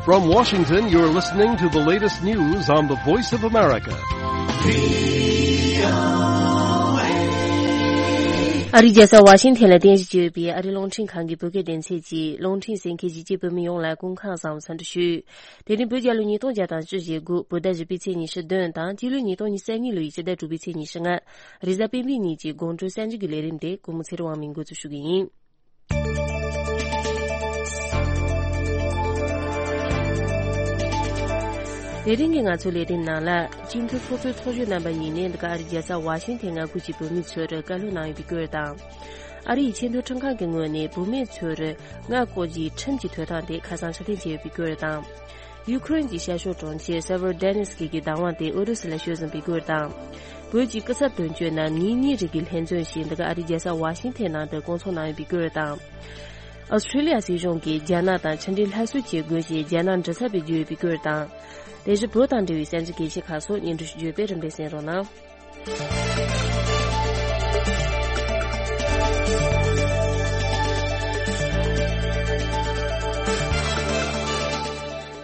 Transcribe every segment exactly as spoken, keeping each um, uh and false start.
From Washington, you're listening to the latest news on the Voice of America. ཨ་རིའི་རྒྱལ་ས་ཝ་ཤིང་ཐན་ལ་རྟེན་གཞི་བྱས་ཡོད་པའི་ཨ་རིའི་རླུང་འཕྲིན་ཁང་གི་བོད་སྐད་སྡེ་ཚན་གྱིས་རླུང་འཕྲིན་གསན་མཁན་གཞིས་བྱེས་བོད་མི་ཡོངས་ལ་སྐུ་ཁམས་བཟང་བའི་འཚམས་འདྲི་ཞུ། དེ་རིང་བོད་རྒྱལ་ལོ་ཉིས་སྟོང་བརྒྱ་དང་བཅུ་ཞེ་དགུ། བོད་ཟླ་བཞི་པའི་ཚེས་ཉི་ཤུ་བདུན་དང་སྤྱི་ལོའི་ཉིས་སྟོང་ཉི་ཤུ་རྩ་གཉིས་ལོའི་སྤྱི་ཟླ་དྲུག་པའི་ཚེས་ཉི་ཤུ་ལྔ། རེས་གཟའ་སྤེན་པའི་ཉིན་གྱི་དགོང་དྲོའི་གསར་འགྱུར་གྱི་ལས་རིམ་དེ་ཀུན་མོ་ཚེ་རིང་དབང་མོས་འགོ་འཛུགས་ཞུ་གི་ཡིན། དེ་རིང་གི་ང་ཚོའི་ལས་རིམ་ནང་ལ། སྤྱི་འཐུས་ཚོགས་གཙོའི་ཚོགས་གཞོན་རྣམ་པ་གཉིས་ནས་འདི་ག་ཨ་རིའི་རྒྱལ་ས་ཝ་ཤིང་ཐན་མངའ་ཁུལ་གྱི་བོད་མི་ཚོར་བཀའ་སློབ་གནང་ཡོད་པའི་སྐོར་དང་། ཨ་རིའི་ཆེས་མཐོའི་ཁྲིམས་ཁང་གི་ངོས་ནས་བུད་མེད་ཚོར་མངལ་སྐོག་རྒྱུའི་ཁྲིམས་ཀྱི་དོན་དག་དེ་ཁ་སང་ཕྱིར་འཐེན་བྱས་ཡོད་པའི་སྐོར་དང་། ཡུ་ཁུ་རེན་གྱི་ཤར་ཕྱོགས་གྲོང་ཁྱེར་སེ་བེར་ཌེ་ནེ་སི་ཀི་གི་བདག་དབང་དེ་ཨུ་རུ་སུ་ལ་ཤོར་ཟིན་པའི་སྐོར་དང་། བོད་ཀྱི་སྐུ་ཚབ་དོན་གཅོད་རྣམས་ཉིན་གཉིས་རིང་གི་ལྷན་འཛོམས་ཤིག་འདི་ག་ཨ་རིའི་རྒྱལ་ས་ཝ་ཤིང་ཐན་ནང་དུ་བསྐོང་ཚོགས་གནང་ཡོད་པའི་སྐོར་དང་། ཨོ་སི་ཁྲི་ལི་ཡ་སྲིད་གཞུང་གིས་རྒྱ་ནག་དང་ཕྱི་འབྲེལ་སླར་གསོ་བྱེད་དགོས་ཞེས་རྒྱ་ནག་མགྲིན་ཚབ་པས་བརྗོད་ཡོད་པའི་སྐོར་དང་། དེ་བཞིན་བོད་དང་འབྲེལ་བའི་གསར་འགྱུར་གལ་ཆེ་ཁག་སོགས་སྙན་སྒྲོན་ཞུ་རྒྱུ་ཡོད་པས་རིམ་པས་གསན་རོགས་གནང་།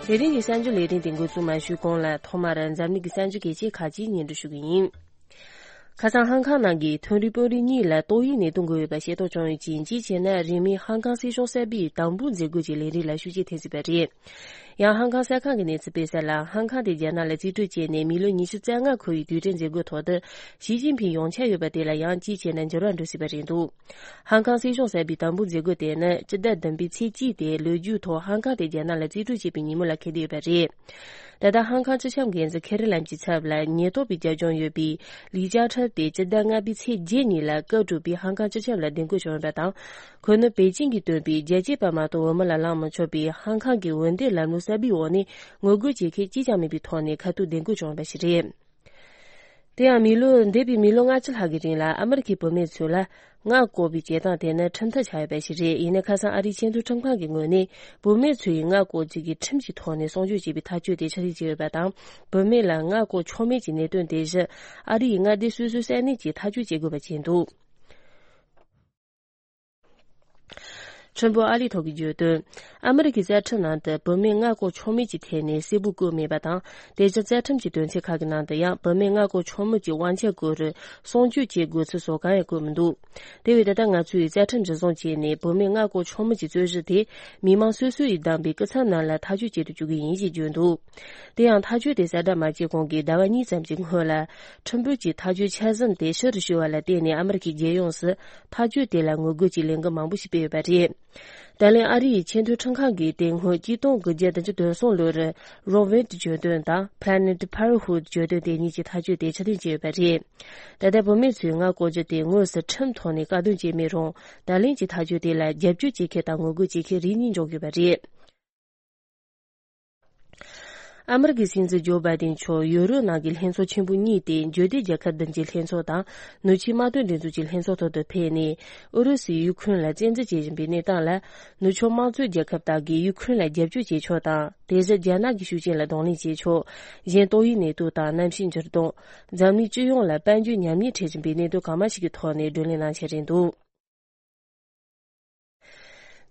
དེ་རིང་གི་གསར་འགྱུར་ལས་རིམ་དེ་འགོ་འཛུགས་མ་ཞུས་གོང་ལ་ཐོག་མར་འཛམ་གླིང་གི་གསར་འགྱུར་གལ་ཆེ་ཁག་ཅིག་སྙན་སྒྲོན་ཞུ་གི་ཡིན། ཁ་སང་ཧང་ཁང་ནང་གི་མཐོ་རིམ་དཔོན་རིགས་གཉིས་ལ་ཏོག་དབྱིབས་ནད་དུག་འགོས་ཡོད་པ་ཤེས་རྟོགས་བྱུང་ཡོད་ཅིང་། གཅིག་བྱས་ན་རིང་མིན་ཧང་ཁང་སྲིད་གཞུང་གསར་པའི་དམ་འབུལ་མཛད་སྒོ་གྱི་ལས་རིམ་ལ་ཤུགས་རྐྱེན་ཐེབས་སྲིད་པ་རེད། ཡང་ཧང་ཁང་གསར་ཁང་གི་གནས་ཚུལ་སྤེལ་གསལ་ལ། ཧང་ཁང་དེ་རྒྱ་ནག་ལ་རྩིས་སྤྲོད་བྱས་ནས་མི་ལོ་ཉི་ཤུ་རྩ་ལྔ་འཁོར་བའི་དུས་དྲན་མཛད་སྒོའི་ཐོག་ཏུ་ཞི་ཅིན་ཕིང་ཡོང་འཆར་ཡོད་པ་དེ་ལ་ཡང་གཅིག་བྱས་ན་འགྱུར་བ་འགྲོ་སྲིད་པ་རེད་འདུག་ཧང་ཁང་སྲིད་གཞུང་གསར་པའི་དམ་འབུལ་མཛད་སྒོ་དེ་ནི་སྤྱི་ཟླ་བདུན་པའི་ཚེས་གཅིག་སྟེ། ལོ་རྒྱུས་ཐོག་ཧང་ཁང་དེ་རྒྱ་ནག་ལ་རྩིས་སྤྲོད་བྱས་པའི་ཉིན་མོ་ལ་འཁེལ་བསྡད་ཡོད་པ་རེད། ད་ལྟ་ཧང་ཁང་སྤྱི་ཁྱབ་འགན་འཛིན་ཁེ་རི་ལམ་གྱི་ཚབ་ལ་ཉེན་རྟོག་པས་རྒྱབ་ལྗོངས་ཡོད་པའི་ལི་ཅཱ་ཁྲབ་དེ་སྤྱི་ཟླ་ལྔ་པའི་ཚེས་བརྒྱད་ཉིན་ལ་སྐབས་དྲུག་པའི་ཧང་ཁང་སྤྱི་ཁྱབ་ལ་བདེ་འགོད་བྱུང་ཡོད་པ་དང་། ཁོ་ནི་པེ་ཅིང་གིས་བཏོན་པའི་རྒྱལ་གཅེས་པ་མ་གཏོགས་བོད་མི་ལ་ལངས་མི་ཆོག་པའི་ཧང་ཁང་གི་འོས་འདེམས་ལམ་ལུགས་གསར་པའི་འོག་ནས་ངོ་རྒོལ་བྱེད་མཁན་གཅིག་ཀྱང་མེད་པའི་ཐོག་ནས་ཁ་ཐུག་བདེ་འགོད་བྱུང་བ་ཞིག་རེད། དེ་ཡང་མི་ལོ། འདས་པའི་མི་ལོ་ལྔ་བཅུ་ལྷག་གི་རིང་ལ་ཨ་མི་རི་ཁའི་བུད་མེད་ཚོ་ལ་མངལ་སྐོག་པའི་བྱེད་སྟངས་དེ་ནི་ཁྲིམས་ཐག་ཆོད་ཡོད་པ་ཞིག་རེད། ཡིན་ནའི་ཁ་སང་ཨ་རིའི་ཆེས་མཐོའི་ཁྲིམས་ཁང་གི་ངོས་ནས་བུད་མེད་ཚོ་ཡིས་མངལ་སྐོག་རྒྱུ་གི་ཁྲིམས་ཀྱི་ཐོག་ནས་གསུང་ཆོས་བྱས་པའི་ཐག་གཅོད་དེ་ཕྱིར་འཐེན་བྱས་ཡོད་པ་དང་། བུད་མེད་ལ་མངལ་སྐོག་ཆོག་མེད་ཀྱི་གནད་དོན་དེ་བཞིན་ཨ་རི་ཡི་མངའ་སྡེ་སོ་སོའི་ས་གནས་ཀྱིས་ཐག་གཅོད་བྱེད་དགོས་པ་བྱས་འདུག་ཁྲིམས་དཔོན་ཨ་ལི་ཐོག་གིས་བརྗོད་དོན། ཨ་མི་རི་ཀའི་བཅའ་ཁྲིམས་ནང་དུ་བུད་མེད་མངལ་སྐོག་ཆོག་མེད་ཀྱི་ཐད་ནས་གསལ་པོ་བཀོད་མེད་པ་དང་། དེ་བཞིན་བཅའ་ཁྲིམས་ཀྱི་དོན་ཚན་ཁག་གི་ནང་དུ་ཡང་བུད་མེད་མངལ་སྐོག་ཆོག་མེད་ཀྱི་དབང་ཆ་སྐོར་གསུང་ཆོས་བྱེད་དགོས་ཚུལ་སོགས་གང་ཡང་བཀོད་མི་འདུག་དེ་བས་ད་ལྟ་ང་ཚོས་བཅའ་ཁྲིམས་གཞི་བཟུང་བྱས་ནས་བུད་མེད་མངལ་སྐོག་ཆོག་མེད་ཀྱི་རྩོད་གཞི་དེ་མི་མང་སོ་སོ་ཡིས་བདམས་པའི་སྐུ་ཚབ་རྣམས་ལ་ཐག་གཅོད་བྱེད་དུ་བཅུག་གི་ཡིན་ཞེས་བརྗོད་འདུག་དེ་ཡང་ཐག་གཅོད་དེ་གསལ་བསྒྲགས་མ་བྱས་གོང་གི་ཟླ་བ་གཉིས་ཙམ་གྱི་སྔོན་ལ། ཁྲིམས་དཔོན་གྱིས་ཐག་གཅོད་ཆ་ཚང་དེ་ཕྱིར་བསྐྱུར་བ་ལ་བརྟེན་ནས་ཨ་མི་རི་ཀའི་རྒྱལ་ཡོངས་སུ་ཐག་གཅོད་དེ་ལ་ངོ་རྒོལ་གྱི་ལས་འགུལ་མང་པོ་ཞིག་སྤེལ་ཡོད་པ་རེད། ད་ལན་ཨ་རི་ཡི་ཆེས་མཐོའི་ཁྲིམས་ཁང་གིས་དེ་སྔོན་གཅིག་སྟོང་དགུ་བརྒྱ་བདུན་ཅུ་དོན་གསུམ་ལོར་Roe Wade གྱོད་དོན་དང་Planned Parenthood གྱོད་དོན་དེ་གཉིས་ཀྱི་ཐག་གཅོད་དེ་ཕྱིར་འཐེན་བྱས་ཡོད་པ་རེད། ད་ལྟ་བུད་མེད་ཚོས་མངལ་སྐོག་རྒྱུ་དེ་དངོས་སུ་ཁྲིམས་ཐོག་ནས་བཀག་སྡོམ་བྱས་མེད་རུང་། ད་ལན་གྱི་ཐག་གཅོད་དེ་ལ་རྒྱབ་སྐྱོར་བྱེད་མཁན་དང་ངོ་རྒོལ་བྱེད་མཁན་རིགས་གཉིས་འབྱུང་ཡོད་པ་རེད། ཨ་མི་རི་ཀའི་སྲིད་འཛིན་ཇོ་བྷའི་ཏིན་མཆོག་ཡུ་རོབ་ནང་གི་ལྷན་ཚོགས་ཆེན་པོ་གཉིས་ཏེ། འབྱོར་ལྡན་རྒྱལ་ཁབ་བདུན་གྱི་ལྷན་ཚོགས་དང་ནུབ་ཕྱོགས་དམག་དོན་སྒྲིག་འཛུགས་ཀྱི་ལྷན་ཚོགས་ཐོག་ཏུ་ཕེབས་ནས། ཨུ་རུ་སུས་ཡུ་ཁུ་རེན་ལ་བཙན་འཛུལ་བྱེད་བཞིན་པའི་གནས་སྟངས་ལ། ནུབ་ཕྱོགས་དམངས་གཙོའི་རྒྱལ་ཁབ་དག་གིས་ཡུ་ཁུ་རེན་ལ་རྒྱབ་སྐྱོར་བྱེད་ཕྱོགས་དང་། དེ་བཞིན་རྒྱ་ནག་གི་ཤུགས་རྐྱེན་ལ་གདོང་ལེན་བྱེད་ཕྱོགས། གཞན་ཏོག་དབྱིབས་ནད་དུག་དང་གནམ་གཤིས་འགྱུར་ལྡོག་འཛམ་གླིང་སྤྱི་ཡོངས་ལ་དཔལ་འབྱོར་ཉམས་ཉེས་འཕྲད་བཞིན་པའི་གནད་དོན་གང་མང་ཞིག་གི་ཐོག་ནས་བགྲོ་གླེང་གནང་འཆར་རེད་འདུག་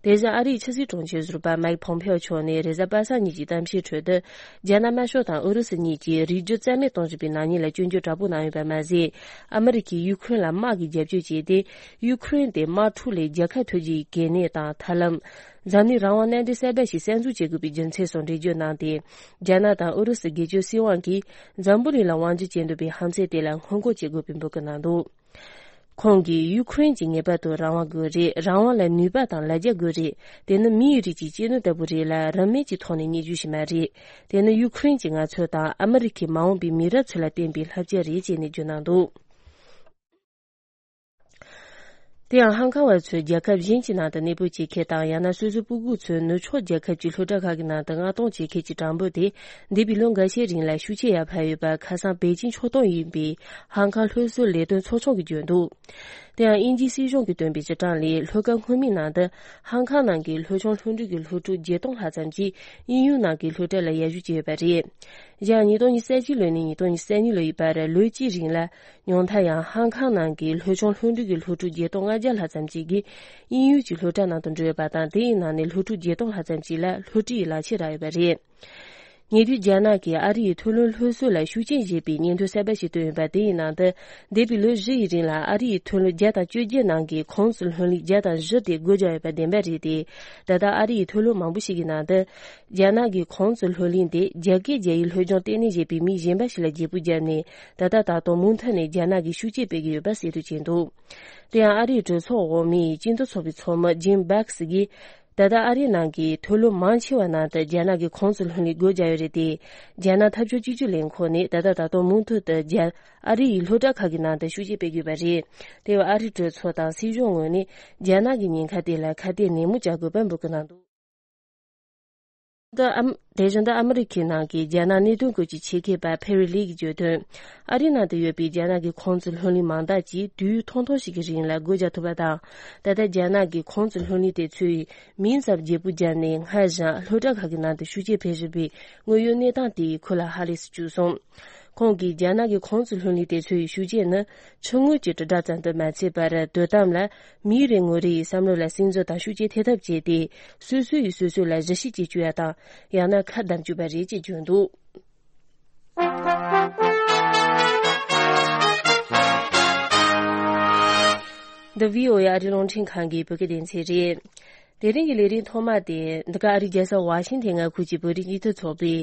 དེ་བཞིན་ཨ་རིའི་ཕྱི་སྲིད་དྲུང་ཆེ་ཟུར་པ་མའེ་ཁི་ཕོམ་ཕེའོ་མཆོག་ནས་རེས་གཟའ་པ་སངས་ཉིན་གྱི་གཏམ་བཤད་ཁྲོད་དུ། རྒྱ་ནག་དམར་ཤོག་དང་ཨུ་རུ་སུ་གཉིས་ཀྱིས་རིག་རྒྱུ་རྩ་མེད་གཏོང་བཞིན་པའི་ནག་ཉེས་ལ་སྐྱོན་བརྗོད་དྲག་པོ་གནང་ཡོད་པ་མ་ཟད། ཨ་མི་རི་ཀས་ཡུ་ཁུ་རེན་ལ་དམག་གི་རྒྱབ་སྐྱོར་བྱས་ཏེ། ཡུ་ཁུ་རེན་དེ་དམག་འཁྲུག་ལས་རྒྱལ་ཁ་ཐོབ་རྒྱུའི་གལ་གནད་དང་ཐབས་ལམ། འཛམ་གླིང་རང་དབང་མནའ་འབྲེལ་གསར་པ་ཞིག་གསར་འཛུགས་བྱེད་དགོས་པའི་རྒྱུ་མཚན་སོགས་འགྲེལ་བརྗོད་གནང་སྟེ། རྒྱ་ནག་དང་ཨུ་རུ་སུ་སྒེར་གཅོད་སྲིད་དབང་གིས་འཛམ་བུ་གླིང་ལ་དབང་སྒྱུར་བྱེད་འདོད་པའི་ཧམ་ཚད་དེ་ལ་སྔོན་འགོག་བྱེད་དགོས་པའི་འབོད་སྐུལ་གནང་འདུག་ཁོང་གིས་ཡུ་ཁུ་རེན་གྱིས་ངེས་པར་དུ་རང་དབང་དགོས་རེད། རང་དབང་ལ་ནུས་པ་དང་ལ་རྒྱ་དགོས་རེད། དེ་ནི་མིའི་རིགས་ཀྱི་གཅེས་ནོར་ལྟ་བུ་རེད་ལ། རིན་མེད་ཀྱི་ཐོག་ནས་རྙེད་རྒྱུ་ཞིག་མ་རེད། དེ་ནི་ཡུ་ཁུ་རེན་གྱིས་ང་ཚོ་དང་ཨ་མི་རི་ཁའི་མ་འོངས་པའི་མི་རབས་ཚོ་ལ་བསྟན་པའི་བསླབ་བྱ་རེད་ཅེས་ནས་བརྗོད་གནང་འདུག་དེ་ཡང་ཧང་ཀང་བ་ཚོས་རྒྱལ་ཁབ་གཞན་གྱི་ནང་དུ་གནས་སྤོ་བྱེད་མཁན་དང་། ཡང་ན་སོ་སོའི་སྤུ་གུ་ཚོས་ནུབ་ཕྱོགས་རྒྱལ་ཁབ་ཀྱི་སློབ་གྲྭ་ཁག་གི་ནང་དུ་མངགས་གཏོང་བྱེད་མཁན་གྱི་གྲངས་འབོར་དེ། འདས་པའི་ལོ་འགའ་ཤས་རིང་ལ་ཤུགས་ཆེ་ཡར་འཕར་ཡོད་པ། ཁ་སང་པེ་ཅིང་ཕྱོགས་གཏོགས་ཡིན་པའི་ཧང་ཀང་སློབ་གསོའི་ལས་དོན་ཚོགས་ཆུང་གིས་བརྗོད་འདུག་དེ་ཡང་དབྱིན་ཇིའི་སྲིད་གཞུང་གིས་བཏོན་པའི་སྤྱི་གྲངས་ལས། ལྷོ་ཁ་སྔོན་མའི་ནང་དུ་ཧང་ཁང་ནང་གི་ལྷོ་བྱང་ལྷོ་འབྲུག་གི་སློབ་ཕྲུག་བརྒྱད་སྟོང་ལྷག་ཙམ་གྱིས་དབྱིན་ཡུལ་ནང་གི་སློབ་གྲྭ་ལ་ཡར་ཞུགས་བྱས་ཡོད་པ་རེད། ཡང་ཉིས་སྟོང་ཉི་ཤུ་རྩ་གཅིག་ལོ་ནས་ཉིས་སྟོང་ཉི་ཤུ་རྩ་གཉིས་ལོ་ཡི་བར་ལོ་གཅིག་རིང་ལ་ཉུང་མཐའ་ཡང་ཧང་ཁང་ནང་གི་ལྷོ་བྱང་ལྷོ་འབྲུག་གི་སློབ་ཕྲུག་བརྒྱད་སྟོང་ལྔ་བརྒྱ་ལྷག་ཙམ་ཞིག་གིས་དབྱིན་ཡུལ་གྱི་སློབ་གྲྭ་ནང་དུ་འགྲོ་ཡོད་པ་དང་། དེའི་ནང་ནས་སློབ་ཕྲུག་བརྒྱད་སྟོང་ལྷག་ཙམ་ཞིག་ལ་སློབ་ཁྲིད་ཡི་ལག་ཁྱེར་རག་ཡོད་པ་རེད། ཉེ་དུས་རྒྱ་ནག་གིས་ཨ་རི་ཡི་མཐོ་རིམ་སློབ་གསོ་ལ་ཤུགས་རྐྱེན་བཞེས་པའི་སྙན་ཐོ་གསར་པ་ཞིག་བཏོན་ཡོད་པ། དེའི་ནང་དུ་འདས་པའི་ལོ་བཞི་ཡི་རིང་ལ་ཨ་རི་ཡི་མཐོ་རིམ་བརྒྱ་དང་བཅོ་བརྒྱད་ནང་གི་གོང་གསལ་སློབ་གླིང་བརྒྱ་དང་བཞི་དེ་སྒོ་བརྒྱབ་ཡོད་པ་བདེན་པ་རེད་དེ། ད་ལྟ་ཨ་རི་ཡི་མཐོ་སློབ་མང་པོ་ཞིག་གི་ནང་དུ་རྒྱ་ནག་གི་གོང་གསལ་སློབ་གླིང་དེ་རྒྱ་སྐད་རྒྱ་ཡིག་སློབ་སྦྱོང་སྟེང་ནས་བཞེས་པའི་མི་གཞན་པ་ཞིག་ལ་བརྗེ་པོ་བརྒྱབ་ནས། ད་ལྟ་ད་དུང་མུ་མཐུད་ནས་རྒྱ་ནག་གིས་ཤུགས་རྐྱེན་སྤེལ་གྱི་ཡོད་པ་གསལ་སྟོན་བྱས་འདུག་དེ་ཡང་ཨ་རིའི་གྲོས་ཚོགས་འོག་མའི་སྤྱི་འཐུས་ཚོགས་པའི་ཚོགས་མི་ཇིམ་བྷེག་སི་གིས། ད་ལྟ་ཨ་རིའི་ནང་གི་མཐོ་སློབ་མང་ཆེ་བ་ནང་དུ་རྒྱ་ནག་གི་གོང་གསལ་སློབ་གླིང་སྒོ་བརྒྱབ་ཡོད་རེད་དེ། རྒྱ་ནག་འཐབ་ཕྱོགས་གཅིག་གྱུར་ལས་ཁུངས་ནས་ད་ལྟ་ད་དུང་མུ་མཐུད་དུ་རྒྱ་ཨ་རི་ཡི་སློབ་གྲྭ་ཁག་གི་ནང་དུ་ཤུགས་རྐྱེན་སྤེལ་གྱི་ཡོད་པ་རེད། དེ་བས་ཨ་རིའི་གྲོས་ཚོགས་དང་སྲིད་གཞུང་ངོས་ནས་རྒྱ་ནག་གི་ཉེན་ཁ་དེ་ལ་ཁ་གཏད་ནན་མོ་བྱ་དགོས་པ་འབོད་སྐུལ་གནང་འདུག་ད་ཨམ། དེ་བཞིན་དུ་ཨ་མི་རི་ཁའི་ནང་གི་རྒྱ་ནག་གནད་དོན་སྐོར་གྱི་ཆེད་མཁས་པ་ཕེ་རི་ལི་གིས་བརྗོད་དོན། ཨ་རིའི་ནང་དུ་ཡོད་པའི་རྒྱ་ནག་གི་གོང་གསལ་སློབ་གླིང་མང་དག་ཅིག་དུས་ཡུན་ཐུང་ཐུང་ཞིག་གི་རིང་ལ་སྒོ་རྒྱག་ཐུབ་པ་དང་། ད་ལྟ་རྒྱ་ནག་གི་གོང་གསལ་སློབ་གླིང་དེ་ཚོའི་མིང་ཙམ་བརྗེ་པོ་བརྒྱབ་ནས། སྔར་བཞིན་སློབ་གྲྭ་ཁག་གི་ནང་དུ་ཤུགས་རྐྱེན་སྤེལ་བཞིན་པའི་དངོས་ཡོད་གནས་སྟངས་དེ་ཁོ་ལ་ཧ་ལས་སུ་བཅུག་སོང་། ཁོང་གིས་རྒྱ་ནག་གི་གོང་གསལ་སློབ་གླིང་དེ་ཚོའི་ཤུགས་རྐྱེན་ནི་ཕྱི་དངུལ་གྱི་དྲིལ་བསྒྲགས་ཙམ་དུ་མ་ཚད་པར། དོ་དམ་ལ་མིའི་རེ་ངོ་རེ་ཡི་བསམ་བློ་ལ་སིམ་འཛུལ་དང་ཤུགས་རྐྱེན་ཐེབས་ཐབས་བྱས་ཏེ། སོ་སོ་ཡིས་སོ་སོ་ལ་གཞི་བྱེས་བྱེད་བཅུག་ཡ་དང་། ཡང་ན་ཁ་བསྡམས་བཅུག་པ་རེད་ཅེས་བརྗོད་འདུག་འདི་བྷི་ཨོ་ཨེ་ཨ་རིའི་རླུང་འཕྲིན་ཁང་གི་བོད་སྐད་སྡེ་ཚན་རེད། དེ་རིང་གི་ལས་རིམ་ཐོག་མ་དེ། འདི་ག་ཨ་རིའི་རྒྱལ་ས་ཝ་ཤིང་ཐན་མངའ་ཁུལ་གྱི་བོད་རིགས་སྤྱི་མཐུན་ཚོགས་པའི་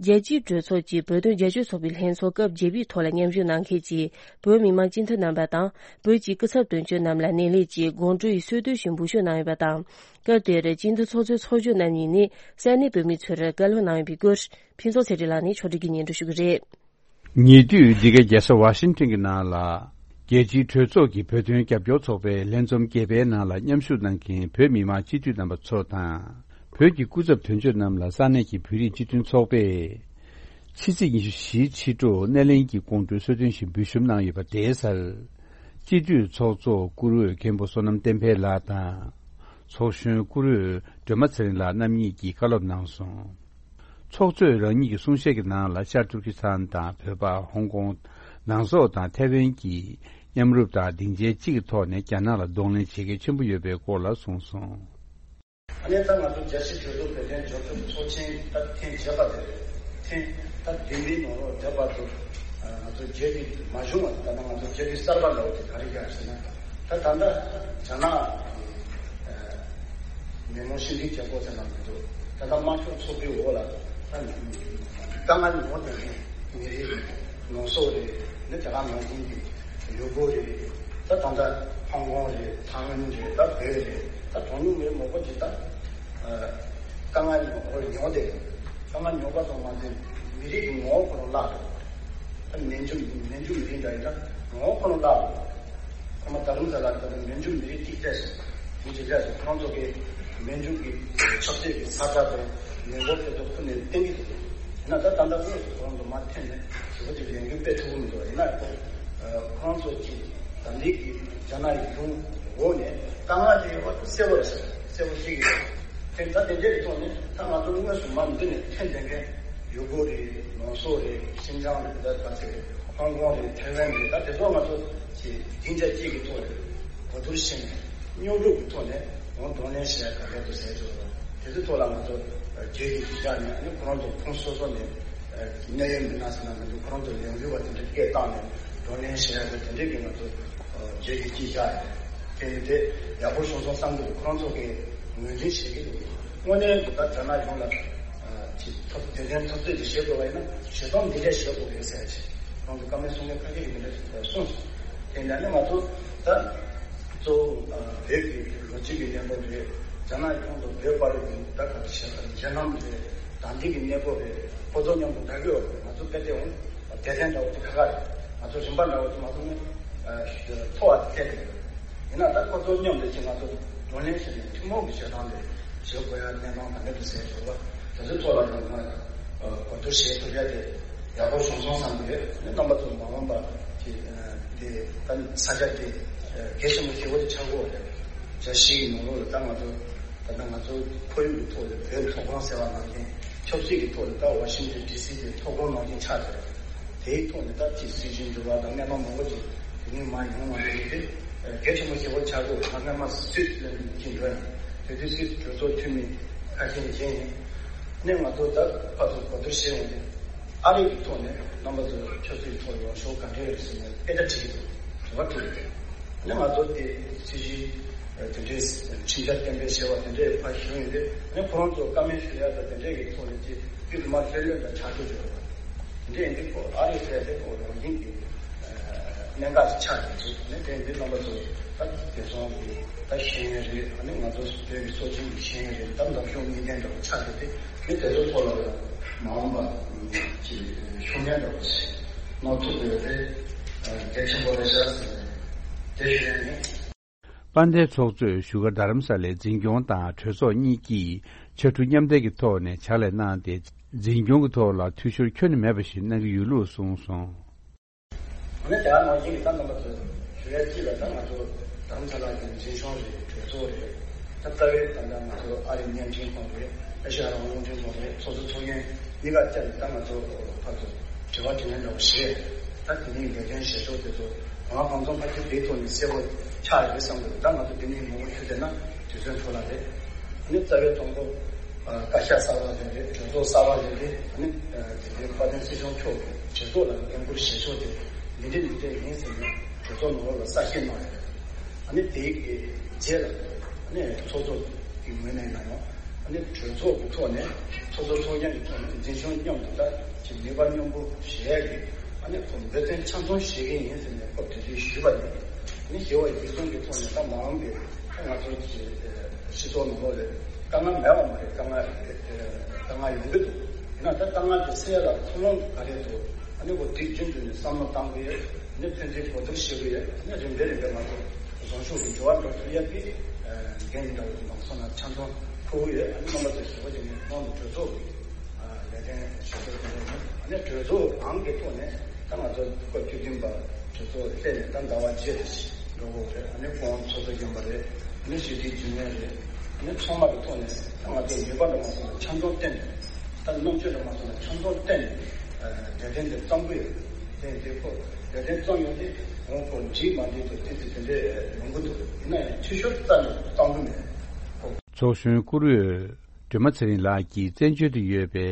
རྒྱལ་སྤྱིའི་གྲོས་ཚོགས་ཀྱི་བོད་དོན་རྒྱབ་སྐྱོར་ཚོགས་པའི་ལྷན་ཚོགས་སྐབས་བརྒྱད་པའི་ཐོག་ལ་མཉམ་ཞུགས་གནང་མཁན་གྱི་བོད་མི་མང་སྤྱི་འཐུས་རྣམ་པ་དང་། བོད་ཀྱི་སྐུ་ཚབ་དོན་གཅོད་རྣམས་ལ་སྣེ་ལེན་གྱིས་དགོང་དྲོ་ཡི་གསོལ་སྟོན་ཞུ་འབུལ་ཞུ་གནང་ཡོད་པ་དང་། སྐབས་དེར་སྤྱི་འཐུས་ཚོགས་གཙོའི་ཚོགས་གཞོན་རྣམ་གཉིས་ནས་ས་གནས་བོད་མི་ཚོར་བཀའ་སློབ་གནང་ཡོད་པའི་སྐོར། ཕུན་ཚོགས་ཚེ་རིང་ལགས་ནས་ཕྱོགས་སྒྲིག་གིས་སྙན་སྒྲོན་ཞུ་གི་རེད། ཉེ་དུས་འདི་གའི་རྒྱལ་ས་ཝ་ཤིང་ཊོན་གྱི་ནང་ལ། རྒྱལ་སྤྱིའི་གྲོས་ཚོགས་ཀྱི་བོད་དོན་རྒྱབ་སྐྱོར་ཚོགས་པའི་ལྷན་འཛོམས་བརྒྱད་པའི་ནང་ལ་མཉམ་ཞུགས་གནང་མཁན་བོད་མི་མང་སྤྱི་འཐུས་རྣམ་པ་ཚོ་དང་། བོད་ཀྱི་སྐུ་ཚབ་དོན་གཅོད་རྣམས་ལ་ས་གནས་ཀྱི་བོད་རིགས་སྤྱི་མཐུན་ཚོགས་པས། ཕྱི་ཚེས་ཉི་ཤུ་བཞིའི་ཕྱི་དྲོ་སྣེ་ལེན་གྱི་དགོང་དྲོའི་གསོལ་སྟོན་ཞུ་འབུལ་ཞུ་གནང་ཡོད་པ་དེའི་སར། སྤྱི་འཐུས་ཚོགས་གཙོ་བཀུར་འོས་མཁན་པོ་བསོད་ནམས་བསྟན་འཕེལ་ལགས་དང་། ཚོགས་གཞོན་བཀུར་འོས་སྒྲོལ་མ་ཚེ་རིང་ལགས་རྣམ་གཉིས་ཀྱིས་བཀའ་སློབ་གནང་སོང་། ཚོགས་གཙོས་རང་ཉིད་ཀྱི་གསུང་བཤད་ཀྱི་ནང་ལ་ཤར་ཏུར་ཀི་སི་ཐན་དང་བོད་པ། ཧོང་ཀོང་། ནང་སོག་དང་ཐའེ་ཝན་གྱི་མཉམ་རུབ་དང་སྡིངས་ཆའི་གཅིག་གི་ཐོག་ནས་རྒྱ་ནག་ལ་གདོང་ལེན་བྱེད་གལ་ཆེན་པོ་ཡོད་པའི་སྐོར་ལ་གསུངས་སོང་། ཨ་ནི་ད་ང་ཚོ་རྒྱལ་སྤྱིའི་གྲོས་ཚོགས་བོད་དོན་རྒྱབ་སྐྱོར་ཚོགས་ཆེན་ད་ཐེངས་བརྒྱད་པ་དེ་རེད། ཐེངས་ད་བདུན་པའི་ནང་ལོགས་བསྡད་པ་དུ་ང་ཚོ་བརྗོད་ཀྱི་མ་བྱུང་བ་དེ། ད་ནང་ང་ཚོ་བརྗོད་ཀྱི་གསར་པ་འདྲ་བོ་དེ་ག་རེ་རྒྱག་ཟེར་ན། ད་ད་ལྟ་རྒྱ་ནག་གི་མི་མང་སྤྱི་འཐུས་རྒྱལ་ཁབ་ཟེར་ན་མི་འདུག་ད་ལྟ་དམར་ཤོག་ཚོགས་པའི་འོག་ལ་ད་དཀའ་ངལ་མྱོང་བསྡད་མཁན་མི་རིགས་ནང་སོག་རེད། ནི་དེ་ག་ནང་བཞིན་གྱི་ཡུ་གུར་རེད། ད་ད་ལྟ་ཧོང་ཀོང་རེད། ཐའེ་ཝན་རེད། ད་བོད་རེད། ད་གྲངས་ཉུང་མི་རིགས་མང་པོ་ཅིག་ད་དཀའ་ངལ་མྱོང་བསྡད་ཡོད། དཀའ་ངལ་མྱོང་པ་ཙམ་མ་ཟད་མི་རིགས་ཀྱི་ངོ་བོ་ཁོ་རང་བརླག་འགྲོ། ད་མན་ཇུ་མན་ཇུ་མི་རིགས་འདྲ་ཡིན་ན་ངོ་བོ་ཁོ་རང་བརླག་འགྲོ། ཁོ་མ་ད་རུང་ཟ་ལ་ད་ནི་མན་ཇུ་མི་རིགས་གཅིག་བལྟས་སོང་། མི་གཅིག་བལྟས་སོང་། ཁོ་རང་ཚོ་གིས་མན་ཇུ་གི་ཆབ་སྲིད་ཀྱི་ས་ཆ་དེ་མི་འབོར་དེ་ཚོ་ཁུར་ནས་བཏང་གི་འདུག་ཡིན་ན་ད་ད་ལྟ་དངོས་སུ་ཁོ་རང་ཚོ་མར་འཐེན་ནས་ཞེ་པོ་ཅིག་ལས་འགུལ་སྤེལ་ཐུབ་ཀྱི་མི་འདུག་ཡིན་ན་ཁོ་ཁོ་རང་ཚོ་གིས་ད་ལྟའི་གི་རྒྱ་ནག་གི་ལུང་འོག་ནས་དཀའ་ངལ་དེ་ཡོད་པ་གསལ་པོ་རེད་ཟེར། གསལ་པོ་ཤེས་ཀྱི་རེད། དེ་ད་དེ་འདྲའི་ཐོག་ནས་ད་ང་ཚོ་དངོས་སུ་མར་འདི་ནས་འཐེན་བསྡད་མཁན་ཡུ་གུར་རེད། ནང་སོག་རེད། ཤིན་ཅང་རེད། ད་ད་ཚེ་རེད། ཧོང་ཀོང་རེད། ཐའེ་ཝན་རེད། ད་དེ་ཚོ་ང་ཚོ་ཅིག་སྡིངས་ཆ་གཅིག་གི་ཐོག་ནས་གོ་བསྡུར་བྱས་ནས་མཉམ་རུབ་ཀྱི་ཐོག་ནས་ང་གདོང་ལེན་བྱེད་ཡ་ག་གལ་དུ་ཟེར་ཚོ། དེ་ཚོའི་ཐོག་ལ་ང་ཚོ་རྗེས་ཀྱི་གཞི་བཞག་ནས་ཨ་ནི་ཁོ་རང་ཚོ་ཁོངས་སོ་སོ་ནས་གནད་ཡོད་མི་སྣ་ཟེར་ན་མི་འདུག་ཁོ་རང་ཚོ་ལས་འགུལ་བ་དེ་འདྲ་སྐད་བཏང་ནས་གདོང་ལེན་བྱེད་ཡ་གི་དེ་འདྲའི་གི་ང་ཚོ་རྗེས་ཀྱི་གཞི་བཞག་ཡོད། དེ་ནི་དེ་ཡག་པོ་བྱུང་སོང་བསམ་གྱི་འདུག་ཁོ་རང་ཚོ་གིས་ངོས་འཛིན་བྱེད་ཀྱི་འདུག་དངོས་གནས་ད་རྒྱ་ནག་ཡོངས་ལ་ཅིག་ཐབས་དེ་འདྲའི་འཐབ་རྩོད་ཅིག་བྱེད་དགོས་པ་ཡིན་ན་བྱེད་སྟངས་འདི་འདྲ་བྱེད་དགོས་རེད་ཟེར་ཅིག་ཁོང་ཚོ་བཀའ་མོལ་གསུང་མཁན་ཁ་ཤས་ཀྱིས་འདི་འདྲ་ཞིག་གསུངས་སོང་། དེ་འདྲ་ནི་ང་ཚོ་ད་གཙོ་བོ་བོད་ཀྱི་ལོ་རྒྱུས་ཀྱི་གནས་བབ་རེད། རྒྱ་ནག་ཡོངས་ལ་བོད་བར་གྱི་ད་ག་རེ་བྱེད་ཀྱི་འཇིགས་སྣང་རེད། དང་འདི་གི་གནས་བབ་རེད། ཁོ་ཚོ་མཉམ་དུ་འདྲ་གི་ཡོད་རེད། ང་ཚོ་དཔེ་དེ་འོང་དེ་ཐེངས་འདྲ་བོ་དེ་ཁ་ཁ་རེད། ང་ཚོ་རིམ་པ་འདྲ་བོ་དེ་མ་སོང་ནས་མཐོ་བ་དེ་ཐད་དེ་ཡིན་ན་ད་ཁོ་ཚོ་མཉམ་དུ་ཅིག་ང་ཚོ་གདོང་ལེན་བྱས་ནས་ཐུན་མོང་གི་བྱེད་སྟངས་དེ་བྱེད་དགོས་ཡ་གནས་སྟངས་ག་འདྲ་དུ་ཟེར་བྱུང་བ་དེ་ཚོའི་ཐོག་ལ་ཡང་ང་གོ་བསྡུར་བྱེད་ཐུབ་ཡ་དེ་ཡག་པོ་བྱུང་སོང་བསམ་གི་ཡོད། ཨ་ནི་རྣམ་པ་ཚོ་མ་འོངས་པ་ཅིག་དེ་ད་ས་ཆ་དེ་ གལ་ཆེན་པོ་ཞེ་པོ་ཅིག་ཆགས་ཀྱི་ཡོད་རེད། རྒྱལ་སྤྱིའི་ནང་ལོགས་ལ་ད་ང་ཚོ་ད་ལྟ་ང་ཚོ་ཁོར་ཡུག་གི་ཐོག་ལ་བོད་མཐོ་སྒང་ཟེར་བ་ནང་བཞིན་ཆབ་སྲིད་ཀྱི་ཐོག་ལ་ད་ཝ་ཤིང་ཊོན་ཌི་སི་དེ་མཐོ་སྒང་ནང་བཞིན་ཆགས་ཀྱི་རེད། དེའི་ཐོག་ནས་ད་ཅིག་སྲིད་ཇུས་འགྱུར་བ་དང་རྣམ་པ་མང་པོ་ཅིག་དེ་ནས་མར་ཡོང་བ་རེད་དེ། གལ་ཆེན་པོ་ཞེ་པོ་ཆགས་ཀྱི་ཡོད། ད་སྔོན་མ་སུད་ལ་ཅིག་འགྲོ་ཡང་དེ་དུས་སུད་གྲོས་ཚོགས་འཐུས་མི་ཁ་ཤས་མཇལ་ཡིན། ནས་ང་ཚོ་ད་ཕར་ཚུར་གོ་བསྡུར་བྱས་ཡོང་དུས། ཨ་རི་གི་ཐོག་ནས་རྣམ་པ་ཚོ་ཆབ་སྲིད་ཐོག་ཡོང་ཤོག་ག་འདྲ་ཡོད་ཟེར་ནས་དཔེ་ཆ་བྲིས་འདུག་དྲི་བ་དྲིས་འདུག་ནས་ང་ཚོ་དེ་སྲིད་ཇུས་དེ་འདྲའི་ཁྲིམས་འཆར་གཏན་འབེབས་བྱས་པ་དེ་འདྲའི་ཕར་ཞུ་ཡོང་དུས་ནས་ཁོ་རང་ཚོ་བཀའ་མོལ་ཞུ་ཡ་དང་དེ་འདྲའི་གི་ཐོག་ནས་ཅིག་དཀྱུས་མ་ལྷོད་ལྷོད་འདྲ་ཆགས་ཀྱི་ཡོད་པ། དེ་འདྲའི་འདི་ཁོ་ཨ་རི་ཟེར་དེ་ཁོ་རང་བཞིན་གྱི་གནད་འགག་ཅིག་ཆགས་ཀྱི་འདུག་ནས་དེ་འདི་རྣམ་པ་ཚོ་ད་དེ་སོང་གི་ད་ཤེས་ཡོན་རེད། ཨ་ནི་ང་ཚོ་བོད་ཀྱི་སྲོལ་རྒྱུན་གྱི་ཤེས་ཡོན་རེད། ད་འདམ་གཞུང་གཉིས་ལྡན་འདྲ་བོ་ཆགས་ཀྱི་དེ་ནི་དེ་ཚོ་ཐོག་ལ་མ་འོངས་པ་ཅིག་ཤུགས་སྣོན་འདྲ་བོ་ཞིག་གནང་ཐུབ་དགོས་དེ་གལ་ཆེན་པོ་རེད་ཤག་ཟེར་ནས་དེ་ཞུ་ཡ་ཡིན། དཔལ་ལྡན་ཚོགས་གཙོས་བཞུགས་སྒར་རྡ་རམ་ས་ལའི་འཛིན་སྐྱོང་དང་གྲོས་ཚོགས་གཉིས་ཀྱིས་ཕྱར་གྲུ་མཉམ་འདེགས་ཀྱི་ཐོག་ནས་ཕྱག་ལས་གནང་སྟེ། འཛིན་སྐྱོང་གི་ཐོག་ལ་འཐུས་ཤོར་ཁྱོན་ནས་མེད་པ་ཞིག་གནང་གི་ཡོད་ལུགས་གསུངས་སོང་། ཨ་ནི་དེ་ནང་བཞིན་གྱི་ད་རྣམ་པ་ཚོས་ཞུ་ཡ་གཅིག་ལ་ད་ང་ཚོ་རྡ་རམ་ས་ལ་གི་འཛིན་སྐྱོང་རེད། གྲོས་ཚོགས་རེད། ད་རྩ་བའི་ད་ལྟ་ང་ཚོ་ཨ་རིའི་བརྙན་འཕྲིན་ཁང་རེད། ཨེ་ཤ་ཡ་རང་དབང་རླུང་འཕྲིན་ཁང་རེད། ཚོགས་གཙོ་ཚོགས་གཞོན་གཉིས་ཀ་བཅར་ནས་ད་ང་ཚོ་ཕར་ཚུར་དྲི་བ་དྲིས་ལན་འདྲ་བོ་བྱས། ད་དེ་ནས་འགལ་རྐྱེན་བྱེད་ཕྱོགས་དེ་ཚོ་གང་ལ་གང་འཚམ་ཕལ་ཆེར་དེའི་ཐོག་ནས་གསལ་པོ་ཆགས་ཡོད་རེད་བསམ་གི་འདུག་ད་ང་ཚོ་དེ་ནས་མང་པོ་ཞུ་བསྡད་ན་དུས་ཚོད་འཕྲོ་བརླག་རེད། ཨ་ནི་རྩ་བའི་དང་པོ། ཨ། བཀའ་ཤག་གསར་པ་ཟེར་རེད། གྲོས་ཚོགས་གསར་པ་ཟེར་རེད། ཨ་ནི། ཨ། དེ་འདྲའི་དཔལ་ལྡན་སྲིད་སྐྱོང་མཆོག་གིས་གྲོས་ཚོགས་ལ་འགན་འཁུར་བཞེས་ཕྱོགས་དེ་འདི་འདྲ་འདི་འདྲ་ཡིན་ཟེར་ནས་གྲོས་ཚོགས་ནང་ལོགས་ལ་གསལ་བཤད་གནང་ཡོད་རེད། ཨ་ནི་དེའི་གི་རྗེས་ལ་ཨ་ནི་ཚོགས་གཙོ་གི་ངོས་ནས་ཡིན་ན་ཡང་ཨ་ནི་གྲོས་ཚོགས་ཀྱི་ཐོག་ནས་ཚོགས་གཙོ་ཚོགས་གཞོན་གྱི་ཐོག་ནས་འཛིན་སྐྱོང་མཉམ་དུ་ད་ཅིག་ནུས་པ་མཉམ་སྤུངས་བྱེད་ཡ་གི་ཨ་ནི་ཁོ་འབད་བརྩོན་ཆ་ཚང་བྱེད་ཀྱི་ཡིན་ཟེར་ནས་སྐབས་དེ་དུས་ཞུས་པ་ཡིན། ཨ་ནི་ཞི་བ་འཇིགས་གསུམ་གྱི་ཐོག་ནས་ད་མ་འོངས་པའི་ང་ཚོ་གི་སྤྱི་ཚོགས་ནང་ལོགས་ལ་དཀའ་ངལ་མེད་པ་མ་རེད། དཀའ་ངལ་དཀའ་ངལ་ཡོང་གི་འདུག་ཡིན་ན་ད་དཀའ་ངལ་དེ་སེལ་ཡ་ལ་ཐུགས་སྣང་ག་རེ་འདུག་ཨ་ནི་འོ་དེ་རྒྱུན་དུ་ནས་བསམ་བློ་གཏང་དགོས་ཡོད། ཨ་ནི་ཕན་ཚུན་གོ་བསྡུར་བྱེད་དགོས་ཡོད། ཨ་ནི་རིམ་པས་རིམ་པས་ང་ཚོ་བཟང་ཕྱོགས་ཀྱི་འགྱུར་བ་འགྲོ་ཐུབ་ཡ་དེ་འགན་འདྲ་བོ་མང་སོང་ན་ཆ་ཚང་འཁུར་གྱི་ཡོད། ཨ་ནི་རྣམ་པ་ཚོ་ཞུ་བ་བྱས་ནས་ཁོང་གི་གྲོས་ཚོགས་ཀྱི་ལས་དོན་ཞུ་གཏུག་དེ་ནས་ཨ་ནི་གྲོས་ཚོགས་རང་གི་ཐོག་ནས་ད་ང་ཚོ་སྐབས་བཅུ་བདུན་པ་གྲོས་ཚོགས་སླེབས་ནས་ད་ཟླ་བ་བརྒྱད་དེ་འགྲོ་གི་རེད། ཨ་ནི་ཁོང་ཚོགས་གཙོ་རྒན་པ་རེད། ཨ་ནི་ཞི་བདེའི་རྒྱུན་ལས་རེད། ཨ་ནི་ཚང་མ་གི་ཐོག་ནས་ད་ང་ཚོ་ནུས་པ་འདྲ་མ་སོང་ན་ཆ་འཇོག་བསྟན་ནས་ད་རྣམ་དཔྱོད་འདྲ་མ་སོང་ན་ཆ་འཇོག་བསྟན་ནས་ལས་དོན་དེ་བརྩམ་གི་ཡོད། དེ་དེ་ཁོ་ལས་དོན་བརྩམས་ཡོང་དུས་ཁོང་ཁོ་འགྲིག་མ་འགྲིག་དང་དེ་དེ་དེ་འདྲས་ཡོང་གི་འདུག་ཡིན་ན་ཡང་འཐུས་ཤོར་རྩ་ནས་བཏང་གི་མེད། ཚོགས་གཞོན་བཀུར་འོས་སྒྲོལ་མ་ཚེ་རིང་ལགས་ཀྱིས་བཙན་བྱོལ་དུ་ཡོད་པའི་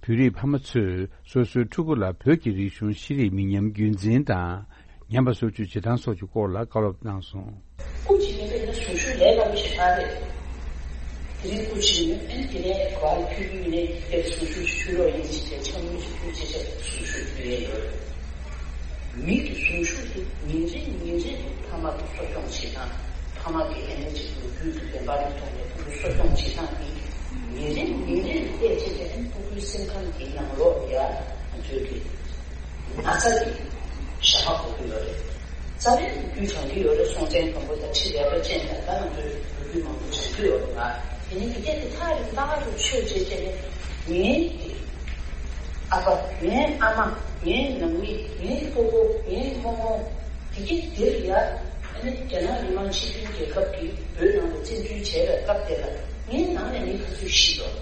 བོད་རིགས་ཕ་མ་ཚོས་སོ་སོའི་ཕྲུ་གུ་ལ་བོད་ཀྱི་རིག་གཞུང་ཤེས་རིག་མི་ཉམས་རྒྱུན་འཛིན་དང་ཉམས་པ་སོར་ཆུད་བྱེད་སྟངས་སོགས་ཀྱི་སྐོར་ལ་བཀའ་སློབ་གནང་སོང་། སྐུ་མཁྱེན་ནས་དཔེར་ན་གཟུངས་གཞུག་ལས་སླ་པོ་ཞིག་ཆགས་རེད། དེ་རིང་སྐུ་མཁྱེན་ནས་ཨ་ནི་དེ་ནས་ག་བར་ཕུལ་རྒྱུ་ཡིན་ནའི་དཔེར་གཟུངས་གཞུག་ཞུ་རོགས་ཡིན་ཞེས་བྱས་འཆམ་མཐུན་ཞིག་ཕུལ་བྱས་བྱས་གཟུངས་གཞུག་ཕུལ་ཡས་ཡོད་རེད། མི་གི་གཟུངས་གཞུག་དེ་ཉིན་རེ་ཉིན་རེ་དུ་ཕ་མ་གི་གསོ་སྐྱོང་བྱེད་སྟངས། ཕ་མ་གི་ཨ་ནི་གཅིག་ལོ་རྒྱུས་ཀྱི་བདེན་པ་རེ་མཐོང་ནས་ཕྲུ་གུ་གསོ་སྐྱོང་བྱེད་སྟངས་འདི་ཉིན་རེ་ཉིན་རེ་ལ་བལྟས་བྱས་ནས་ཨ་ནི་ཕྲུ་གུའི་སེམས་ཁམས་འདིའི་ནང་ལོགས་ལ་ཡ་ང་ཚོའི་གི་ན་ཚ་གི་ཞག་པ་འགོ་གི་ཡོད་རེད། རྩ་བའི་རྒྱུ་གྱོང་གི་ཡོད་རེད། སྲོང་བཙན་སྒམ་པོ་དང་ཁྲི་ལེགས་པ་ཅན་དང་ད་ང་ཚོའི་ལོ་རྒྱུས་མང་པོ་བྱུང་གི་ཡོད་རེད་ལ། དེ་ནི་དེ་གས་དེ་ཐག་རིང་ཐག་རིང་ཆོད་བྱས་བྱས་ནས་ངའི་གི་ཨ་ཕ། ངའི་ཨ་མ། ངའི་ནང་མི། ངའི་སྤོ་བོ། ངའི་རྨོ་མོ། དེ་གས་དེར་ཡ། ཨ་ནི་རྒྱ་ནག་མི་དམངས་སྤྱི་མཐུན་རྒྱལ་ཁབ་ཀྱིས་བོད་ནང་ལ་བཙན་འཛུལ་བྱས་པའི་སྐབས་དེ་ལ་ངའི་ནང་ནས་མི་ག་ཚོད་ཤི་འདུག་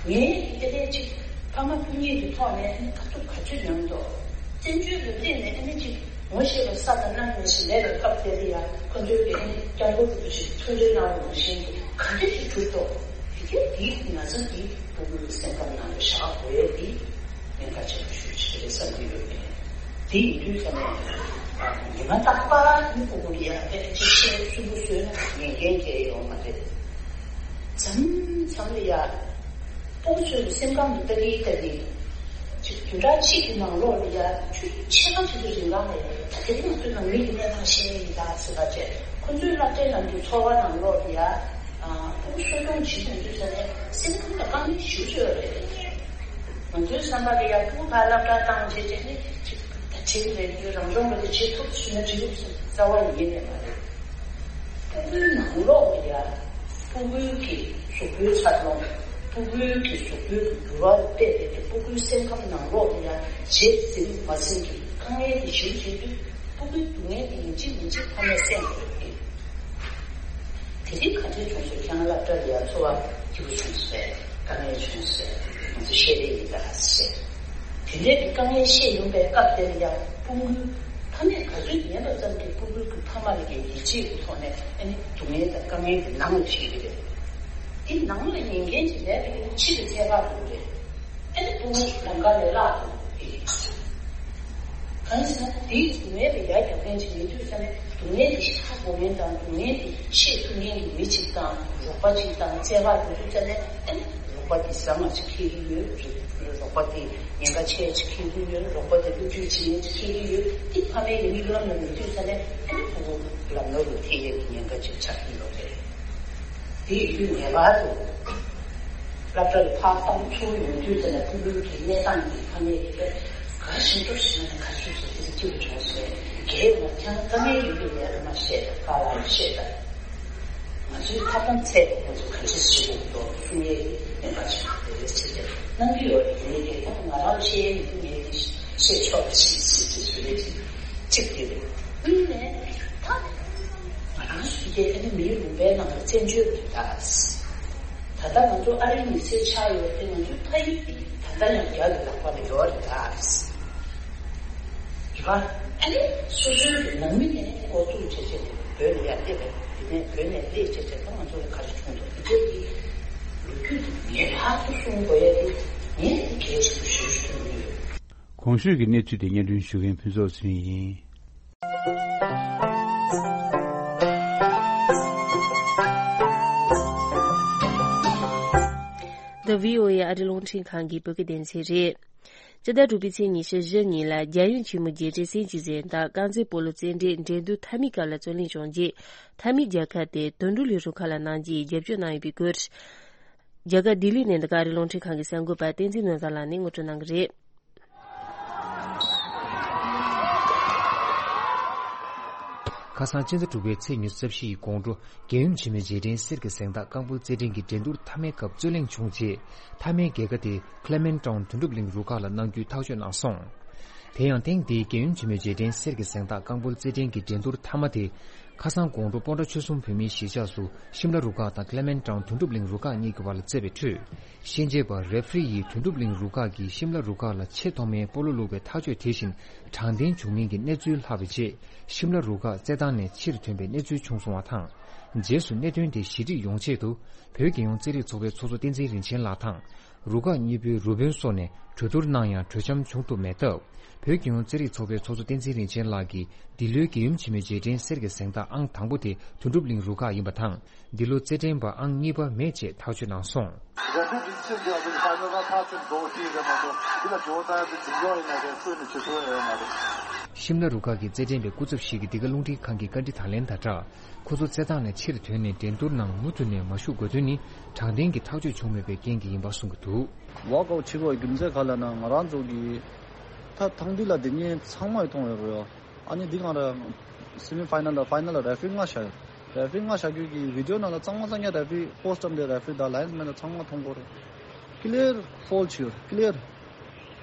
ངའི་ཨེ་ལས་ཅིག་ཕ་མ་སྤུན་ཉེ་གི་ཐོག་ནས་ཨ་ནི་དཀའ་ཐུབ་ག་ཚོད་མྱངས་འདུག་བཙན་བྱོལ་དུ་སླེབས་ནས་ཨ་ནི་ཅིག་ངོ་ཤེས་པ་ས་དང་གནམ་ནས་ཞིག་མེད་པའི་སྐབས་དེ་ལ་ཡ་ཁོ་ཚོའི་གི་ཨ་ནི་སྐྱབས་མགོན་རིན་པོ་ཆེ་མཐུན་སྒྲིལ་གནང་བ་ནང་བཞིན་གྱི་ག་འདྲ་ཞིག་གྲུབ་འདུག་དེ་གས་དེའི་ན་ཚ་འདི་ཕྲུ་གུའི་སེམས་ཁམས་ནང་ལ་བཞག་དགོས་ཡས་འདི་ཉེན་ཁ་ཆེན་པོ་ཞེ་པོ་ཅིག་རེད་བསམ་གྱི་ཡོད་མེད། དེ་ཡིན་དུས་ཙམ་ནས་ཉི་མ་རྟག་པར་ནི་ཕྲུ་གུ་ལ་ཡ་ཨེ་ཅིག་བཤད་སུན་པོ་བཟོས་ན་ཉན་མཁན་གང་ཡང་ཡོད་མ་རེད། མཚམས་མཚམས་ལ་ཡ། ཕྲུ་གུ་ཚོའི་སེམས་ཁམས་དུ་ལྟ་གིན་ལྟ་གིན། ཅིག་བདུན་ཕྲག་གཅིག་གི་ནང་ལོགས་ལ་ཡ་ཆུ་ཕྱེད་ཀ་ཅིག་གི་རིང་ལ་ནས་ད་དེ་རིང་ང་ཚོའི་ནང་མི་གི་གནས་སྟངས་ཤེས་ཡིན་ད་ཟེར་བ་བྱས་ཁོ་ཚོའི་སློབ་གྲྭའི་ནང་གི་འཚོ་བ་ནང་ལོགས་ལ་ཡ། ཕྲུ་གུ་གསོ་སྐྱོང་བྱེད་མི་འདུག་ཟེར་ནས་སེམས་ཁམས་ལ་དཀའ་ངལ་ཞེ་པོ་ཅིག་ཡོད་རེད། ང་ཚོའི་བསམ་པ་ལ་ཡ་ཕྲུ་གུ་ཕར་སློབ་གྲྭ་བཏང་བྱས་བྱས་ནས་ཅིག་ད་བྱེད་ཀྱི་མེད་རྒྱུ་རང་སྦྱོང་བ་དེ་བྱེད་ཐུབ་ཟེར་ན་འགྲིག་གི་རྩ་བ་ཡིན་ནས་མ་རེད། ཕྲུ་གུའི་ནང་ལོགས་ལ་ཡ། ཕྲུ་གུའི་གི་གཟུགས་པོའི་འཚར་ལོངས། ཕྲུ་གུའི་གི་གཟུགས་པོའི་གི་འགྱུར་བ་ལ་བལྟས་ཏེ་ཕྲུ་གུའི་སེམས་ཁམས་ནང་ལོགས་ལ་ཡ་བྱེད་ཟིན་མ་ཟིན་གྱི་དཀའ་ངལ་དེ་ཞེ་པོ་ཅིག་འདུག་ཕྲུ་གུའི་སྡུག་བསྔལ་དེ་ཡིན་གཅིག་མིན་གཅིག་ཕ་མས་སེམས་དགོས་ཀྱི། དེ་རིང་ག་འདྲས་བྱུང་སོང་། ཁྱེད་རང་སློབ་གྲྭ་ལ་ཡར་འཚོ་བ་སྐྱིད་པོ་བྱུང་སོང་། དཀའ་ངལ་བྱུང་སོང་། ང་ཚོ་བཤད་རེས་ཡིན་ད་ཟེར། དེ་འདྲའི་གི་དཀའ་ངལ་བཤད་ཡོང་པའི་སྐབས་དེར་ཡང་ཕྲུ་གུའི་ཕ་མས་ག་ཚོད་ཉན་པ་ཙམ་གྱིས་ཕྲུ་གུའི་གི་ཕ་མ་ལ་ཡང་ཡིད་ཆེས་ཀྱི་ཐོག་ནས་ཨ་ནི་སྡུག་བསྔལ་དང་དཀའ་ངལ་དེ་ནང་ལ་ཁྲིད་ཀྱི་རེད། དེ་ནང་ལ་ཉན་མཁན་གྱི་ལས་དེ་ཕྱི་ལ་ཐད་ཀར་འགྲོ་གི་རེད། ཨ་ནི་ཕྲུ་གུ་ལམ་ཁ་ལས་བརླག་འགྲོ་གི་རེད། གང་ཡིན་ཟེར་ན་དེའི་སྡུག་བསྔལ་དེ་ཡར་རྒྱག་མཁན་ཅིག་མེད་དུས་ཙ་ནས་སྡུག་བསྔལ་དེ་ཧ་གོ་མཁན་དང་སྡུག་བསྔལ་དེ་ཤེས་ཐུབ་མཁན་གྱི་མི་ཅིག་དང་རོགས་པ་ཅིག་དང་བརྩེ་བ་ཡོད་དུས་ཙ་ནས་ཨ་ནི་རོགས་པ་དེ་བཟང་བ་ཅིག་འཁེལ་གྱི་ཡོད། རོགས་པ་དེ་ཉེན་ཁ་ཆེ་ཅིག་འཁེལ་གྱི་ཡོད། རོགས་པ་དེ་བློ་འགྱོད་བྱེད་མཁན་ཅིག་འཁེལ་གྱི་ཡོད། དེ་ཕ་མའི་མིག་ལམ་ལ་མེད་དུས་ཙ་ནས་ཨ་ནི་ཕྲུ་གུ་ལམ་ནོར་ལ་ཐེབས་ཡས་ཀྱི་ཉེན་ཁ་ཅིག་ཆགས་ཀྱི་ཡོད་རེད། དེ་ཡིན་དུས་ངེས་པར་དུ་སློབ་གྲྭ་ལ་ཕར་བཏང་ཚུར་ཡོང་དུས་ཙམ་ལ་ཕྲུ་གུའི་གི་གནས་སྟངས་ཀྱི་ཐ་སྙད་དེ་ག་ཞིག་ཏུ་ཞིག་ན་ག་ཚོད་ཚོད་དེ་སྐྱིད་པོ་བྱུང་ཟེར། རྒྱལ་ཡོངས་ཁྱེད་རང་དཀའ་ངལ་ཡོད་པའི་ལས་ཀ་མ་བཤད་དང་། དཀའ་ལས་བཤད་དང་། ང་ཚོའི་ཐབས་དང་ཚད་ང་ཚོ་ག་འདྲ་ཞིག་འདུག་གསུང་ཡས་ཀྱི་ནས་མ་བྱུང་བ་དེ་རེད། ཆེད་དུ་གནང་གི་ཡོད་རེད། ཡིན་ནའི་ད་ང་རང་བཤད་ཡས་མི་འདུག་ངས་དེ་བཤད་ཆོག་པ་ཞིག་ཞིག་ཅིག་བཟོས་རེད། ཅིག་ཅིག་དེ་རེད། གཉིས་ནས་ད་ང་རང་ཚོ་དེ་ག་ནི་མིའི་ལུང་པའི་ནང་ལ་བཙན་བྱོལ་རེད་ད། ད་ལྟ་ང་ཚོ་ཨ་རིའི་མི་སེར་ཆགས་ཡོད་དེ་ང་ཚོའི་ཕ་ཡུལ་དེ་ད་ལྟ་ཡང་རྒྱ་གི་ལག་པ་ལ་ཡོད་རེད་ད། རེད་བ། ཨ་ནི་སོ་སོའི་ནང་མི་ནས་འགོ་བཙུགས་བྱས་བྱས་ཏེ་བོད་ལ་ཡར་སླེབས་པ་རེད། དེ་ནས་བོད་ནས་སླེབས་བྱས་བྱས་ད་ང་ཚོ་ལ་ག་རེ་བྱུང་འདུག་དེ་འདྲའི་གི་ལོ་རྒྱུས་དེ་ངེས་པར་དུ་གསུང་དགོས་ཡ་དེ་ངས་དེ་གལ་ཆེན་པོ་ཞེ་པོ་ཅིག་མཐོང་གི་ཡོད། གོང་ཞུས་ཀྱི་གནས་ཚུལ་དེ་སྙན་སྒྲོན་ཞུ་མཁན་ཕུན་ཚོགས་ཚེ་རིང་ཡིན། The V O A ཨ་རི་རླུང་འཕྲིན་ཁང་གི་བོད་སྐད་སྡེ་ཚན་རེད། སྤྱི་ཟླ་དྲུག་པའི་ཚེས་ཉི་ཤུ་བཞི་ཉིན་ལ་རྒྱལ་ཡོངས་ཆེན་མོའི་རྒྱལ་སྤྱིའི་སྲིད་ཇུས་གཟེངས་རྟགས་རྐང་རྩེད་སྤོ་ལོ་རྩེད་འགྲན་འགྲན་བསྡུར་མཐའ་མའི་སྐབས་ལ་རྩོད་ལེན་བྱུང་རྗེས། མཐའ་མའི་རྒྱལ་ཁ་དེ་དོན་གྲུབ་གླིང་རུ་ཁག་ལ་གནང་རྒྱུའི་རྒྱབ་སྐྱོར་གནང་ཡོད་པའི་སྐོར། རྒྱ་གར་ལྡི་ལི་ནས་འདི་ག་ཨ་རི་རླུང་འཕྲིན་ཁང་གི་གསར་འགོད་པ་བསྟན་འཛིན་ནོར་བཟང་ལགས་ནས་ངོ་སྤྲོད་གནང་གི་རེད། ཁ་སང་སྤྱི་ཟླ་དྲུག་པའི་ཚེས་ཉི་ཤུ་རྩ་བཞི་ཡི་དགོང་དྲོ། རྒྱལ་ཡུམ་ཆེན་མོའི་རྗེས་དྲན་གསེར་གྱི་གཟེངས་རྟགས་རྐང་སྤོལ་རྩེད་འགྲན་གྱི་འགྲན་བསྡུར་མཐའ་མའི་སྐབས་རྩོད་གླེང་བྱུང་རྗེས། མཐའ་མའི་རྒྱལ་ཁ་དེ་Clement Town དོན་གྲུབ་གླིང་རུ་ཁག་ལ་གནང་རྒྱུའི་ཐག་གཅོད་གནང་སོང་། དེ་ཡང་ཐེངས་འདིའི་རྒྱལ་ཡུམ་ཆེན་མོའི་རྗེས་དྲན་གསེར་གྱི་གཟེངས་རྟགས་རྐང་སྤོལ་རྩེད་འགྲན་གྱི་འགྲན་བསྡུར་མཐའ་མ་དེ། ཁ་སང་དགོང་དྲོ་སྤོན་ཊ་ཆོལ་གསུམ་བོད་མིའི་གཞིས་ཆགས་སུ་ཤིམ་ལ་རུ་ཁག་དང་Clement Town དོན་གྲུབ་གླིང་རུ་ཁག་གཉིས་ཀྱི་བར་ལ་རྩེད་པའི་ཁྲོད། གཤེན་རྗེས་པ་རེ་ཕི་རི་ཡིས་དོན་གྲུབ་གླིང་རུ་ཁག་གིས་ཤིམ་ལ་རུ་ཁག་ལ་ཆེས་ཐོག་མའི་སྤོ་ལོ་བླུགས་པའི་ཐག་གཅོད་དེ་བཞིན་དྲང་བདེན་བྱུང་མིན་གྱི་གནས་ཚུལ་ལྷག་པའི་རྗེས། ཤིམ་ལ་རུ་ཁག་རྩེད་ཐང་ནས་ཕྱིར་ཐོན་པའི་གནས་ཚུལ་བྱུང་སོང་བ་དང་། རྗེས་སུ་གནད་དོན་དེ་ཞི་འགྲིག་ཡོང་ཆེད་དུ། བོད་རྒྱལ་ཡོངས་རྩེད་རིགས་ཚོགས་པའི་ཚོགས་གཙོ་བསྟན་འཛིན་རིན་ཆེན་ལགས་དང་། རུ་ཁག་གཉིས་པོའི་རུ་དཔོན་སོགས་ནས་གྲོས་བསྡུར་གནང་ཡང་གྲོས་འཆམ་བྱུང་ཐུབ་མེད་སྟབས། བོད་རྒྱལ་ཡོངས་རྩེད་རིགས་ཚོགས་པའི་ཚོགས་གཙོ་བསྟན་འཛིན་རིན་ཆེན་ལགས་ཀྱིས་འདི་ལོའི་རྒྱལ་ཡུམ་ཆེན་མོའི་རྗེས་དྲན་གསེར་གྱི་གཟེངས་རྟགས་ཨང་དང་པོ་དེ་དོན་གྲུབ་གླིང་རུ་ཁག་ཡིན་པ་དང་། འདི་ལོ་རྩེད་འགྲན་པ་ཨང་གཉིས་པ་མེད་ཅེས་ཐག་གཅོད་གནང་སོང་། རེ་ཕི་རི་ཚོས་འདི་ཨ་ཕི་ཕའི་ནལ་ཁ་ཚོད་འགྲོ་ཤེས་རེད་མ་གཏོགས་འདི་ལ་འགྲོ་ད་ཡ་དེ་འཛིན་སྐྱོང་ཡིན་ན་རེད། སུ་ནས་བྱེད་ཐུབ་ཡ་ཡོད་མ་རེད། ཤིམ་ལ་རུ་ཁག་གི་རྩེད་འགྲན་པའི་སྐུ་ཚབ་ཞིག་གིས་འདི་ག་རླུང་འཕྲིན་ཁང་གི་བཀའ་འདྲི་དང་ལེན་དང་སྦྲགས། ཁོ་ཚོ་རྩེད་ཐང་ནས་ཕྱིར་ཐོན་ནས་འགྲན་བསྡུར་ནང་མུ་མཐུད་ནས་མ་ཞུགས་དགོས་དོན་ནི་དྲང་བདེན་གྱི་ཐག་གཅོད་བྱུང་མེད་པའི་རྐྱེན་གྱིས་ཡིན་པ་གསུངས་ཀྱི་འདུག། ཝོག་ཨའུཊ་བྱེད་དགོས་རྒྱུ་མཚན་ག་ལ་ན་ང་རང་ཚོ་གི་ད་ཐང་འདི་ལ་དེ་ཉིན་ཚང་མ་མཐོང་ཡོད་རེད། ཨ་ནི་འདི་གང་རེད། སེ་མི་ཕའི་ནལ་ལ་ཕའི་ནལ་ལ་རེ་ཕི་རི་ལྔ་བཞག་ཡོད། རེ་ཕི་རི་ལྔ་བཞག་རྒྱུ་གི་བི་ཌི་ཡོ་ནང་ལ་ཚང་མ་ཚང་མ་རེ་ཕི་རི་པོ་སི་ཊི་བཀྲམ་དེ་རེ་ཕི་རི་དང་ལའེན་སི་མེན་ལ་ཚང་མ་མཐོང་གི་རེད། ཀི་ལི་ཡར་ཕོལ་བྱས་ཡོད། ཀི་ལི་ཡར།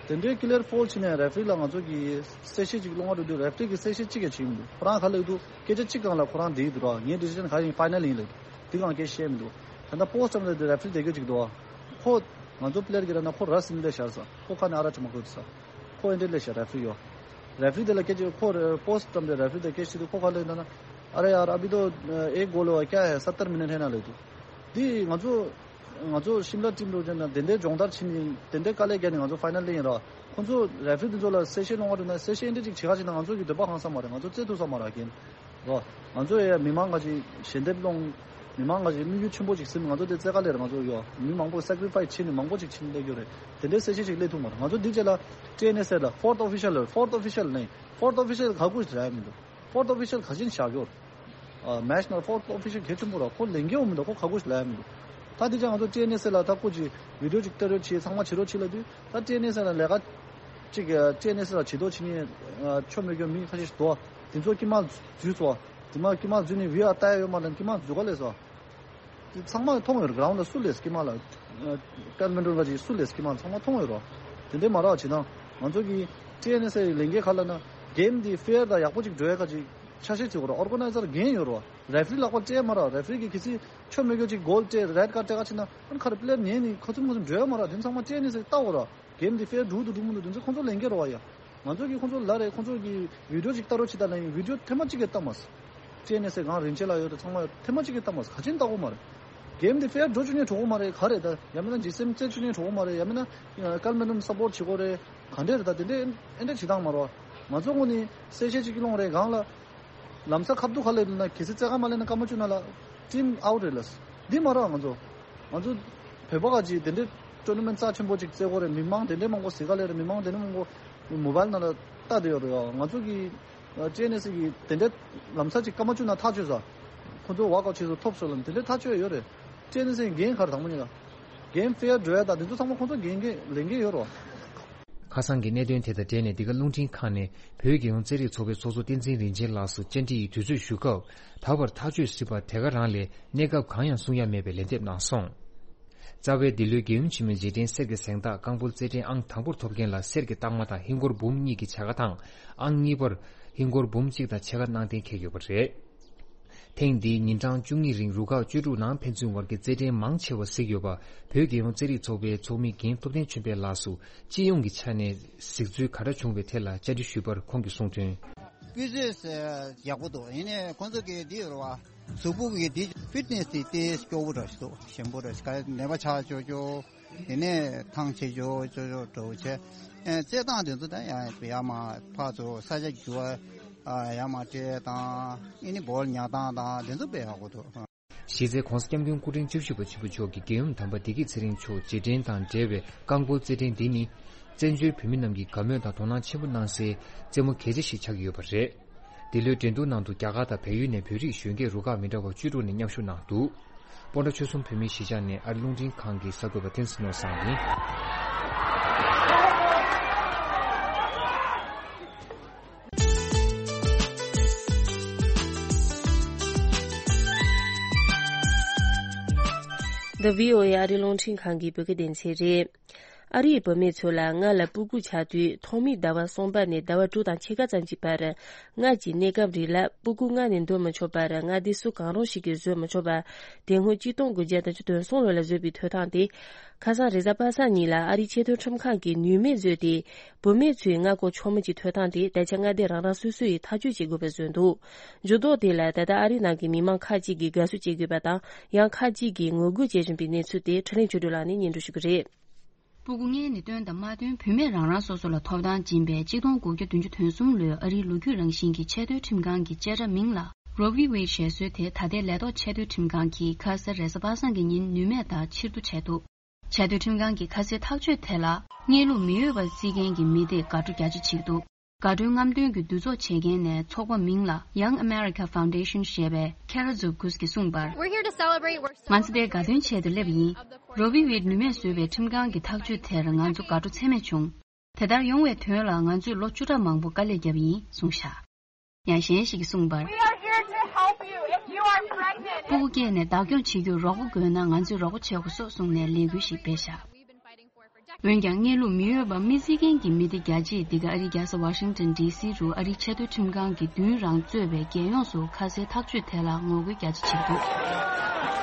དེ་འདྲའི་ཀི་ལི་ཡར་ཕོལ་བྱས་ནས་རེ་ཕི་རི་ལ་ང་ཚོ་གི་གསལ་བཤད་ཅིག་སློང་བ་འགྲོ་དུས་རེ་ཕི་རི་གི་གསལ་བཤད་གཅིག་ཀྱང་བྱས་མི་འདུག། ཁོ་རང་ག་ལབ་འདུག། སྐད་ཆ་གཅིག་སྒང་ལ་ཁོ་རང་འདི་འདུག་ར། ངའི་ཌི་སི་ཤན་ག་ཡིན་ཕའི་ནལ་ཡིན་ལབ་འདུག། འདི་གང་སྐད་བཤད་མི་འདུག། ད་ལྟ་པོ་སི་ཊི་བཀྲམ་དེ་རེ་ཕི་རི་དེ་ག་ཅིག་འདུག་ཨ། ཁོ་ང་ཚོ་པི་ལེ་ཡར་གི་ར་ན་ཁོ་ར་སིན་ལེ་ཤར་ས་ཁོ་ཁ་ནས་ཨ་ར་ཅི་མ་ཁོ་ས། ཁོ་ཨེ་འདྲས་ལས་ཤར་རེ་ཕི་རི་ཡོད། རེ་ཕི་རི་དེ་ལ་སྐད་ཆ་ཁོ་རེ་པོ་སི་ཊི་བཀྲམ་དེ་རེ་ཕི་རི་དེ་སྐད་ཆ་དུ་ཁོ་ཁ་ལས་ན་ན། ཨ་རེ་ཡར་ཨ་བི་དོ་ཨེ་གོ་ལོ་ཀྱ་ཧེ་སཏ་ཏར་མི་ནི་ཊི་ཧེ་ན་ལེ་དུ། འདི་ང་ཚོ་ང་ཚོ་ཤིམ་ལ་ཊིམ་རུ་ཅན་ན་དེ་འདྲའི་སྦྱོང་བརྡར་བྱེད་ནི་དེ་འདྲའི་དཀའ་ལས་བརྒྱབ་ནས་ང་ཚོ་ཕའི་ནལ་ལེན་ཡིན་ར། ཁོ་ཚོ་རེ་ཕི་རི་དེ་ཚོ་ལ་གསལ་བཤད་གནང་བ་རུ་ན་གསལ་བཤད་ཨེ་འདྲས་ཅིག་བྱེད་ཁ་ཅིག་ན་ང་ཚོ་གི་འདོད་པ་ཧང་ས་མ་རེད། ང་ཚོ་རྩེད་ཐུབ་ས་མ་རེད་རྒན། རོ། ང་ཚོ་ཡ་མི་མང་ག་ཅིག་ཞལ་འདེབས་སློང་། མི་མང་ག་ཅིག་དམིགས་ཡུལ་ཆེན་པོ་ཅིག་ཟིན། ང་ཚོ་དེ་རྩེད་ག་ལེར་ང་ཚོ་ཡོ་མི་མང་པོ་སེ་ཀི་རི་ཕའི་སི་བྱེད་ནི་མང་པོ་ཅིག་ཕྱིན་སླེབས་ཡོད་རེད། དེ་འདྲའི་གསལ་བཤད་ཅིག་སླེབས་ཐུབ་མ་རེད། ང་ཚོ་འདི་རྗེས་ལ་ཊི་ཨེན་ཨེས་ཨེལ་ལ་ཕོར་ཐི་ཨོ་ཕི་ཤལ་ལ་ཕོར་ཐི་ཨོ་ཕི་ཤལ་ནས་ཕོར་ཐི་ཨོ་ཕི་ཤལ་ག་གུ་ཞིག་ལ་ཡ་མི་འདུག། ཕོར་ཐི་ཨོ་ཕི་ཤལ་ག་ཅིན་བཞག་ཡོད། མེ་ཤི་ནལ་ཕོར་ཐི་ཨོ་ཕི་ཤལ་གལ་ཆེན་པོ་ར་ཁོ་ལས་འགན་འོ་མི་འདུག། ཁོ་ག་གུ་ཞིག་ལ་ཡ་མི་འདུག། ད་འདི་རྗེས་ང་ཚོ་ཊི་ཨེན་ཨེས་ཨེལ་ལ་ད་སྐུ་ཅིག་བི་ཌི་ཡོ་ཅིག་སྟེར་རོགས་བྱེད། ཚང་མ་བྱེད་རོགས་བྱེད་ལ་དུས་ད་ཊི་ཨེན་ཨེས་ཨེལ་ལ་ལས་ཀ་ཅིག་ཊི་ཨེན་ཨེས་ཨེལ་ལ་བྱེད་དོ་བྱེད་ནི་ཆོ་མེད་གྱོ་མི་ཁ་ཤས་ཤིག་འདུག། དེ་ཚོ་དཀྱིལ་མ་འཛུལ་སོང་། དེ་མ་དཀྱིལ་མ་འཛུལ་ནས་བི་ཨར་ལྟ་ཡ་ཡོད་མ་རེད། དཀྱིལ་མ་འཛུལ་ག་ལས་སོང་། དེ་ཚང་མ་མཐོང་ཡོད་རེད། གྷི་རའུན་ཌི་ལ་སུ་ལས་དཀྱིལ་མ་ལ་ཀལ་མེན་ཌོན་ག་ཅིག་སུ་ལས་དཀྱིལ་མ་ཚང་མ་མཐོང་ཡོད་རོ། དེ་འདྲའི་མ་རག་བྱེད་དང་ང་ཚོ་གི་ཊི་ཨེན་ཨེས་ཨེལ་ལས་འགན་ག་ལ་ན། གེམ་འདི་ཕེར་དང་ཡག་པོ་ཅིག་འགྲོ་ཡ་ག་ཅིག་ཆ་ཤས་བྱེད་དགོས་ར། ཨོར་ག་ནའི་ཛར་འགན་ཡོད་ར། རེ་ཕི་རི་ལག་པར་སྤྲད་མ་ར། རེ་ཕི་རི་གིས་གལ་སྲིད་ཆོ་མེད་རྒྱུ་ཅིག་གོལ་སྤྲད་རེད་ཀར་སྤྲད་ག་ཕྱིན་ན་ཨ་ནི་ཁ་རེ་པི་ལེར་ཉན་ནི་ཁ་ཚུམ་ཁ་ཚུམ་འགྲོ་ཡ་མ་ར། དེ་ཚང་མ་སྤྲད་ནི་ཟེར་ལྟ་དགོས་ར། གེམ་འདི་ཕེར་འགྲུབ་འདུག་འགྲུབ་མི་འདུག་དེ་ཚོ་ཁོང་ཚོ་ལས་འགན་ར་བ་ཡ། ང་ཚོ་གིས་ཁོང་ཚོ་ལ་རེད། ཁོང་ཚོ་གིས་བི་ཌིའོ་ཅིག་ལྟ་རོགས་བྱེད་ད་ལབ་ཡིན། བི་ཌིའོ་ཐེངས་མ་གཅིག་གིས་ལྟ་མ་སོང་། སྤྲད་ནས་ཟེར་གང་རིན་ཆེན་ལགས་ཡོད་དེ་ཚང་མ་ཡོད། ཐེངས་མ་གཅིག་གིས་ལྟ་མ་སོང་། ག་ཅིན་ལྟ་གོ་མ་རེད། གེམ་འདི་ཕེར་འགྲོ་བཅུག་ནས་འགྲོ་གོ་མ་རེད། ག་རེད་ད། ཡང་མིན་ན་ཇི་སེམ་རྩེ་བཅུག་ནས་འགྲོ་གོ་མ་རེད། ཡང་མིན་ན་ཀལ་མེ་ནམ་སབ་པོར་བྱེད་གོ་རེད། ག་འདྲས་རེད་ད། དེ་འདྲས་ཨེ་འདྲས་བྱེད་སྟངས་མ་རེད་བ། ང་ཚོ་ངོས་ནས་གསལ་བཤད་ཅིག་སློང་རེད། གང་ལ་ལམ་སང་ཁ་བསྡུ་ག་ལས་ན་གལ་སྲིད་རྩེད་ག་མ་ལེན་ན་སྐར་མ་བཅུ་ནང་ལ་ཊིམ་ཨའུ་ཊི་རེད་ལ། འདི་མ་རེད་བ། ང་ཚོ་ང་ཚོ་བོད་པ་ག་ཅིག་དེ་འདྲས་ཊོར་ན་མེན་ཊི་རྩ་ཆེན་པོ་ཅིག་རྩེ་གོ་རེད། མི་མང་དེ་འདྲས་མང་པོ་གཟིགས་ག་ལས་རེད། མི་མང་དེ་འདྲས་མང་པོ་མོ་བལ་ནང་ལ་ལྟ་བསྡད་ཡོད་རེད་བ། ང་ཚོ་གི་ཨ་ཅེ་ནེ་སི་གི་དེ་འདྲའི་ལམ་སང་ཅིག་སྐར་མ་བཅུ་ནང་ཐག་ཆོད་ས། ཁོ་ཚོ་ཝོག་ཨའུཊ་བྱེད་སོང་། ཐོབ་སོང་ལ་དེ་འདྲའི་ཐག་ཆོད་ཡོད་རེད། ཅེ་ནེ་སི་འགན་ག་རེ། དང་པོ་ཉིད་ལ་འགན་ཕེར་འགྲོ་ཡ་དང་དེ་ཚོ་ཚང་མ་ཁོ་ཚོ་འགན་འགན་ལས་འགན་ཡོད་རེད། ཁ་སང་གི་གནད་དོན་དེ་དང་འབྲེལ་ནས། འདི་ག་རླུང་འཕྲིན་ཁང་ནས་བོད་རྒྱལ་ཡོངས་རྩེད་རིགས་ཚོགས་པའི་ཚོགས་གཙོ་བསྟན་འཛིན་རིན་ཆེན་ལགས་སུ་བཅར་འདྲི་ཡི་དུས་ཚོད་ཞུ་སྐབས། ད་བར་ཐག་གཅོད་སྲིད་པ་དེ་ག་རང་ལས་གནས་སྐབས་གང་ཡང་གསུང་ཡ་མེད་པའི་ལན་འདེབས་གནང་སོང་། རྩ་བའི་འདི་ལོའི་རྒྱལ་ཡུམ་ཆེན་མོའི་རྗེས་དྲན་གསེར་གྱི་གཟེངས་རྟགས་རྐང་སྤོལ་རྩེད་འགྲན་ཨང་དང་པོར་ཐོབ་མཁན་ལ་གསེར་གྱི་རྟགས་མ་དང་ཧིན་སྒོར་འབུམ་གཉིས་ཀྱི་བྱ་དགའ་དང་། ཨང་གཉིས་པར་ཧིན་སྒོར་འབུམ་གཅིག་དང་ཕྱེད་ཀ་གནང་གཏན་འཁེལ་ཡོད་པ་རེད། ཐེངས་འདིའི་ཉིན་གྲངས་བཅུ་གཉིས་རིང་རུ་ཁག་བཅུ་དྲུག་ནང་ཕན་ཚུན་བར་གྱི་རྩེད་འགྲན་མང་ཆེ་བ་གཟིགས་ཡོད་པ། བོད་རྒྱལ་ཡོངས་རྩེད་རིགས་ཚོགས་པའི་ཚོགས་མི་རྒན་ཐུབ་བསྟན་ཆོས་འཕེལ་ལགས་སུ་སྤྱི་ཡོངས་ཀྱི་ཆ་ནས་གཟིགས་ཚུལ་ག་འདྲ་བྱུང་བའི་ཐད་ལ་བཅར་འདྲི་ཞུས་པར་ཁོང་གིས་གསུངས་དོན། སྤུས་ཚད་ཡག་པོ་འདུག་ཡིན་ནའི་ཁོང་ཚོ་གི་འདི་ཡོད་རེད་བ། གཟུགས་པོ་གི་འདི་ཕིཊ་ནེ་སི་དེ་ཏོག་ཙམ་སྐྱོ་བོ་འདྲ་ཞིག་འདུག་ཞན་པོ་འདྲ་ཞིག་ག་ནད་པ་ཆགས་ཆོག་ཆོག་དེ་ནས་ཐང་ཆད་ཆོག་ཆོག་ཆོག་འདྲ་བོ་བྱས། ཨེ་རྩེད་སྟངས་དེ་ཚོ་ད་ཡང་ཡག་མ་ཕར་ཚུར་ས་ཆ་འགྱུར་བ་ཡག་མ་སྤྲད་དང་། ཨེ་ནི་བོལ་ཉར་སྟངས་དང་དེ་ཚོ་དཔེ་ཡག་པོ་འདུག་གཞི་རྩའི་༧གོང་ས་༧སྐྱབས་མགོན་སྐུ་ཕྲེང་བཅུ་བཞི་པ་ཆེན་པོ་མཆོག་གིས་རྒྱལ་ཡུམ་དམ་པ་བདེ་སྐྱིད་ཚེ་རིང་མཆོག་རྗེས་དྲན་དང་འབྲེལ་བའི་རྐང་སྤོལ་རྩེད་འགྲན་འདི་ནི། བཙན་བྱོལ་བོད་མི་རྣམས་ཀྱིས་དགའ་མོས་དང་དོ་སྣང་ཆེན་པོ་གནང་སའི་རྩེད་མོ་གལ་ཆེ་ཞིག་ཆགས་ཀྱི་ཡོད་པ་རེད། འདི་ལོའི་འགྲན་བསྡུར་ནང་དུ་རྒྱ་གར་དང་བལ་ཡུལ་ནས་བོད་རིགས་གཞོན་སྐྱེས་རུ་ཁག་མི་འདྲ་བ་བཅུ་དྲུག་ནས་མཉམ་ཞུགས་གནང་འདུག་སྤོན་ཊ་ཆོལ་གསུམ་བོད་མིའི་གཞིས་ཆགས་ནས་ཨ་རི་རླུང་འཕྲིན་ཁང་གི་གསར་འགོད་པ་བསྟན་འཛིན་ནོར་བཟང་ཡིན། The VOA ཨ་རི་རླུང་འཕྲིན་ཁང་གི་བོད་སྐད་སྡེ་ཚན་རེད། ཨ་རིའི་བུད་མེད་ཚོ་ལ་སྔར་ལ་སྤུ་གུ་ཆགས་དུས་ཐོག་མའི་ཟླ་བ་གསུམ་པ་ནས་ཟླ་བ་དྲུག་དང་ཕྱེད་ཀ་ཙམ་གྱི་བར། སྔར་གྱི་གནས་སྐབས་རིགས་ལ་སྤུ་གུ་མངལ་ནས་འདོན་མི་ཆོག་པར་མངའ་སྡེ་སུ་གང་རུང་ཞིག་གིས་བཟོས་མི་ཆོག་པ། དེ་སྔོན་གཅིག་སྟོང་དགུ་བརྒྱ་དང་བདུན་ཅུ་དོན་གསུམ་ལོ་ལ་བཟོས་པའི་ཐོབ་ཐང་དེ། ཁ་སང་རེས་གཟའ་པ་སངས་ཉིན་ལ་ཨ་རིའི་ཆེས་མཐོའི་ཁྲིམས་ཁང་གིས་ནུས་མེད་བཟོས་ཏེ། བུད་མེད་ཚོའི་མངལ་སྐོར་ཆོག་མིན་གྱི་ཐོབ་ཐང་དེ་ད་ཆ་མངའ་སྡེ་རང་རང་སོ་སོ་ཡིས་ཐག་གཅོད་བྱེད་དགོས་པ་བཟོས་འདུག་འགྱུར་ལྡོག་དེ་ལ་ད་ལྟ་ཨ་རིའི་ནང་གི་མི་མང་ཁག་ཅིག་གིས་དགའ་བསུ་བྱེད་ཀྱི་ཡོད་པ་དང་། ཡང་ཁག་ཅིག་གིས་ངོ་རྒོལ་བྱེད་བཞིན་པའི་གནས་ཚུལ་དེ་འཕྲིན་ལས་ཆོས་སྒྲོན་ལགས་ནས་སྙན་སྒྲོན་ཞུ་གི་རེད། སྤུ་གུ་མངལ་ནས་བཏོན་དང་མ་བཏོན་བུད་མེད་རང་རང་སོ་སོ་ལ་ཐོབ་ཐང་སྦྱིན་པའི་གཅིག་སྟོང་དགུ་བརྒྱ་བདུན་ཅུ་དོན་གསུམ་ལོའི་ཨ་རིའི་ལོ་རྒྱུས་རང་བཞིན་གྱི་ཆེས་མཐོའི་ཁྲིམས་ཁང་གི་བཅད་ཁྲ་མིང་ལ་Roe v Wade ཞེས་བཟོས་ཏེ། ད་ལྟའི་ལས་ཐོག་ཆེས་མཐོའི་ཁྲིམས་ཁང་གིས་ཁ་ས་རེས་གཟའ་པ་སངས་ཀྱི་ཉིན་ནུས་མེད་ལྟར་ཕྱིར་བསྡུ་བྱས་འདུག་ཆེས་མཐོའི་ཁྲིམས་ཁང་གི་ཁ་སའི་ཐག་གཅོད་དེ་ལ་གནས་ལུགས་མི་འོས་པར་བརྩི་མཁན་གྱི་མི་སྡེས་དགའ་སྤྲོ་རྒྱ་ཆེ་བྱེད་ཀྱི་འདུག་དགའ་སྤྲོའི་རྔམ་སྟོན་གྱི་འདུ་ཚོགས་བྱེད་མཁན་ནས་ཚོགས་པ་མིང་ལ་Young America Foundation ཞེས་པའི་Kara Zovkus གིས་གསུངས་པར། We're here to celebrate. We're ང་ཚོ་འདིར་དགའ་སྟོན་ཆེད་དུ་སླེབས་པ་ཡིན། Roe v Wade ནུས་མེད་བཟོས་པའི་ཁྲིམས་ཁང་གི་ཐག་གཅོད་དེར་ང་ཚོ་དགའ་སྤྲོ་ཚད་མེད་བྱུང་། དེ་ལྟར་ཡོང་བའི་དོན་ལ་ང་ཚོས་ལོ་བཅུ་ཕྲག་མང་པོ་དཀའ་ལས་བརྒྱབ་པ་ཡིན་གསུངས་བཞག་ཡང་གཞན་ཞིག་གིས་གསུངས་པར། We are here to help you if you are pregnant. སྤུ་གུ་སྐྱེས་ནས་བདག་སྐྱོང་བྱེད་རྒྱུར་རོགས་པ་དགོས་ན་ང་ཚོས་རོགས་པ་བྱེད་དགོས་སོ་གསུངས་ནས་ལས་འགུལ་ཞིག་སྤེལ་བཞག་འོན་ཀྱང་གནས་ལུགས་མི་འོས་པ་མི་བརྩི་མཁན་གྱི་མི་སྡེ་རྒྱ་ཆེས་འདི་ག་ཨ་རིའི་རྒྱལ་ས་Washington D C རུ་ཨ་རིའི་ཆེས་མཐོའི་ཁྲིམས་ཁང་གི་མདུན་རང་གཙོས་པའི་རྒྱལ་ཡོངས་སུ་ཁ་སའི་ཐག་གཅོད་དེ་ལ་ངོ་རྒོལ་རྒྱ་ཆེ་བྱེད་འདུག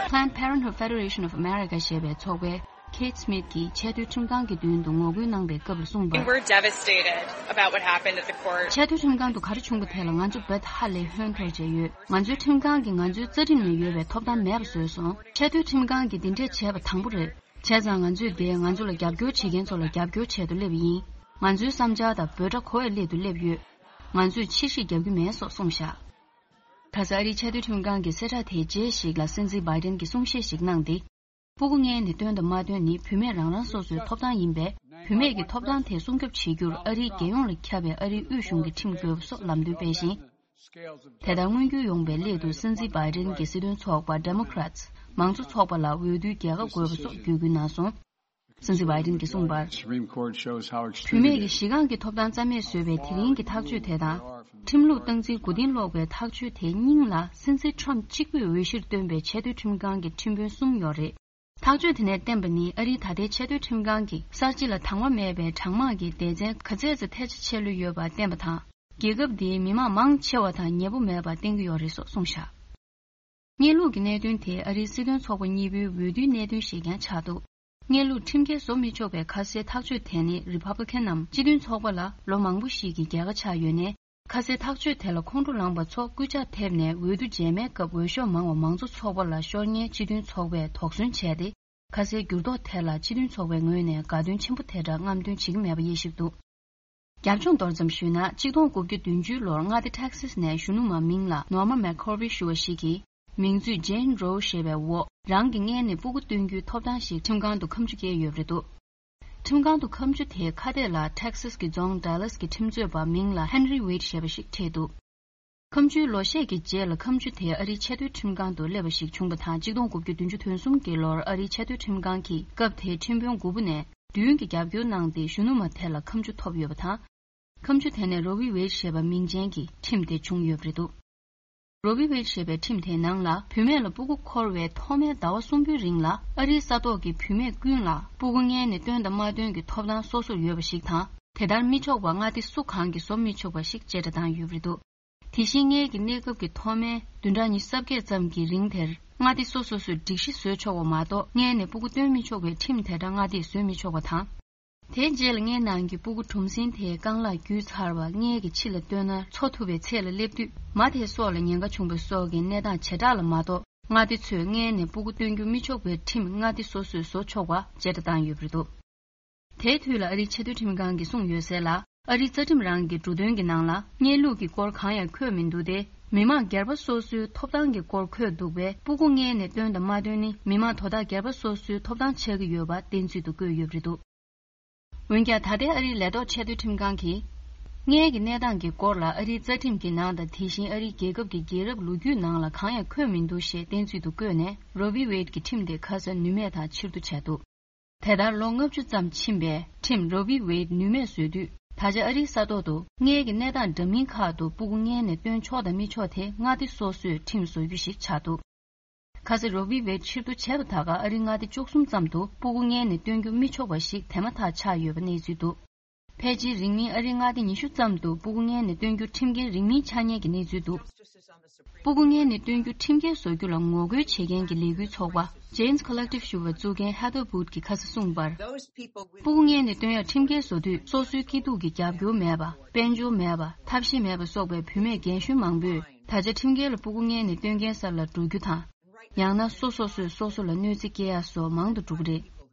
Planned Parenthood Federation of America ཞེས་པའི་ཚོགས་པའི་Kate Smith གྱིས་ཆེས་མཐོའི་ཁྲིམས་ཁང་གི་མདུན་དུ་ངོ་རྒོལ་གནང་པའི་སྐབས་ལ་གསུངས་པར། We're devastated about what happened at the court. ཆེས་མཐོའི་ཁྲིམས་ཁང་དུ་ག་རེ་བྱུང་བ་དེ་ལ་ང་ཚོ་རྦད་ཧ་ལས་ཧོན་འཐོར་བྱས་ཡོད། ང་ཚོའི་ཁྲིམས་ཁང་གིས་ང་ཚོའི་རྩ་ཁྲིམས་ནང་ཡོད་པའི་ཐོབ་ཐང་མེད་པ་བཟོས་སོང་། ཆེས་མཐོའི་ཁྲིམས་ཁང་གིས་འདི་འདྲས་བྱས་པ་དང་པོ་རེད། བྱས་ཙང་ང་ཚོས་དེས་ང་ཚོ་ལ་རྒྱབ་སྐྱོར་བྱེད་མཁན་ཚོ་ལ་རྒྱབ་སྐྱོར་བྱེད་དུ་སླེབས་པ་ཡིན། ང་ཚོའི་བསམ་འཆར་དང་འབོད་སྒྲ་གོ་བའི་སླད་དུ་སླེབས་ཡོད། ང་ཚོས་ཕྱིར་བཤིག་རྒྱག་རྒྱུ་མེད་སོགས་གསུངས་བཞག་ཁ་སང་ཨ་རིའི་ཆེས་མཐོའི་ཁྲིམས་ཁང་གི་གསལ་བསྒྲགས་དེའི་རྗེས་ཤིག་ལ་སྲིད་འཛིན་བྷའི་ཏན་གྱིས་གསུང་བཤད་ཞིག་གནང་སྟེ། སྤུ་གུ་མངལ་ནས་བཏོན་དང་མ་བཏོན་ནི་བུད་མེད་རང་རང་སོ་སོའི་ཐོབ་ཐང་ཡིན་པས། བུད་མེད་ཀྱི་ཐོབ་ཐང་དེ་སྲུང་སྐྱོབ་བྱེད་རྒྱུར་ཨ་རིའི་རྒྱལ་ཡོངས་ལ་ཁྱབ་པའི་ཨ་རིའི་དབུས་གཞུང་གི་ཁྲིམས་དགོས་པ་སོགས་ལམ་སྟོན་སྤེལ་ཞིང་། དེ་ལྟར་མངོན་འགྱུར་ཡོང་བའི་སླད་དུ་སྲིད་འཛིན་བྷའི་ཏན་གྱི་སྲིད་དོན་ཚོགས་པ་Democrats མང་གཙོ་ཚོགས་པ་ལ་འོས་བསྡུའི་རྒྱལ་ཁ་དགོས་པ་སོགས་བརྒྱུད་སྐུལ་གནང་སོང་། སྲིད་འཛིན་བྷའི་ཏན་གྱིས་གསུངས་པར། Supreme Court shows how extreme བུད་མེད་ཀྱི་གཞི་རྐང་གི་ཐོབ་ཐང་རྩ་མེད་བཟོས་པའི་དེ་རིང་གི་ཐག་གཅོད་དེ་དང་། ཁྲིམས་ལུགས་སྟངས་འཛིན་མགོ་རྟིང་སློག་པའི་ཐག་གཅོད་དེ་སྙིང་ལ་སྲིད་འཛིན་Trump གཅིག་པུས་འོས་གཞིར་བཏོན་པའི་ཆེས་མཐོའི་ཁྲིམས་ཁང་གི་ཁྲིམས་དཔོན་གསུམ་ཡོད་རེད། ཐག་གཅོད་དེ་ནས་བསྟན་པ་ནི་ཨ་རིའི་ད་ལྟའི་ཆེས་མཐོའི་ཁྲིམས་ཁང་གིས་གསར་བརྗེ་ལ་དང་བ་མེད་པའི་གྲངས་མང་གི་སྡེ་ཚན་ག་ཚད་ཙམ་ཐལ་ཆ་ཆེ་ལོས་ཡོད་པ་བསྟན་པ་དང་ རྒྱལ་ཁབ་དེའི་མི་མང་མང་ཆེ་བ་དང་ཉེ་པོ་མེད་པར་བསྟན་གྱི་ཡོད་རེད་སོགས་གསུངས་བཞག། གནས་ལུགས་ཀྱི་གནད་དོན་དེ་ཨ་རིའི་སྲིད་དོན་ཚོགས་པ་གཉིས་པོའི་འོས་བསྡུའི་གནད་དོན་ཞིག་ཀྱང་ཆགས་འདུག། གནས་ལུགས་ཁྲིམས་འགལ་བཟོ་མི་ཆོག་པའི་ཁ་གསལ་ཐག་གཅོད་དེ་ནི་རི་ཕབ་ལི་ཁན་ནམ་སྤྱི་མཐུན་ཚོགས་པ་ལ་ལོ་མང་པོ་ཞིག་གི་རྒྱལ་ཁ་ཆགས་ཡོད་ནའི། ཁ་གསལ་ཐག་གཅོད་དེ་ལ་ཁོང་ཁྲོ་ལངས་པ་ཚོ་སྐུལ་ལྕག་ཐེབས་ནས་འོས་བསྡུ་རྗེས་མའི་སྐབས་འོས་ཤོག་མང་བ་མང་གཙོ་ཚོགས་པ་ལ་ཤོར་ཉེན་སྤྱི་མཐུན་ཚོགས་པས་དོགས་ཟོན་བྱས་ཏེ། ཁ་གསལ་འགྱུར་ལྡོག་དེ་ལ་སྤྱི་མཐུན་ཚོགས་པའི་ངོས་ནས་དགའ་སྟོན་ཆེན་པོ་དེ་འདྲ་རྔམ་སྟོན་བྱེད་ཀྱི་མེད་པ་དབྱེ་ཞིབ་འདུག། རྒྱབ་ལྗོངས་མདོར་ཙམ་ཞུས་ན། གཅིག་སྟོང་དགུ་བརྒྱ་བདུན་ཅུ་ལོར་མངའ་སྡེ་ཊེག་སིས་ནས་གཞོན་ནུ་མ་མིང་ལ་ནོར་མ་མེག་ཁོར་བི་ཞུ་བ་ཞིག་གིས། མིང་ཚུལ་ཇེན་རོ་ཞེས་པའི་འོག་རང་གི་མངལ་ནས་སྤུ་གུ་སྟོན་རྒྱུའི་ཐོབ་ཐང་ཞིག་ཁྲིམས་ཁང་དུ་ཁ་མཆུ་བཀལ་ཡོད་པ་རེད་འདུག། ཁྲིམས་ཁང་དུ་ཁ་མཆུ་དེའི་ཁ་གཏད་ལ་ཊེག་སིས་ཀྱི་རྫོང་ཌ་ལཱས་ཀྱི་ཁྲིམས་རྩོད་པ་མིང་ལ་ཧན་རི་ཝེད་ཞེས་པ་ཞིག་ཁྲིད་འདུག། ཁ་མཆུའི་ལོ་ཤས་ཀྱི་རྗེས་ལ་ཁ་མཆུ་དེ་ཨ་རིའི་ཆེས་མཐོའི་ཁྲིམས་ཁང་དུ་སླེབས་པ་ཞིག་བྱུང་བ་དང་། གཅིག་སྟོང་དགུ་བརྒྱ་བདུན་ཅུ་དོན་གསུམ་གྱི་ལོར་ཨ་རིའི་ཆེས་མཐོའི་ཁྲིམས་ཁང་གིས་སྐབས་དེའི་ཁྲིམས་དཔོན་དགུ་པོ་ནས་བདུན་གྱིས་རྒྱབ་སྐྱོར་གནང་སྟེ་གཞོན་ནུ་མ་དེ་ལ་ཁ་མཆུ་ཐོབ་ཡོད་པ་དང་། ཁ་མཆུ་དེ་ནས་རོ་བི་ཝེད་ཞེས་པ་མིང་ཅན་གྱི་ཁྲིམས་དེ་བྱུང་ཡོད་པ་རེད་འདུག། རོ་བི་ཝེད་ཞེས་པའི་ཁྲིམས་དེའི་ནང་ལ། བུད་མེད་ལ་སྤུ་གུ་འཁོར་བའི་ཐོག་མའི་ཟླ་བ་གསུམ་པོའི་རིང་ལ་ཨ་རིའི་ས་ཐོག་གི་བུད་མེད་ཀུན་ལ་སྤུ་གུ་མངལ་ནས་བཏོན་དང་མ་བཏོན་གྱི་ཐོབ་ཐང་སོ་སོར་ཡོད་པ་ཞིག་དང་། དེ་ལྟར་མི་ཆོག་པ་མངའ་སྡེ་སུ་གང་གིས་བཟོ་མི་ཆོག་པ་ཞིག་བཅད་ཁྲ་བཏང་ཡོད་པ་རེད་འདུག། དེ་བཞིན་མངལ་གྱི་གནས་སྐབས་ཀྱི་ཐོག་མའི་བདུན་ཕྲག་ཉི་ཤུ་རྩ་བརྒྱད་ཙམ་གྱི་རིང་དེར་མངའ་སྡེ་སོ་སོ་སོས་སྒྲིག་གཞི་བཟོས་ཆོག་པ་མ་གཏོགས། མངལ་ནས་སྤུ་གུ་བཏོན་མི་ཆོག་པའི་ཁྲིམས་དེ་འདྲ་མངའ་སྡེས་བཟོས་མི་ཆོག་པ་དང་། དེའི་རྗེས་ལ་མངལ་ནང་གི་སྤུ་གུ་གྲུམ་ཟིང་དེའི་རྐང་ལག་བརྒྱུད་ཚར་བ་མངལ་གྱི་ཕྱི་ལ་བཏོན་ན་འཚོ་ཐུབ་པའི་ཚད་ལ་སླེབས་དུས། མ་དེ་སྲོག་ལ་ཉེན་ཁ་བྱུང་བ་སོགས་ཀྱི་གནས་སྟངས་བྱེ་བྲག་ལ་མ་གཏོགས། མངའ་སྡེ་ཚོས་མངལ་ནས་སྤུ་གུ་བཏོན་རྒྱུ་མི་ཆོག་པའི་ཁྲིམས་མངའ་སྡེ་སོ་སོས་བཟོ་ཆོག་པ་བཅད་ཁྲ་བཏང་ཡོད་པ་རེད་འདུག། དེའི་དུས་ལ་ཨ་རིའི་ཆེས་མཐོའི་ཁྲིམས་ཁང་གིས་གསུངས་ཡོད་གསལ་ལ། ཨ་རིའི་རྩ་ཁྲིམས་རང་གི་འབྲུ་དོན་གྱི་ནང་ལ་མངལ་ལུགས་ཀྱི་སྐོར་གང་ཡང་འཁོད་མི་འདུག་སྟེ། མི་མང་སྒེར་པ་སོ་སོའི་ཐོབ་ཐང་གི་སྐོར་འཁོད་འདུག་པས། སྤུ་གུ་མངལ་ནས་བཏོན་དང་མ་བཏོན་ནི་མི་མང་དོ་བདག་སྒེར་པ་སོ་སོའི་ཐོབ་ཐང་ཆགས་ཀྱི་ཡོད་པ་བསྟན་ཚུལ་དུ་བཀོད་ཡོད་པ་རེད་འདུག། འོན་ཀྱང་། ད་ལྟའི་ཨ་རིའི་ལས་ཐོག་ཆེས་མཐོའི་ཁྲིམས་ཁང་གིས། མངལ་གྱི་གནས་སྟངས་ཀྱི་སྐོར་ལ་ཨ་རིའི་རྩ་ཁྲིམས་ཀྱི་ནང་དང་། དེ་བཞིན་ཨ་རིའི་རྒྱལ་ཁབ་ཀྱི་རྒྱལ་རབས་ལོ་རྒྱུས་ནང་ལ་གང་ཡང་འཁོད་མི་འདུག་ཞེས་བསྟན་ཚུལ་དུ་བཀོད་ནས། རོ་བི་ཝེད་ཀྱི་ཁྲིམས་དེ་ཁ་གསལ་ནུས་མེད་དང་ཕྱིར་བསྡུ་བྱས་འདུག། དེ་ལྟར་ལོ་ལྔ་བཅུ་ཙམ་ཕྱིན་པའི་ཁྲིམས་རོ་བི་ཝེད་ནུས་མེད་བཟོས་དུས། ད་ཆ་ཨ་རིའི་ས་ཐོག་ཏུ་མངལ་གྱི་གནས་སྟངས་འདྲ་མིན་ཁག་ཏུ་སྤུ་གུ་མངལ་ནས་བཏོན་ཆོག་དང་མི་ཆོག་དེ་མངའ་སྡེ་སོ་སོས་ཁྲིམས་བཟོ་རྒྱུ་ཞིག་ཆགས་འདུག། ཁ་སང་རོ་བི་ཝེད་ཕྱིར་བསྡུ་བྱས་པ་ད་ག་ཨ་རིའི་མངའ་སྡེ་བཅུ་གསུམ་ཙམ་དུ་སྤུ་གུ་མངལ་ནས་བཏོན་རྒྱུ་མི་ཆོག་པ་ཞིག་དེ་མ་ཐག་ཆགས་ཡོད་པ་གནས་ཚུལ་འདུག། ཕལ་ཆེར་རིང་མིན་ཨ་རིའི་མངའ་སྡེ་ཉི་ཤུ་ཙམ་དུ་སྤུ་གུ་མངལ་ནས་བཏོན་རྒྱུ་ཁྲིམས་འགལ་རིང་མིན་ཆགས་ཉེན་གྱི་གནས་ཚུལ་འདུག། སྤུ་གུ་མངལ་ནས་བཏོན་རྒྱུ་ཁྲིམས་འགལ་བཟོ་རྒྱུ་ལ་ངོ་རྒོལ་བྱེད་མཁན་གྱི་ལས་འགུལ་ཚོགས་པ་Jane's Collective ཞུ་བ་གཙོས་མཁན་Heather Boot གྱིས་ཁ་སང་གསུངས་པར། སྤུ་གུ་མངལ་ནས་བཏོན་ཡག་ཁྲིམས་འགལ་བཟོ་དུས། སོ་སོའི་སྐྱིད་སྡུག་གི་རྒྱབ་སྐྱོར་མེད་པ། དཔལ་འབྱོར་མེད་པ། ཐབས་ཤེས་མེད་པ་སོགས་པའི་བུད་མེད་རྒན་གཞོན་མང་པོས། ད་ཆ་ཁྲིམས་འགལ་ལ་སྤུ་གུ་མངལ་ནས་བཏོན་མཁན་སར་ལ་འགྲོ་རྒྱུ་དང་། ཡང་ན་སོ་སོ་སོས་སོ་སོ་ལ་གནོད་འཚེ་སྐྱེལ་ཡ་སོགས་མང་དུ་འགྲོ་གི་རེད།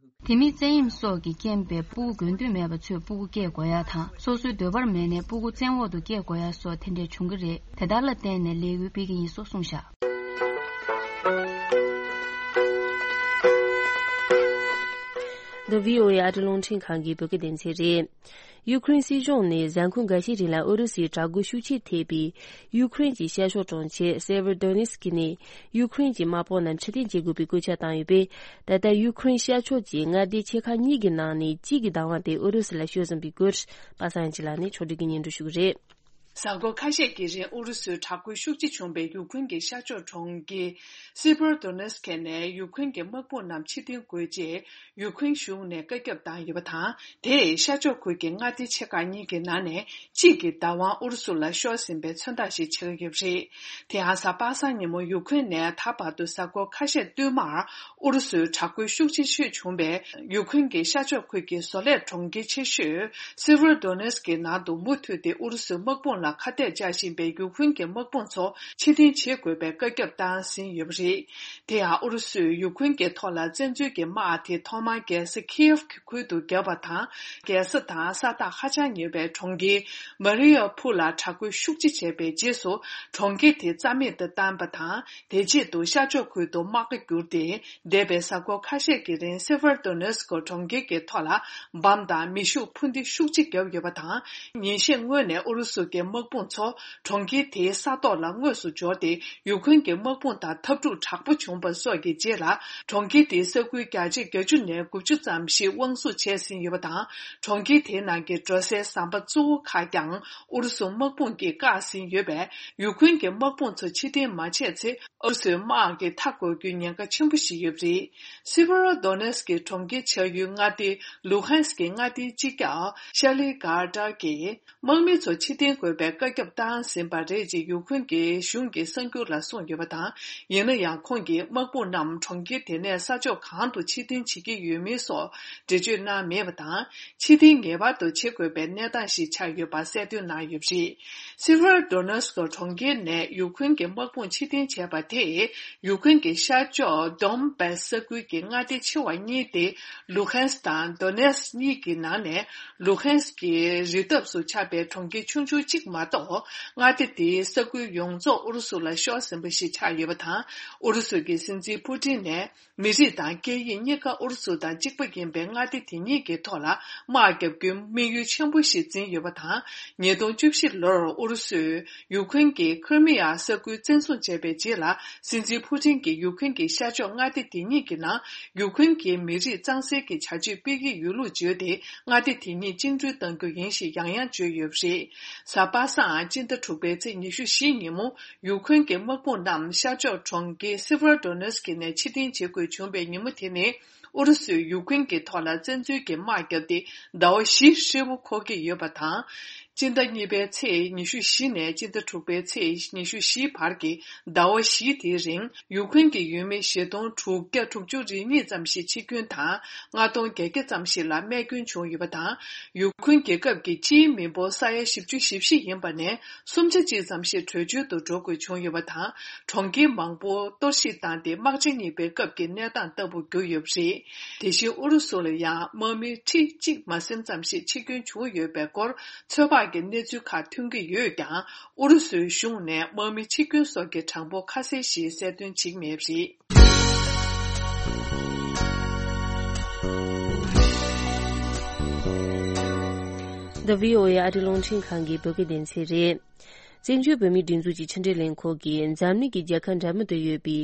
དེ་མིན་བཙན་གཡེམ་སོགས་ཀྱི་རྐྱེན་པས་སྤུ་གུ་དགོས་འདོད་མེད་པ་ཚོས་སྤུ་གུ་སྐྱེ་དགོས་ཡ་དང་། སོ་སོའི་འདོད་པར་མེད་ནའི་སྤུ་གུ་བཙན་འོག་ཏུ་སྐྱེ་དགོས་ཡ་སོགས་དེ་འདྲས་བྱུང་གི་རེད། དེ་ལྟར་ལ་བརྟེན་ནས་ལས་འགུལ་སྤེལ་གྱི་ཡིན་སོགས་གསུངས་བཞག། འདི་བྷི་ཨོ་ཨེ་ཨ་རི་རླུང་འཕྲིན་ཁང་གི་བོད་སྐད་སྡེ་ཚན་རེད། ཡུ་ཁུ་རེན་སྲིད་གཞུང་ནས་གཟའ་འཁོར་འགའ་ཤས་རིང་ལ་ཨུ་རུ་སུའི་དྲག་རྒོལ་ཤུགས་ཆེ་ཐེབས་པའི་ཡུ་ཁུ་རེན་གྱི་ཤར་ཕྱོགས་གྲོང་ཁྱེར་སེ་བྷར་དོ་ནེ་སི་ཀི་ནས་ཡུ་ཁུ་རེན་གྱི་དམག་དཔུང་རྣམས་ཕྱིར་འཐེན་བྱེད་དགོས་པའི་བཀོད་ཁྱབ་བཏང་ཡོད་པས། ད་ལྟ་ཡུ་ཁུ་རེན་ཤར་ཕྱོགས་ཀྱི་མངའ་སྡེ་ཆེ་ཁག་གཉིས་ཀྱི་ནང་ནས་གཅིག་གི་བདག་དབང་དེ་ཨུ་རུ་སུ་ལ་ཤོར་ཟིན་པའི་སྐོར་པ་སངས་སྐྱིད་ལགས་ནས་ཕྱོགས་སྒྲིག་གིས་སྙན་སྒྲོན་ཞུ་གི་རེད། གཟའ་འཁོར་ཁ་ཤས་ཀྱི་རིང་ཨུ་རུ་སུའི་དྲག་རྒོལ་ཤུགས་ཆེ་བྱུང་བའི་ཡུ་ཁུ་རེན་གྱི་ཤར་ཕྱོགས་གྲོང་ཁྱེར་སེ་བྷར་དོ་ནེ་སི་ཀི་ནས་ཡུ་ཁུ་རེན་གྱི་དམག་དཔུང་རྣམས་ཕྱིར་འཐེན་དགོས་ཅེས་ཡུ་ཁུ་རེན་གཞུང་ནས་བཀའ་ཁྱབ་བཏང་ཡོད་པ་དང་། དེས་ཤར་ཕྱོགས་ཁུལ་གྱི་མངའ་སྡེ་ཆེ་ཁག་གཉིས་ཀྱི་ནང་ནས་གཅིག་གི་བདག་དབང་ཨུ་རུ་སུ་ལ་ཤོར་ཟིན་པའི་མཚོན་རྟགས་ཤིག་ཆགས་ཀྱི་ཡོད་པ་རེད། དེ་ཡང་གཟའ་པ་སངས་ཉིན་མོ་ཡུ་ཁུ་རེན་ནས་ད་བར་དུ་གཟའ་འཁོར་ཁ་ཤས་བསྟུད་མར་ཨུ་རུ་སུའི་དྲག་རྒོལ་ཤུགས་ཆེ་ཤོས་བྱུང་བའི་ཡུ་ཁུ་རེན་གྱི་ཤར་ཕྱོགས་ཁུལ་གྱི་བཟོ་ལས་གྲོང་ཁྱེར་ཆེ་ཤོས་སེ་བྷར་དོ་ནེ་སི་ཀི་ནང་དུ་མུ་མཐུད་དེ་ཨུ་རུ་སུའི་དམག་དཔུང་ལ་ཁ་གཏད་བཅག་བཞིན་པའི་ཡུ་ཁུ་རེན་གྱི་དམག་དཔུང་ཚོ་ཕྱིར་འཐེན་བྱེད་དགོས་པའི་བཀའ་ཁྱབ་བཏང་ཟིན་ཡོད་པ་རེད། དེ་ཡང་ཨུ་རུ་སུས་ཡུ་ཁུ་རེན་གྱི་ཐོག་ལ་བཙན་འཛུལ་གྱི་དམག་དེ་ཐོག་མར་རྒྱལ་ས་ཁི་ཡེབ་ཀྱི་ཁུལ་དུ་བརྒྱབ་པ་དང་། རྒྱལ་ས་དང་ས་ཐག་ཧ་ཅང་ཉེ་བའི་གྲོང་ཁྱེར་མ་རི་ཡ་ཕུ་ལ་དྲག་རྒོལ་ཤུགས་ཆེ་བྱས་པའི་རྗེས་སུ། གྲོང་ཁྱེར་དེ་རྩ་མེད་དུ་བཏང་པ་དང་། དེ་རྗེས་དུ་ཤར་ཕྱོགས་ཁུལ་དུ་དམག་སྒར་བསྒྱུར་ཏེ། འདས་པའི་གཟའ་འཁོར་ཁ་ཤས་ཀྱི་རིང་སེ་ཕར་དོ་ནེ་སི་ཀོ་གྲོང་ཁྱེར་གྱི་ཐོག་ལ་འབམ་དང་མེ་ཤུགས་འཕུར་མདེལ་ཤུགས་ཆེ་བརྒྱབ་ཡོད་པ་དང་། ཉིན་ཤས་སྔོན་ནས་ཨུ་རུ་སུ་གྱི་དམག་དཔུང་ཚོ་གྲོང་ཁྱེར་དེའི་ས་ཐོག་ལ་དངོས་སུ་འབྱོར་ཏེ། ཡུ་ཁུན་གྱི་དམག་དཔུང་དང་འཐབ་འཁྲུག་དྲག་པོ་བྱུང་པ་སོགས་ཀྱི་རྗེས་ལ། གྲོང་ཁྱེར་དེའི་ས་ཁུལ་བརྒྱ་ཆ་བརྒྱད་ཅུ་ནས་དགུ་བཅུ་ཙམ་ཞིག་དབང་བཟུང་བྱས་ཟིན་ཡོད་པ་དང་། གྲོང་ཁྱེར་དེའི་ནང་གི་འགྲོ་སའི་ཟམ་པ་གཙོ་བོ་ཁག་ཀྱང་ཨུ་རུ་སུ་དམག་དཔུང་གིས་བཀག་ཟིན་ཡོད་པས། ཡུ་ཁུན་གྱི་དམག་དཔུང་ཚོ་ཕྱིར་འཐེན་མ་བྱས་ཚེ། ཨུ་རུ་སུའི་དམག་གིས་མཐའ་འཁོར་རྒྱུའི་ཉེན་ཁ་ཆེན་པོ་ཞིག་ཡོད་པ་རེད། སེ་བྷ་རོ་དོ་ནེ་སི་ཀི་གྲོང་ཁྱེར་ཆགས་ཡུལ་མངའ་སྡེའི་ལུ་ཧན་སི་ཀི་མངའ་སྡེའི་སྤྱི་ཁྱབ་ཤ་ལི་གྷར་ཏར་གྱིས། དམག་མི་ཚོ་ཕྱིར་འཐེན་དགོས་པའི་ བཀའ་ཁྱབ་བཏང་ཟིན་པ་རེད་ཅེས་ཡུཀ་རེན་གྱི་གཞུང་གི་གསར་འགྱུར་ལ་གསུངས་ཡོད་པ་དང་། ཡིན་ན་ཡང་ཁོང་གིས་དམག་དཔུང་རྣམས་གྲོང་ཁྱེར་དེ་ནས་ས་ཕྱོགས་གང་དུ་ཕྱིར་འཐེན་བྱེད་ཀྱི་ཡོད་མེད་སོགས་འགྲེལ་བརྗོད་གནང་མེད་པ་དང་། ཕྱིར་འཐེན་ངེས་པར་དུ་བྱེད་དགོས་པའི་གནས་སྟངས་ཤིག་ཆགས་ཡོད་པ་གསལ་སྟོན་གནང་ཡོད་པ་རེད། སེ་ཝེར་ཌོ་ནེ་སི་ཀོ་གྲོང་ཁྱེར་ནས་ཡུཀ་རེན་གྱི་དམག་དཔུང་ཕྱིར་འཐེན་བྱས་པ་དེས་ཡུཀ་རེན་གྱི་ཤར་ཕྱོགས་དོན་བྷ་སི་ས་ཁུལ་གྱི་མངའ་སྡེ་ཆེ་བ་གཉིས་ཏེ་ལུ་ཧན་སི་དང་དོ་ནེ་སི་གཉིས་ཀྱི་ནང་ནས་ལུ་ཧན་སི་གྱི་རི་འདབས་སུ་ཆགས་པའི་གྲོང་ཁྱེར་ཆུང་ཆུང་གཅིག་མ་གཏོགས། མངའ་སྡེ་དེའི་ས་ཁུལ་ཡོངས་རྫོགས་ཨུ་རུ་སུ་ལ་ཤོར་ཟིན་པ་ཞིག་ཆགས་ཡོད་པ་དང་། ཨུ་རུ་སུ་གྱི་སྲིད་འཛིན་ཕུ་ཏིན་ནས། མི་རིགས་དང་སྐད་ཡིག་གཉིས་ཀ་ཨུ་རུ་སུ་དང་གཅིག་པ་ཡིན་པའི་མངའ་སྡེ་དེ་གཉིས་ཀྱི་ཐོག་ལ་དམག་བརྒྱབ་རྒྱུའི་དམིགས་ཡུལ་ཆེན་པོ་ཞིག་འཛིན་ཡོད་པ་དང་། ཉིས་སྟོང་བཅུ་བཞི་ལོར་ཨུ་རུ་སུས་ཡུཀ་རེན་གྱི་ཁིར་མི་ཡ་ས་ཁུལ་བཙན་བཟུང་བྱས་པའི་རྗེས་ལ། སྲིད་འཛིན་ཕུ་ཏིན་གྱིས་ཡུཀ་རེན་གྱི་ཤར་ཕྱོགས་མངའ་སྡེ་དེ་གཉིས་ཀྱི་ནང་ཡུཀ་རེན་གྱི་མི་རིགས་གཙང་སེལ་གྱི་བྱ་སྤྱོད་སྤེལ་གྱི་ཡོད་ལུགས་བརྗོད་དེ། མངའ་སྡེ་དེ་གཉིས་བཅིངས་འགྲོལ་གཏང་རྒྱུ་ཡིན་ཞེས་ཡང་ཡང་བརྗོད་ཡོད་པ་རེད། གཟའ་པ་སངས་སྤྱི་ཟླ་དྲུག་པའི་ཚེས་ཉི་ཤུ་བཞི་ཉིན་མོ། ཡུཀ་རེན་གྱི་དམག་དཔུང་རྣམས་ཤར་ཕྱོགས་གྲོང་ཁྱེར་སེ་ཝེར་ཌོ་ནེ་སི་ཀི་ནས་ཕྱིར་འཐེན་བྱེད་དགོས་བྱུང་བའི་ཉིན་མོ་དེ་ནི། ཨུ་རུ་སུས་ཡུཀ་རེན་གྱི་ཐོག་ལ་བཙན་འཛུལ་གྱི་དམག་བརྒྱབ་སྟེ་ཟླ་བ་བཞི་ཧྲིལ་པོ་འཁོར་གྱི་ཡོད་པ་དང་། སྤྱི་ཟླ་གཉིས་པའི་ཚེས་ཉི་ཤུ་བཞི་ནས་སྤྱི་ཟླ་དྲུག་པའི་ཚེས་ཉི་ཤུ་བཞི་བར་གྱི་ཟླ་བ་བཞི་དེའི་རིང་ཡུཀ་རེན་གྱི་ཡུལ་མི་བཞི་སྟོང་དྲུག་བརྒྱ་དྲུག་ཅུ་རེ་གཉིས་ཙམ་ཞིག་འཆི་སྐྱོན་དང་། ལྔ་སྟོང་བརྒྱད་བརྒྱ་ཙམ་ཞིག་ལ་རྨས་སྐྱོན་བྱུང་ཡོད་པ་དང་། ཡུཀ་རེན་རྒྱལ་ཁབ་ཀྱི་སྤྱིའི་མི་འབོར་ས་ཡ་བཞི་བཅུ་ཞེ་བཞི་ཡིན་པ་ནས་སུམ་ཆ་གཅིག་ཙམ་ཞིག་བྲོས་བྱོལ་དུ་འགྲོ་དགོས་བྱུང་ཡོད་པ་དང་། གྲོང་ཁྱེར་མང་པོ་གཏོར་བཤིག་བཏང་སྟེ་དམག་ཆེན་གཉིས་པའི་སྐབས་ཀྱི་གནས་སྟངས་ལྟ་བུ་གྱུར་ཡོད་པ་རེད། དེ་བཞིན་ཨུ་རུ་སུ་ལ་ཡང་དམག་མི་ཁྲི་གཅིག་མ་ཟིན་ཙམ་ཞིག་འཆི་སྐྱོན་བྱུང་ཡོད་པའི་སྐོར་ཚོད་དཔག་གི་གནས་ཚུལ་ཁག་ཐོན་གྱི་ཡོད་ཀྱང་། ཨུ་རུ་སུའི་གཞུང་ནས་དམག་མི་འཆི་སྐྱོན་སོགས་ཀྱི་གྲངས་འབོར་ཁ་གསལ་ཞིག་གསལ་སྟོན་བྱེད་མེད་པ་རེད། འདི་བྷི་ཨོ་ཨེ་ཨ་རིའི་རླུང་འཕྲིན་ཁང་གི་བོད་སྐད་སྡེ་ཚན་རེད། བཙན་བྱོལ་བོད་མིའི་སྒྲིག་འཛུགས་ཀྱི་ཕྱི་འབྲེལ་ལས་ཁུངས་ཀྱིས་འཛམ་གླིང་གི་རྒྱལ་ཁབ་འདྲ་མིན་དུ་ཡོད་པའི་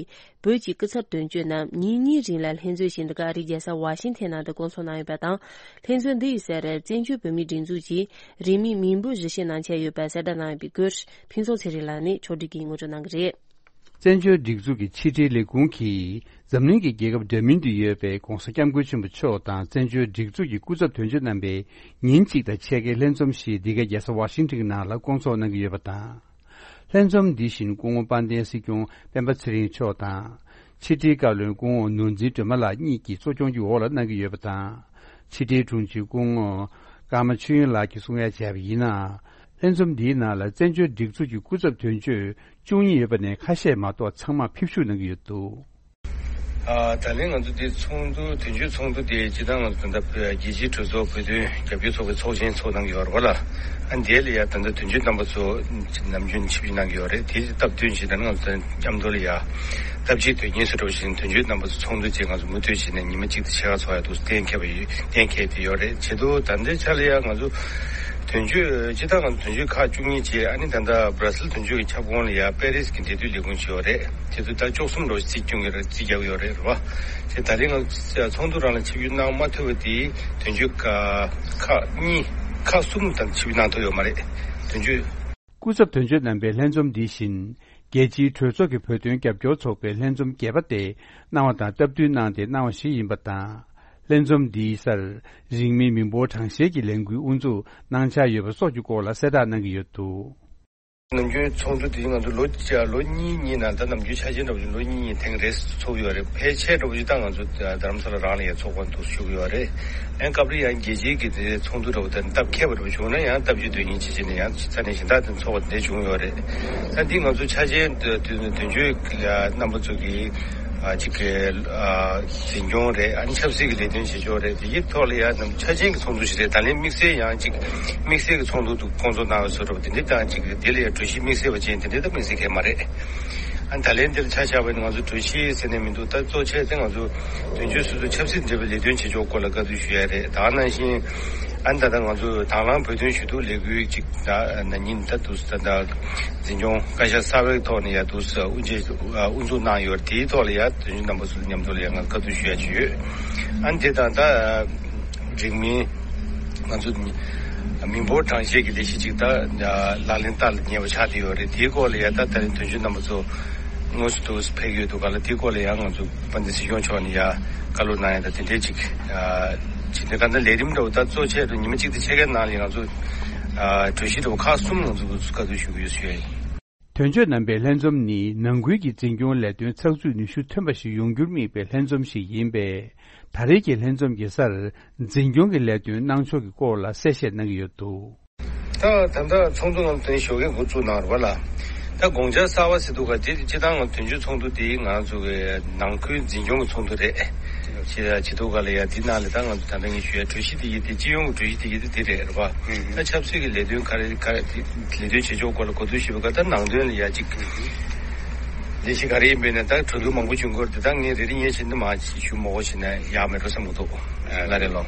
བོད་ཀྱི་སྐུ་ཚབ་དོན་གཅོད་རྣམས་ཉིན་གཉིས་རིང་ལ་ལྷན་འཛོམས་ཞིག་འདི་ག་ཨ་རིའི་རྒྱལ་ས་ཝ་ཤིང་ཐན་ནང་དུ་བསྐོང་ཚོགས་གནང་ཡོད་པ་དང་། ལྷན་འཛོམས་འདི་ཡི་སར་བཙན་བྱོལ་བོད་མིའི་སྒྲིག་འཛུགས་ཀྱིས་རིང་མིན་མིང་འབོད་གཞི་བྱས་གནང་འཆར་ཡོད་པ་གསལ་བསྒྲགས་གནང་ཡོད་པའི་སྐོར་ཕུན་ཚོགས་ཚེ་རིང་ལགས་ནས་ཕྱོགས་སྒྲིག་གིས་ངོ་སྤྲོད་གནང་གི་རེད། བཙན་བྱོལ་སྒྲིག་འཛུགས་ཀྱི་ཕྱི་དྲིལ་ལས་ཁུངས་ཀྱིས་འཛམ་གླིང་གི་རྒྱལ་ཁབ་འདྲ་མིན་དུ་ཡོད་པའི་༧གོང་ས་༧སྐྱབས་མགོན་ཆེན་པོ་མཆོག་དང་བཙན་བྱོལ་སྒྲིག་འཛུགས་ཀྱི་སྐུ་ཚབ་དོན་གཅོད་རྣམ་པའི་ཉིན་གཅིག་དང་ཕྱེད་ཀའི་ལྷན་འཛོམས་ཤིག་འདི་གའི་རྒྱལ་ས་ཝ་ཤིང་ཊོན་གྱི་ནང་ལ་བསྐོང་ཚོགས་གནང་གི་ཡོད་པ་དང་། ལྷན་འཛོམས་འདི་བཞིན་སྐུ་ངོ་དཔལ་ལྡན་སྲིད་སྐྱོང་སྤེན་པ་ཚེ་རིང་མཆོག་དང་། ཕྱི་དྲིལ་བཀའ་བློན་སྐུ་ངོ་ནོར་འཛིན་སྒྲོལ་མ་ལགས་གཉིས་ཀྱིས་གཙོ་སྐྱོང་གི་འོག་ལ་གནང་གི་ཡོད་པ་དང་། ཕྱི་དྲིལ་དྲུང་ཆེ་སྐུ་ངོ་ཀརྨ་ཆོས་དབྱིངས་ལགས་ཀྱིས་གསུང་ཡ་བྱས་པ་ཡིན་ན། ལྷན་འཛོམས་འདིའི་ནང་ལ་བཙན་བྱོལ་སྒྲིག་འཛུགས་ཀྱི་སྐུ་ཚབ་དོན་གཅོད་བཅུ་གཉིས་ཡོད་པ་ནས་ཁ་ཤས་མ་གཏོགས་ཚང་མ་ཕེབས་ཞུགས་གནང་གི་ཡོད་འདུག་ཨ། ད་ལན་ང་ཚོ་འདི་ཚོགས་འདུ་དོན་གཅོད་ཚོགས་འདུ་དེ་སྤྱིར་བཏང་ང་ཚོ་ད་ལྟ་རྒྱལ་སྤྱིའི་གྲོས་ཚོགས་བོད་དོན་རྒྱབ་སྐྱོར་ཚོགས་པའི་ཚོགས་ཆེན་ཚོགས་གནང་གི་ཡོད་རེད་བ་ལ། ཨ། འདི་ལ་ཡ་ད་ལྟ་དོན་གཅོད་རྣམ་པ་ཚོ་ནམ་རྒྱུན་ཆིབས་བསྒྱུར་གནང་གི་ཡོད་རེད། དེའི་སྟབས་བསྟུན་བྱས་ད་ནི་ང་ཚོ་མཉམ་དུ་ལ་ཡ་སྟབས་གཅིག་དོན་གཉིས་སུ་འགྲོ་བཞིན་དོན་གཅོད་རྣམ་པ་ཚོ་ཚོགས་འདུ་བྱས་ང་ཚོ་མུ་མཐུད་བྱས་ནས་ཉི་མ་གཅིག་དང་ཕྱེད་ཀ་ཚོགས་ཡ་འདུག་གཏན་འཁེལ་བ་ཡོད། གཏན་འཁེལ་དེ་ཡོད་རེད། བྱེད་དུ་ད་ལྟའི་ཆ་ལ་ཡ་ང་ཚོ་དོན་གཅོད་སྤྱིར་བཏང་ང་ཚོ་དོན་གཅོད་ཁག་བཅུ་གཉིས་བྱས། ཨ་ནི་ད་ལྟ་སྦྲ་སིལ་དོན་གཅོད་ཀྱི་ཁྱབ་ཁོངས་ལ་ཡ་པེ་རིས་ཀྱི་འབྲེལ་མཐུད་ལས་ཁུངས་བྱས་ཡོད་རེད། དེ་ཚོ་ད་བཅུ་གསུམ་འགྲོ་རྩིས་སྐྱོང་གི་རེད། རྩིས་རྒྱག་གི་ཡོད་རེད། རེད་བ། དེ་ད་རིང་ང་ཚོ་ཚོགས་འདུ་རང་ལ་ཆིབས་བསྒྱུར་གནང་མ་ཐུབ་པ་དེ་དོན་གཅོད་ཁག་ཁག་གཉིས་ཁག་གསུམ་དང་ཆིབས་བསྒྱུར་གནང་ཐུབ་ཡོད་མ་རེད། དོན་གཅོད། སྐུ་ཚབ་དོན་གཅོད་རྣམ་པའི་ལྷན་འཛོམས་འདི་བཞིན་རྒྱལ་སྤྱིའི་གྲོས་ཚོགས་ཀྱི་བོད་དོན་རྒྱབ་སྐྱོར་ཚོགས་པའི་ལྷན་འཛོམས་བརྒྱད་པ་དེ་གནང་བ་དང་སྟབས་བསྟུན་གནང་སྟེ་གནང་བ་ཞིག་ཡིན་པ་དང་། ལྷན་འཛོམས་འདིའི་སར་རིང་མིན་མི་འབོར་གྲངས་བཤེར་གྱི་ལས་འགུལ་དབུ་འཛུགས་གནང་འཆར་ཡོད་པ་སོགས་ཀྱི་སྐོར་ལ་གསལ་བསྒྲགས་གནང་གི་ཡོད་འདུག་ནམ་རྒྱུན་ཚོགས་འདུ་དེ་ང་ཚོ་ལོ་ལོ་གཉིས་གཉིས་ནང་ད་ནམ་རྒྱུན་འཆར་ཅན་འདྲ་བོ་ཞིག་ལོ་གཉིས་གཉིས་ཐེངས་རེ་ཚོགས་ཡོད་རེད། ཕལ་ཆེར་འདྲ་བོ་ཞིག་ད་ང་ཚོ་རྡ་རམ་ས་ལ་རང་ལ་ཡང་ཚོགས་པ་འདུག་ཞུ་གི་ཡོད་རེད། ཡང་སྐབས་རེ་ཡང་རྒྱལ་སྤྱིའི་གི་དེ་ཚོགས་འདུ་འདྲ་བོ་དང་སྟབས་འཁེལ་བ་འདྲ་བོ་བྱུང་ན་ཡང་སྟབས་གཅིག་དོན་གཉིས་བྱེད་བྱེད་ནས་ཡང་ས་གནས་གཞན་དག་དང་ཚོགས་པ་དེ་འདྲ་བྱུང་ཡོད་རེད། ད་འདི་ང་ཚོ་འཆར་ཅན་དོན་གཅོད་རྣམ་པ་ཚོ་གི་ཨ་ཅིག་གི་ཨ་འཛིན་སྐྱོང་རེད། ཨ་ནི་ཆབ་སྲིད་ཀྱི་ལས་དོན་བྱེད་ཕྱོགས་རེད། དེ་ཡི་ཐོག་ལ་ཡང་ནམ་འཆར་ཅན་གྱི་ཚོགས་འདུ་ཞིག་རེད། ད་ལན་དམིགས་བསལ་ཡང་ཅིག་དམིགས་བསལ་གྱི་ཚོགས་འདུ་འདུག་སྐོང་ཚོགས་གནང་བའི་བཟོ་འདྲ་བ་དེ་འདྲ་དང་ཅིག་དེ་ལ་ཡང་གྲོས་གཞི་དམིགས་བསལ་བ་ཅན་དེ་འདྲ་ད་དམིགས་བསལ་གང་ཡང་མ་རེད། ཨ་ནི་ད་ལན་འདིར་ཆ་བཞག་པ་ཡིན་ན་ང་ཚོ་གྲོས་གཞི་ཟེར་ནས་མི་འདུག་ད་གཙོ་ཆེ་དེ་ང་ཚོ་དོན་གཅོད་སོ་སོ་ཆབ་སྲིད་འབྲེལ་བའི་ལས་དོན་བྱེད་ཕྱོགས་སྐོར་ལ་བཀའ་བསྡུར་ཞུ་ཡ་རེད། ད་ག་ནང་བཞིན་ཨ་ནི་ད་ལྟ་ང་ཚོ་དང་བླངས་བོད་དོན་ཞུ་གཏུག་ལས་འགུལ་ཅིག་ད་ན་ནིང་ད་དུས་ད་ལྟ་འཛིན་སྐྱོང་བཀའ་ཤག་གསར་པའི་ཐོག་ནས་ཡ་དུས་དབུ་འབྱེད་དབུ་འཛུགས་གནང་ཡོད་རེད། དེའི་ཐོག་ལ་ཡ་དོན་གཅོད་རྣམ་པ་ཚོ་མཉམ་དུ་ལ་ཡ་ང་བཀའ་བསྡུར་ཞུ་ཡ་ཅིག་ཡོད། ཨ་ནི་དེ་དང་ད་རིང་མིན་ང་ཚོ་མི་འབོར་གྲངས་བཤེར་གྱི་ལས་གཞི་ཅིག་ད་ལག་ལེན་བསྟར་ལ་ཉེ་བ་ཆགས་བསྡད་ཡོད་རེད། དེའི་སྐོར་ལ་ཡ་ད་ད་རིང་དོན་གཅོད་རྣམ་པ་ཚོ་དངོས་སུ་དུ་ཕེབས་ཡོད་འདུག་ག་ལ། དེའི་སྐོར་ལ་ཡང་ང་ཚོ་དཔལ་ལྡན་སྲིད་སྐྱོང་མཆོག་ནས་ཡ་བཀའ་སློབ་གནང་ཡ་ད་དེ་འདྲའི་ཅིག་ཅིག་དེ་ག་ད་ལས་རིམ་འདྲ་བོ་ད་གཙོ་ཆེ་རུ་ཉི་མ་གཅིག་དང་ཕྱེད་ཀའི་ནང་ལ་ང་ཚོ་ ཨ་གྲོས་གཞི་འདྲ་བོ་ཁག་གསུམ་ང་ཚོ་གིས་བཀའ་བསྡུར་ཞུ་གི་ཡོད་ཞུ་ཡ་ཡིན། དོན་གཅོད་རྣམ་པའི་ལྷན་འཛོམས་ནི་ནང་ཁུལ་གྱི་འཛིན་སྐྱོང་ལས་དོན་ཚགས་ཚུད་ནུས་ཤུགས་ཐོན་པ་ཞིག་ཡོང་རྒྱུར་དམིགས་པའི་ལྷན་འཛོམས་ཤིག་ཡིན་པས། ད་རེས་ཀྱི་ལྷན་འཛོམས་ཀྱི་སར་འཛིན་སྐྱོང་གི་ལས་དོན་གནང་ཕྱོགས་ཀྱི་སྐོར་ལ་གསལ་བཤད་གནང་གི་ཡོད་འདུག། ད་ད་ལྟ་ཚོགས་འདུ་ནང་དོན་ཞོགས་ཀས་འགོ་བཙུགས་གནང་རེད་པ་ལ། ད་དགོངས་འཆར་གསར་པ་ཟེར་འདུག་ག་དེ་སྤྱིར་བཏང་ང་དོན་གཅོད་ཚོགས་འདུ་དེ་ང་ཚོ་གི་ནང་ཁུལ་འཛིན་སྐྱོང་གི་ཚོགས་འདུ་རེད། ཅེས་ཅེས་འདུག་ག་ལ་ཡ་འདི་ནང་ལ་ད་ང་ཚོ་ད་ལྟ་ངས་ཞུ་ཡ་གྲོས་གཞི་དེ་ཡིན་དེ་སྤྱི་ཡོངས་ཀྱི་གྲོས་གཞི་དེ་ཡིན་དེ་དེ་རེད་རེད་པ། ད་ཆབ་སྲིད་ཀྱི་ལས་དོན་ག་རེ་ག་རེ་ལས་དོན་བྱེད་ཕྱོགས་སྐོར་ལ་གོ་བསྡུར་ཞུས་པ་ག་ད་ནང་དོན་ལ་ཡ་གཅིག་ལས་གཞི་ག་རེ་ཡིན་པས་ན་ད་གྲོས་བསྡུར་མང་པོ་བྱུང་གི་ཡོད་རེད་དེ་ད་ངས་རེ་རེ་ངས་བྱས་ན་མ་ཞུ་མ་དགོས་བྱས་ན་ཡག་མེད་འགྲོ་བསམ་གྱི་འདུག་ལ་རེ་ལོ།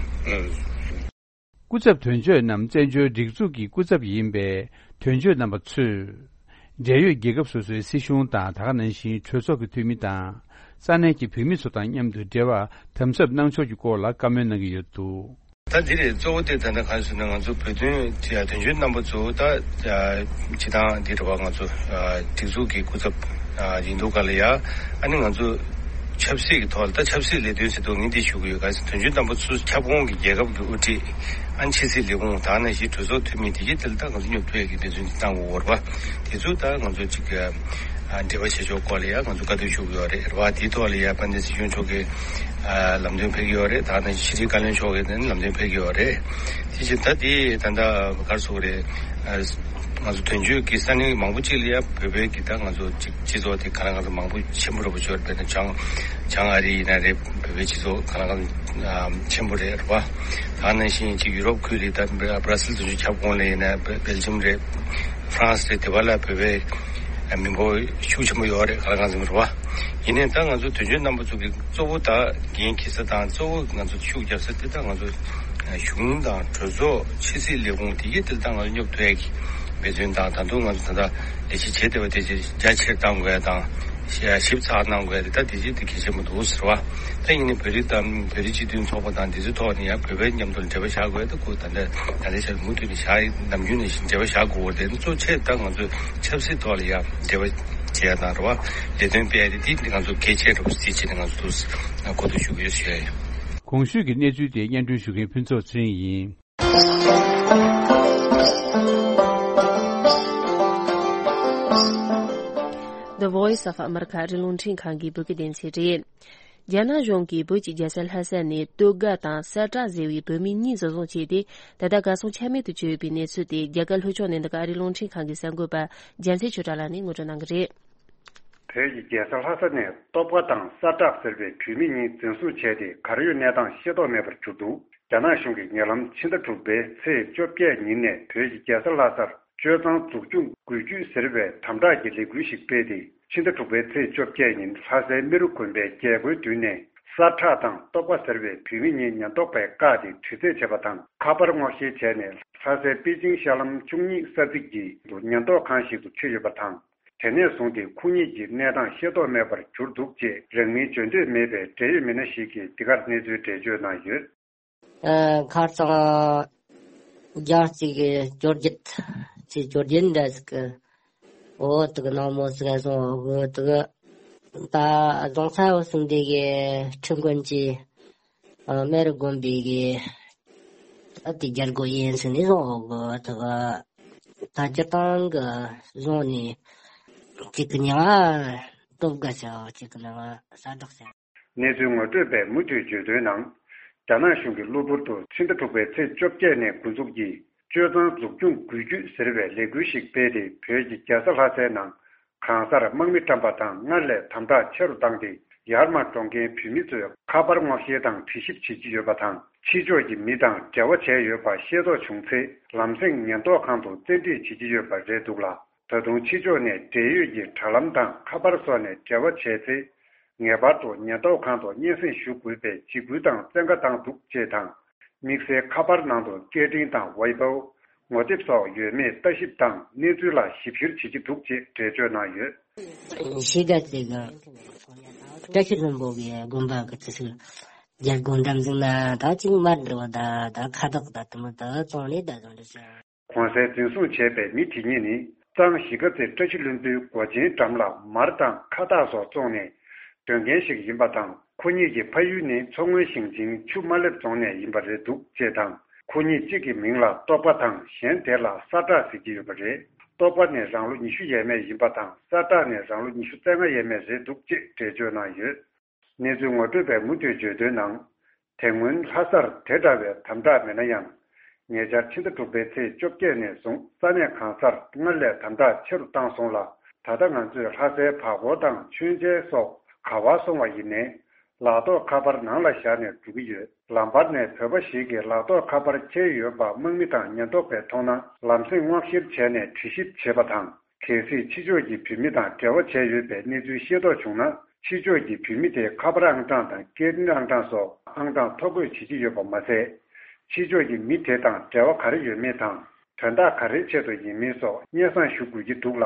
སྐུ་ཚབ་དོན་གཅོད་རྣམས་བཙན་བྱོལ་སྒྲིག་འཛུགས་ཀྱི་སྐུ་ཚབ་ཡིན་པས། དོན་གཅོད་རྣམ་པ་ཚོས། འབྲེལ་ཡོད་རྒྱལ་ཁབ་སོ་སོའི་སྲིད་གཞུང་དང་། ད་ག་ནང་བཞིན་གྲོས་ཚོགས་ཀྱི་འཐུས་མི་དང་། ས་གནས་ཀྱི་བོད་མི་ཚོ་དང་མཉམ་དུ་འབྲེལ་བ་དམ་ཟབ་གནང་ཕྱོགས་ཀྱི་སྐོར་ལ་བཀའ་མོལ་གནང་གི་ཡོད་འདུག། ད་འདི་རེད། གཙོ་བོ་དེ་ད་ལྟ་ག་རེ་ཟེར་ན་ང་ཚོ་བོད་དོན་དོན་གཅོད་རྣམ་པ་ཚོ་ད་སྤྱི་བཏང་འདི་རེད་བ། ང་ཚོ་སྒྲིག་འཛུགས་ཀྱི་སྐུ་ཚབ་ཡིན་འདུག་ག་ལ་ཡ། ཨ་ནི་ང་ཚོ་ཆབ་སྲིད་ཀྱི་ཐོག་ལ་ད་ཆབ་སྲིད་ལས་དོན་ཟེར་དུས་ངས་འདི་ཞུ་གི་ཡོད། ག་རེ་ཟེར་དོན་གཅོད་རྣམ་པ་ཚོ་ཁྱབ་ཁོངས་ཀྱི་རྒྱལ་ཁབ་ཀྱི་དབུ་ཁྲིད། ཨ་ནི་ཕྱི་སྲིད་ལས་ཁུངས་དང་ནང་བཞིན་གྲོས་ཚོགས་འཐུས་མི་དེ་གའི་དེ་ལ་ད་ང་ཚོ་སྙོབ་ཐུབ་ཡ་གི་འབད་བརྩོན་ཅིག་གནང་དགོས་ཀྱི་རེད་པ། དེ་ཚོ་ད་ང་ཚོ་ཅིག་འབྲེལ་བ་བྱེད་ཕྱོགས་སྐོར་ལ་ཡང་ང་ཚོ་བཀའ་བསྡུར་ཞུ་གི་ཡོད་རེད་རེད་པ། དེའི་ཐོག་ལ་ཡང་དཔལ་ལྡན་སྲིད་སྐྱོང་མཆོག་གིས་ལམ་སྟོན་ཕེབས་ཀྱི་ཡོད་རེད། ད་ནང་བཞིན་ཕྱི་དྲིལ་བཀའ་བློན་མཆོག་གིས་ནི་ལམ་སྟོན་ཕེབས་ཀྱི་ཡོད་རེད། དེ་བཞིན་ད་དེ་ད་ལྟ་ག་རེ་ཟེར་དགོས་རེད། ང་ཚོ་དོན་གཅོད་ཀྱི་ས་གནས་མང་པོ་ཅིག་ལ་ཡང་བོད་པའི་གི་ད་ང་ཚོ་ཅིག་སྤྱི་ཚོགས་དེ་ག་ལ་གང་འཚམ་མང་པོ་ཆེན་པོ་རེད་པ། ཅོར་དཔེར་ན་བྱང་བྱང་ཨ་རི་ཡིན་ན་རེད། བོད་པའི་སྤྱི་ཚོགས་ག་ལ་གང་འཚམ་ཆེན་པོ་རེད་རེད་པ། ད་ནང་བཞིན་ཅིག་ཡུ་རོབ་ཁུལ་ལ་ད་བྷ་ར་སིལ་དོན་གཅོད་ཁྱབ་ཁོངས་ལ་ཡིན་ན་སྦེལ་ཇམ་རེད། ཧྥ་རན་སི་རེད། དེ་བ་ལ་བོད་པའི་མི་འབོར་ཤུགས་ཆེན་པོ་ཡོད་རེད། ག་ལ་གང་འཚམ་རེད་པ། ཡིན་ནའི་ད་ང་ཚོ་དོན་གཅོད་རྣམ་པ་ཚོ་གི་གཙོ་བོ་ད་འགན་འཁྱེར་ས་དང་གཙོ་བོ་ང་ཚོ་ཤུགས་རྒྱབ་ས་དེ་ད་ང་ཚོ་གཞུང་དང་གྲོས་ཚོགས་ཕྱི་སྲིད་ལས་ཁུངས་དེ་གའི་དེ་ད་ང་ཚོ་སྙོབ་ཐུབ་ཡ་གི་འབད་བརྩོན་དང་། ད་དུང་ང་ཚོ་ད་ལྟ་ལས་གཞི་བྱེད་བསྡད་པ་དེ་རྒྱ་ཆེར་གཏང་དགོས་ཡ་དང་། ཞིབ་ཚགས་གནང་དགོས་ཡ་དེ་ད་དེ་གཅིག་དེ་གལ་ཆེན་པོ་འདུག་ཟེར་བ། ད་ཡིན་ནའི་བོད་རིགས་དང་བོད་རིགས་སྤྱི་མཐུན་ཚོགས་པ་དང་དེ་ཚོའི་ཐོག་ནས་ཡང་བོད་པའི་མཉམ་དུ་འབྲེལ་བ་བཞག་དགོས་ཡ་ད་ཁོ་ད་ལྟ་ད་ལྟའི་ཆར་མུ་མཐུད་ནས་བཞག་ནམ་རྒྱུན་ནས་བཞིན་འབྲེལ་བ་བཞག་དགོས་པ་དེ་གཙོ་ཆེ་ད་ང་ཚོས་ཆབ་སྲིད་ཐོག་ལ་ཡང་འབྲེལ་བ་བྱེད་ཡ་དང་རེད་བ། ལས་དོན་སྤེལ་ཡ་དེ་དེ་ང་ཚོ་གལ་ཆེ་རུ་བརྩིས་བྱས་ནས་ང་ཚོ་འདུག་གོ་བསྡུར་ཞུ་གི་ཡོད་ཞུ་ཡ་ཡིན། གོང་ཞུས་ཀྱི་གནས་ཚུལ་དེ་སྙན་སྒྲོན་ཞུ་མཁན་ཕུན་ཚོགས་ཚེ་རིང་ཡིན། The Voice of America ཨ་རིའི་རླུང་འཕྲིན་ཁང་གི་བོད་སྐད་སྡེ་ཚན་རེད། རྒྱ་ནག་གཞུང་གིས་བོད་ཀྱི་རྒྱལ་ས་ལྷ་ས་ནས་སྟོད་དགའ་དང་སེ་བྲག་ཟེར་བའི་བོད་མི་གཉིས་འཛིན་བཟུང་བྱས་ཏེ། ད་ལྟ་གར་སོང་ཆ་མེད་དུ་གྱུར་ཡོད་པའི་གནས་ཚུལ་དེ་རྒྱ་གར་ལྷོ་ཕྱོགས་ནས་འདི་ག་ཨ་རིའི་རླུང་འཕྲིན་ཁང་གི་གསར་འགོད་པ་རྒྱལ་མཚན་ཆོས་གྲགས་ལགས་ནས་ངོ་སྤྲོད་གནང་གི་རེད། བོད་ཀྱི་རྒྱལ་ས་ལྷ་ས་ནས་སྟོད་དགའ་དང་སེ་བྲག་ཟེར་བའི་བོད་མི་གཉིས་འཛིན་བཟུང་བྱས་ཏེ། གར་ཡོད་གནས་སྟངས་ཤེས་རྟོགས་མེད་པར་གྱུར་འདུག། རྒྱ་ནག་གཞུང་གིས་ཉེ་ལམ་ཕྱི་ཟླ་དྲུག་པའི་ཚེས་བཅོ་བརྒྱད་ཉིན་ནས་བོད་ཀྱི་རྒྱལ་ས་ལྷ་སར་སྤྱོད་གཙང་འཛུགས་སྐྱོང་འགུལ་སྐྱོད་ཟེར་བའི་དམ་དྲག་གི་ལས་འགུལ་ཞིག་སྤེལ་ཏེ། ཕྱི་ཟླ་དྲུག་པའི་ཚེས་བཅོ་བརྒྱད་ཉིན་ལྷ་སའི་རྨེ་རུ་དགོན་པའི་རྒྱལ་སྒོའི་མདུན་ནས་སེ་བྲག་དང་སྟོད་དགའ་ཟེར་བའི་བོད་མི་གཉིས་ཉེན་རྟོག་པས་བཀག་སྟེ་དྲི་རྩད་བྱས་པ་དང་། ཁ་པར་སྔོག་བཤེར་བྱས་ནས་ལྷ་སའི་པེ་ཅིང་ཤར་ལམ་བཅུ་གཉིས་ས་ཚིགས་ཀྱི་ཉེན་རྟོག་ཁང་ཞིག་ཏུ་ཁྲིད་ཡོད་པ་དང་། དེ་ནས་བཟུང་སྟེ་ཁོ་གཉིས་ཀྱི་གནས་སྟངས་ཤེས་རྟོགས་མེད་པར་གྱུར་འདུག་ཅེས་རང་མིང་བརྗོད་འདོད་མེད་པའི་འབྲེལ་ཡོད་མི་སྣ་ཞིག་གིས་འདི་གར་གནས་ཚུལ་འགྲེལ་བརྗོད་གནང་ཡོད། ཨ། ཁ་སང་རྒྱང་རྩིས་ཀྱི་འབྱོར་རྒྱུ་ཅིག་འབྱོར་རྒྱུ་འདྲ་ཟིག་གི། འོ་དེ་གི་ནང་མོ་ཟིག་བཟུང་འོ་གི་དེ་གི། ད་རྫོང་ཚ་བོ་སིང་དེ་གི་ཁྲིམས་ཀུན་གྱི་ཨ་རྨེ་རུ་དགོན་པའི་གི་ཨ་དེ་རྒྱལ་སྒོ་ཡིན་ཟིན་ནས་བཟུང་འོ་གི་དེ་གི། ད་སྤྱིར་བཏང་གི་བཟུང་ནས་ཅིག་གི་ཉི་མ་སྟོད་དགའ་ཟེར། ཅིག་གི་ཉི་མ་སེ་བྲག་ཟེར། གནས་ཚུལ་ངོ་སྤྲོད་པས་མུ་མཐུད་བརྗོད་དོན་ནང་། རྒྱ་ནག་གཞུང་གིས་གློ་བུར་དུ་ཕྱི་ཟླ་དྲུག་པའི་ཚེས་བཅོ་བརྒྱད་ནས་འགོ་འཛུགས་ཀྱིས་སྤྱོད་གཙང་འཛུགས་སྐྱོང་འགུལ་སྐྱོད་ཟེར་བའི་ལས་འགུལ་ཞིག་སྤེལ་ཏེ། བོད་ཀྱི་རྒྱལ་ས་ལྷ་སའི་ནང་གང་སར་དམག་མི་བཀྲམ་པ་དང་སྔར་ལས་དམ་དྲག་ཆེ་རུ་བཏང་སྟེ། ཡར་མར་འགྲོ་མཁན་བོད་མི་ཚོས་ཁ་པར་སྔོག་བཤེར་དང་དྲི་ཞིབ་བྱེད་ཀྱི་ཡོད་པ་དང་། ཕྱི་ཕྱོགས་ཀྱི་མི་དང་འབྲེལ་བ་བྱས་ཡོད་པ་ཤེས་རྟོགས་བྱུང་ཚེ། ལམ་སེང་ཉེན་རྟོག་ཁང་དུ་བཙན་ཁྲིད་བྱེད་ཀྱི་ཡོད་པ་རེད་འདུག་ལ། ད་དུང་ཕྱི་ཕྱོགས་ནས་འབྲེལ་ཡོད་ཀྱི་དྲ་ལམ་དང་ཁ་པར་སོགས་ནས་འབྲེལ་བ་བྱས་ཚེ། ངེས་པར་དུ་ཉེན་རྟོག་ཁང་དུ་སྙན་སེང་ཞུ་དགོས་པའི་འཇིགས་སྐུལ་དང་བཙན་བཀའ་བཏང་འདུག་ཅེས་དང་། དམིགས་བསལ་ཁ་པར་ནང་དུ་སྐད་འཕྲིན་དང་ཝའི་པའོ། ངོ་དེབ་སོགས་ཡོད་མེད་ལྟ་ཞིབ་དང་གནས་ཚུལ་ལ་ཞིབ་བཤེར་བྱེད་ཀྱི་འདུག་ཅེས་འགྲེལ་བརྗོད་གནང་ཡོད། ཤེས་རྒྱ་ཅིག་བཀྲ་ཤིས་ལྷུན་པོ་གི་དགོན་པ་གི་ཅི་ཞིག་རྒྱལ་སྒོ་འགྲམ་ཟིག་ན་ད་ཅིག་མར་འགྲོ་ད་ད་ཁ་བཏགས་ད་དུ་མོ་ད་བཙོང་ནས་ད་བཟོ་འདྲ་ཟེར། གོང་གསལ་འཛིན་བཟུང་བྱས་པའི་མི་དེ་གཉིས་ནི། གཙང་གཞིས་ཀ་རྩེ་བཀྲ་ཤིས་ལྷུན་པོའི་སྒོ་ཆེན་འགྲམ་ལ་མར་དང་ཁ་བཏགས་སོགས་བཙོང་ནས་སྡོད་མཁན་ཞིག་ཡིན་པ་དང་། ཁོ་གཉིས་ཀྱི་ཕ་ཡུལ་ནི་མཚོ་སྔོན་ཞིང་ཆེན་ཆུ་དམར་ལེབ་རྫོང་ནས་ཡིན་པ་རེད་འདུག་ཅེས་དང་ ཁོ་གཉིས་གཅིག་གི་མིང་ལ་རྟོག་པ་དང་གཞན་དེ་ལ་ས་བསྒྲགས་ཟེར་གྱི་ཡོད་པ་རེད། རྟོག་པ་ནི་རང་ལོ་ཉི་ཤུ་ཡས་མས་ཡིན་པ་དང་ས་བསྒྲགས་ནི་རང་ལོ་ཉི་ཤུ་རྩ་ལྔ་ཡས་མས་རེད་འདུག་ཅེས་འགྲེལ་བརྗོད་གནང་ཡོད། གནས་ཚུལ་ངོ་སྤྲོད་པས་མུ་མཐུད་བརྗོད་དོན་ནང་། དེ་སྔོན་ལྷ་སར་དེ་འདྲ་བའི་དམ་དྲག་མེད་ན་ཡང་། ཉེ་ཆར་ཕྱི་ཟླ་དྲུག་པའི་ཚེས་བཅོ་བརྒྱད་ནས་བཟུང་ས་གནས་གང་སར་སྔར་ལས་དམ་དྲག་ཆེ་རུ་བཏང་སོང་ལ། ད་ལྟ་ང་ཚོས་ལྷ་སའི་བར་སྐོར་དང་མཆོད་མཇལ་སོགས་ག་པར་སོང་བ་ཡིན་ནའི། ལག་ཐོགས་ཁ་པར་ནང་ལ་བཞག་ནས་འགྲོ་གི་ཡོད། ལམ་བར་ནས་བོད་པ་ཞིག་གིས་ལག་ཐོགས་ཁ་པར་འཁྱེར་ཡོད་པ་དམག་མི་དང་ཉེན་རྟོག་པས་མཐོང་ན་ལམ་སེང་མངགས་གཞིར་བྱས་ནས་དྲི་ཞིབ་བྱེད་པ་དང་། གལ་སྲིད་ཕྱི་ཕྱོགས་ཀྱི་བོད་མི་དང་འབྲེལ་བ་བྱས་ཡོད་པའི་གནས་ཚུལ་ཤེས་རྟོགས་བྱུང་ན། ཕྱི་ཕྱོགས་ཀྱི་བོད་མི་དེའི་ཁ་པར་ཨང་གྲངས་དང་སྐད་འཕྲིན་ཨང་གྲངས་སོགས་ཨང་གྲངས་ཐོ་འགོད་བྱེད་ཀྱི་ཡོད་པ་མ་ཟད། ཕྱི་ཕྱོགས་ཀྱི་མི་དེ་དང་འབྲེལ་བ་ག་རེ་ཡོད་མེད་དང་། དོན་དག་ག་རེའི་ཆེད་དུ་ཡིན་མིན་སོགས་སྙན་སེང་ཞུ་དགོས་ཀྱི་འདུག་ལ།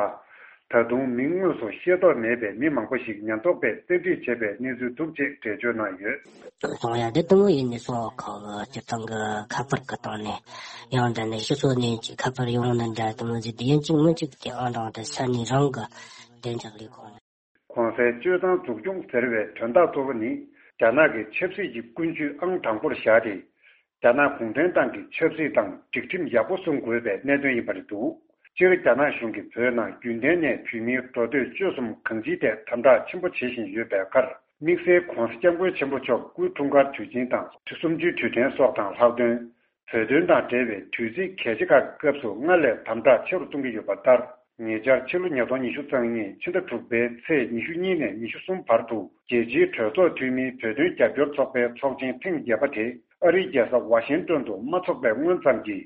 ད་དུང་མིང་དངོས་སུ་ཤེས་རྟོགས་མེད་པའི་མི་མང་པོ་ཞིག་ཉེན་རྟོག་པས་བཙན་ཁྲིད་བྱས་པའི་གནས་ཚུལ་འདུག་ཅེས་འགྲེལ་བརྗོད་གནང་ཡོད། སོང་ཡ་དེ་དུ་མོ་ཡིན་ནི་སོགས་ཁག་སྤྱིར་བཏང་གི་ཁ་པར་གི་སྟེང་ནས་ཡང་འདྲ་ནས་ཕྱི་ཕྱོགས་ནས་ཀྱི་ཁ་པར་ཡོང་ན་འདྲ་དུ་མོ་ཟིག་དེ་ཡིན་གཅིག་མིན་གཅིག་དེ་ཨང་གྲངས་དེ་ས་གནས་རང་གི་བདེ་འཇགས་ལས་ཁུངས་ནས། གོང་གསལ་སྤྱོད་གཙང་འཛུགས་སྐྱོང་ཟེར་བའི་དོན་དག་གཙོ་བོ་ནི། རྒྱ་ནག་གི་ཆབ་སྲིད་ཀྱི་ཀུན་སྤྱོད་ཨང་དང་པོར་བཞག་སྟེ། རྒྱ་ནག་གུང་ཁྲན་ཏང་གི་ཆབ་སྲིད་དང་སྒྲིག་ཁྲིམས་ཡག་པོ་སྲུང་དགོས་པའི་གནད་དོན་ཡིན་པ་རེད་འདུག་སྤྱིར་རྒྱ་ནག་གཞུང་གིས་བོད་ནང་རྒྱུན་ལྡན་ནས་བོད་མིའི་འགྲོ་སྡོད་སྤྱོད་གསུམ་གང་ཅིའི་ཐད་དམ་དྲག་ཆེན་པོ་བྱེད་བཞིན་ཡོད་པའི་ཁར། དམིགས་བསལ་༧གོང་ས་༧སྐྱབས་མགོན་ཆེན་པོ་མཆོག་སྐུའི་འཁྲུངས་སྐར་དུས་ཆེན་དང་ཆུ་གསུམ་བཅུའི་དུས་དྲན་སོགས་དང་ལྷག་དོན། བོད་དོན་དང་འབྲེལ་བའི་དུས་ཚིགས་གལ་ཆེ་ཁག་གི་སྐབས་སུ་སྔར་ལས་དམ་དྲག་ཆེ་རུ་གཏོང་གི་ཡོད་པ་ལྟར། ཉེ་ཆར་ཕྱི་ལོ་ཉིས་སྟོང་ཉི་ཤུ་རྩ་གཉིས་ཕྱི་ཟླ་དྲུག་པའི་ཚེས་ཉི་ཤུ་གཉིས་ནས་ཉི་ཤུ་གསུམ་བར་དུ་རྒྱལ་སྤྱིའི་གྲོས་ཚོགས་འཐུས་མིའི་བོད་དོན་རྒྱབ་སྐྱོར་ཚོགས་པའི་ཚོགས་ཆེན་ཐེངས་བརྒྱད་པ་དེ་ཨ་རིའི་རྒྱལ་ས་ཝ་ཤིང་ཏོན་དུ་མ་འཚོགས་པའི་སྔོན་ཙམ་གྱི་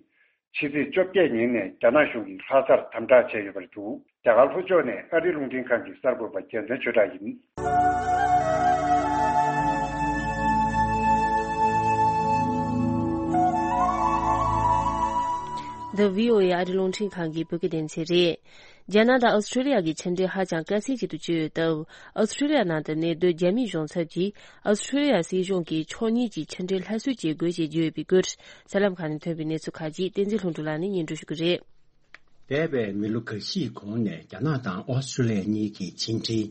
ཕྱི་ཚེས་བཅོ་བརྒྱད་ཉིན་ནས་རྒྱ་ནག་གཞུང་གིས་ལྷ་སར་དམ་དྲག་བྱས་ཡོད་པ་རེད་འདུག་རྒྱ་གར་ལྷོ་ཕྱོགས་ནས་ཨ་རིའི་རླུང་འཕྲིན་ཁང་གི་གསར་འགོད་པ་རྒྱལ་མཚན་ཆོས་གྲགས་ཡིན། འདི་བྷི་ཨོ་ཨེ་ཨ་རིའི་རླུང་འཕྲིན་ཁང་གི་བོད་སྐད་སྡེ་ཚན་རེད། རྒྱ་ནག་དང་ཨོ་སི་ཁྲུ་ལི་ཡ་གི་ཕྱི་འབྲེལ་ཧ་ཅང་དཀའ་ཚེགས་ཅིག་ཏུ་གྱུར་ཡོད་སྟབས། ཨོ་སི་ཁྲུ་ལི་ཡ་ནང་དུ་གནས་སྡོད་རྒྱ་མིའི་གཞུང་ཚབ་ཀྱིས་ཨོ་སི་ཁྲུ་ལི་ཡ་སྲིད་གཞུང་གིས་ཕྱོགས་གཉིས་ཀྱི་ཕྱི་འབྲེལ་སླར་གསོ་བྱེད་དགོས་ཞེས་བརྗོད་ཡོད་པའི་སྐོར། གསར་ལམ་ཁག་ནས་ཐོན་པའི་གནས་ཚུལ་ཁག་ཅིག་བསྟན་འཛིན་ལྷུན་གྲུབ་ལགས་ནས་སྙན་སྒྲོན་ཞུ་གི་རེད། འདས་པའི་མི་ལོ་ཁ་ཤས་གོང་ནས་རྒྱ་ནག་དང་ཨོ་སི་ཁྲུ་ལི་ཡ་གཉིས་ཀྱི་ཕྱི་འབྲེལ།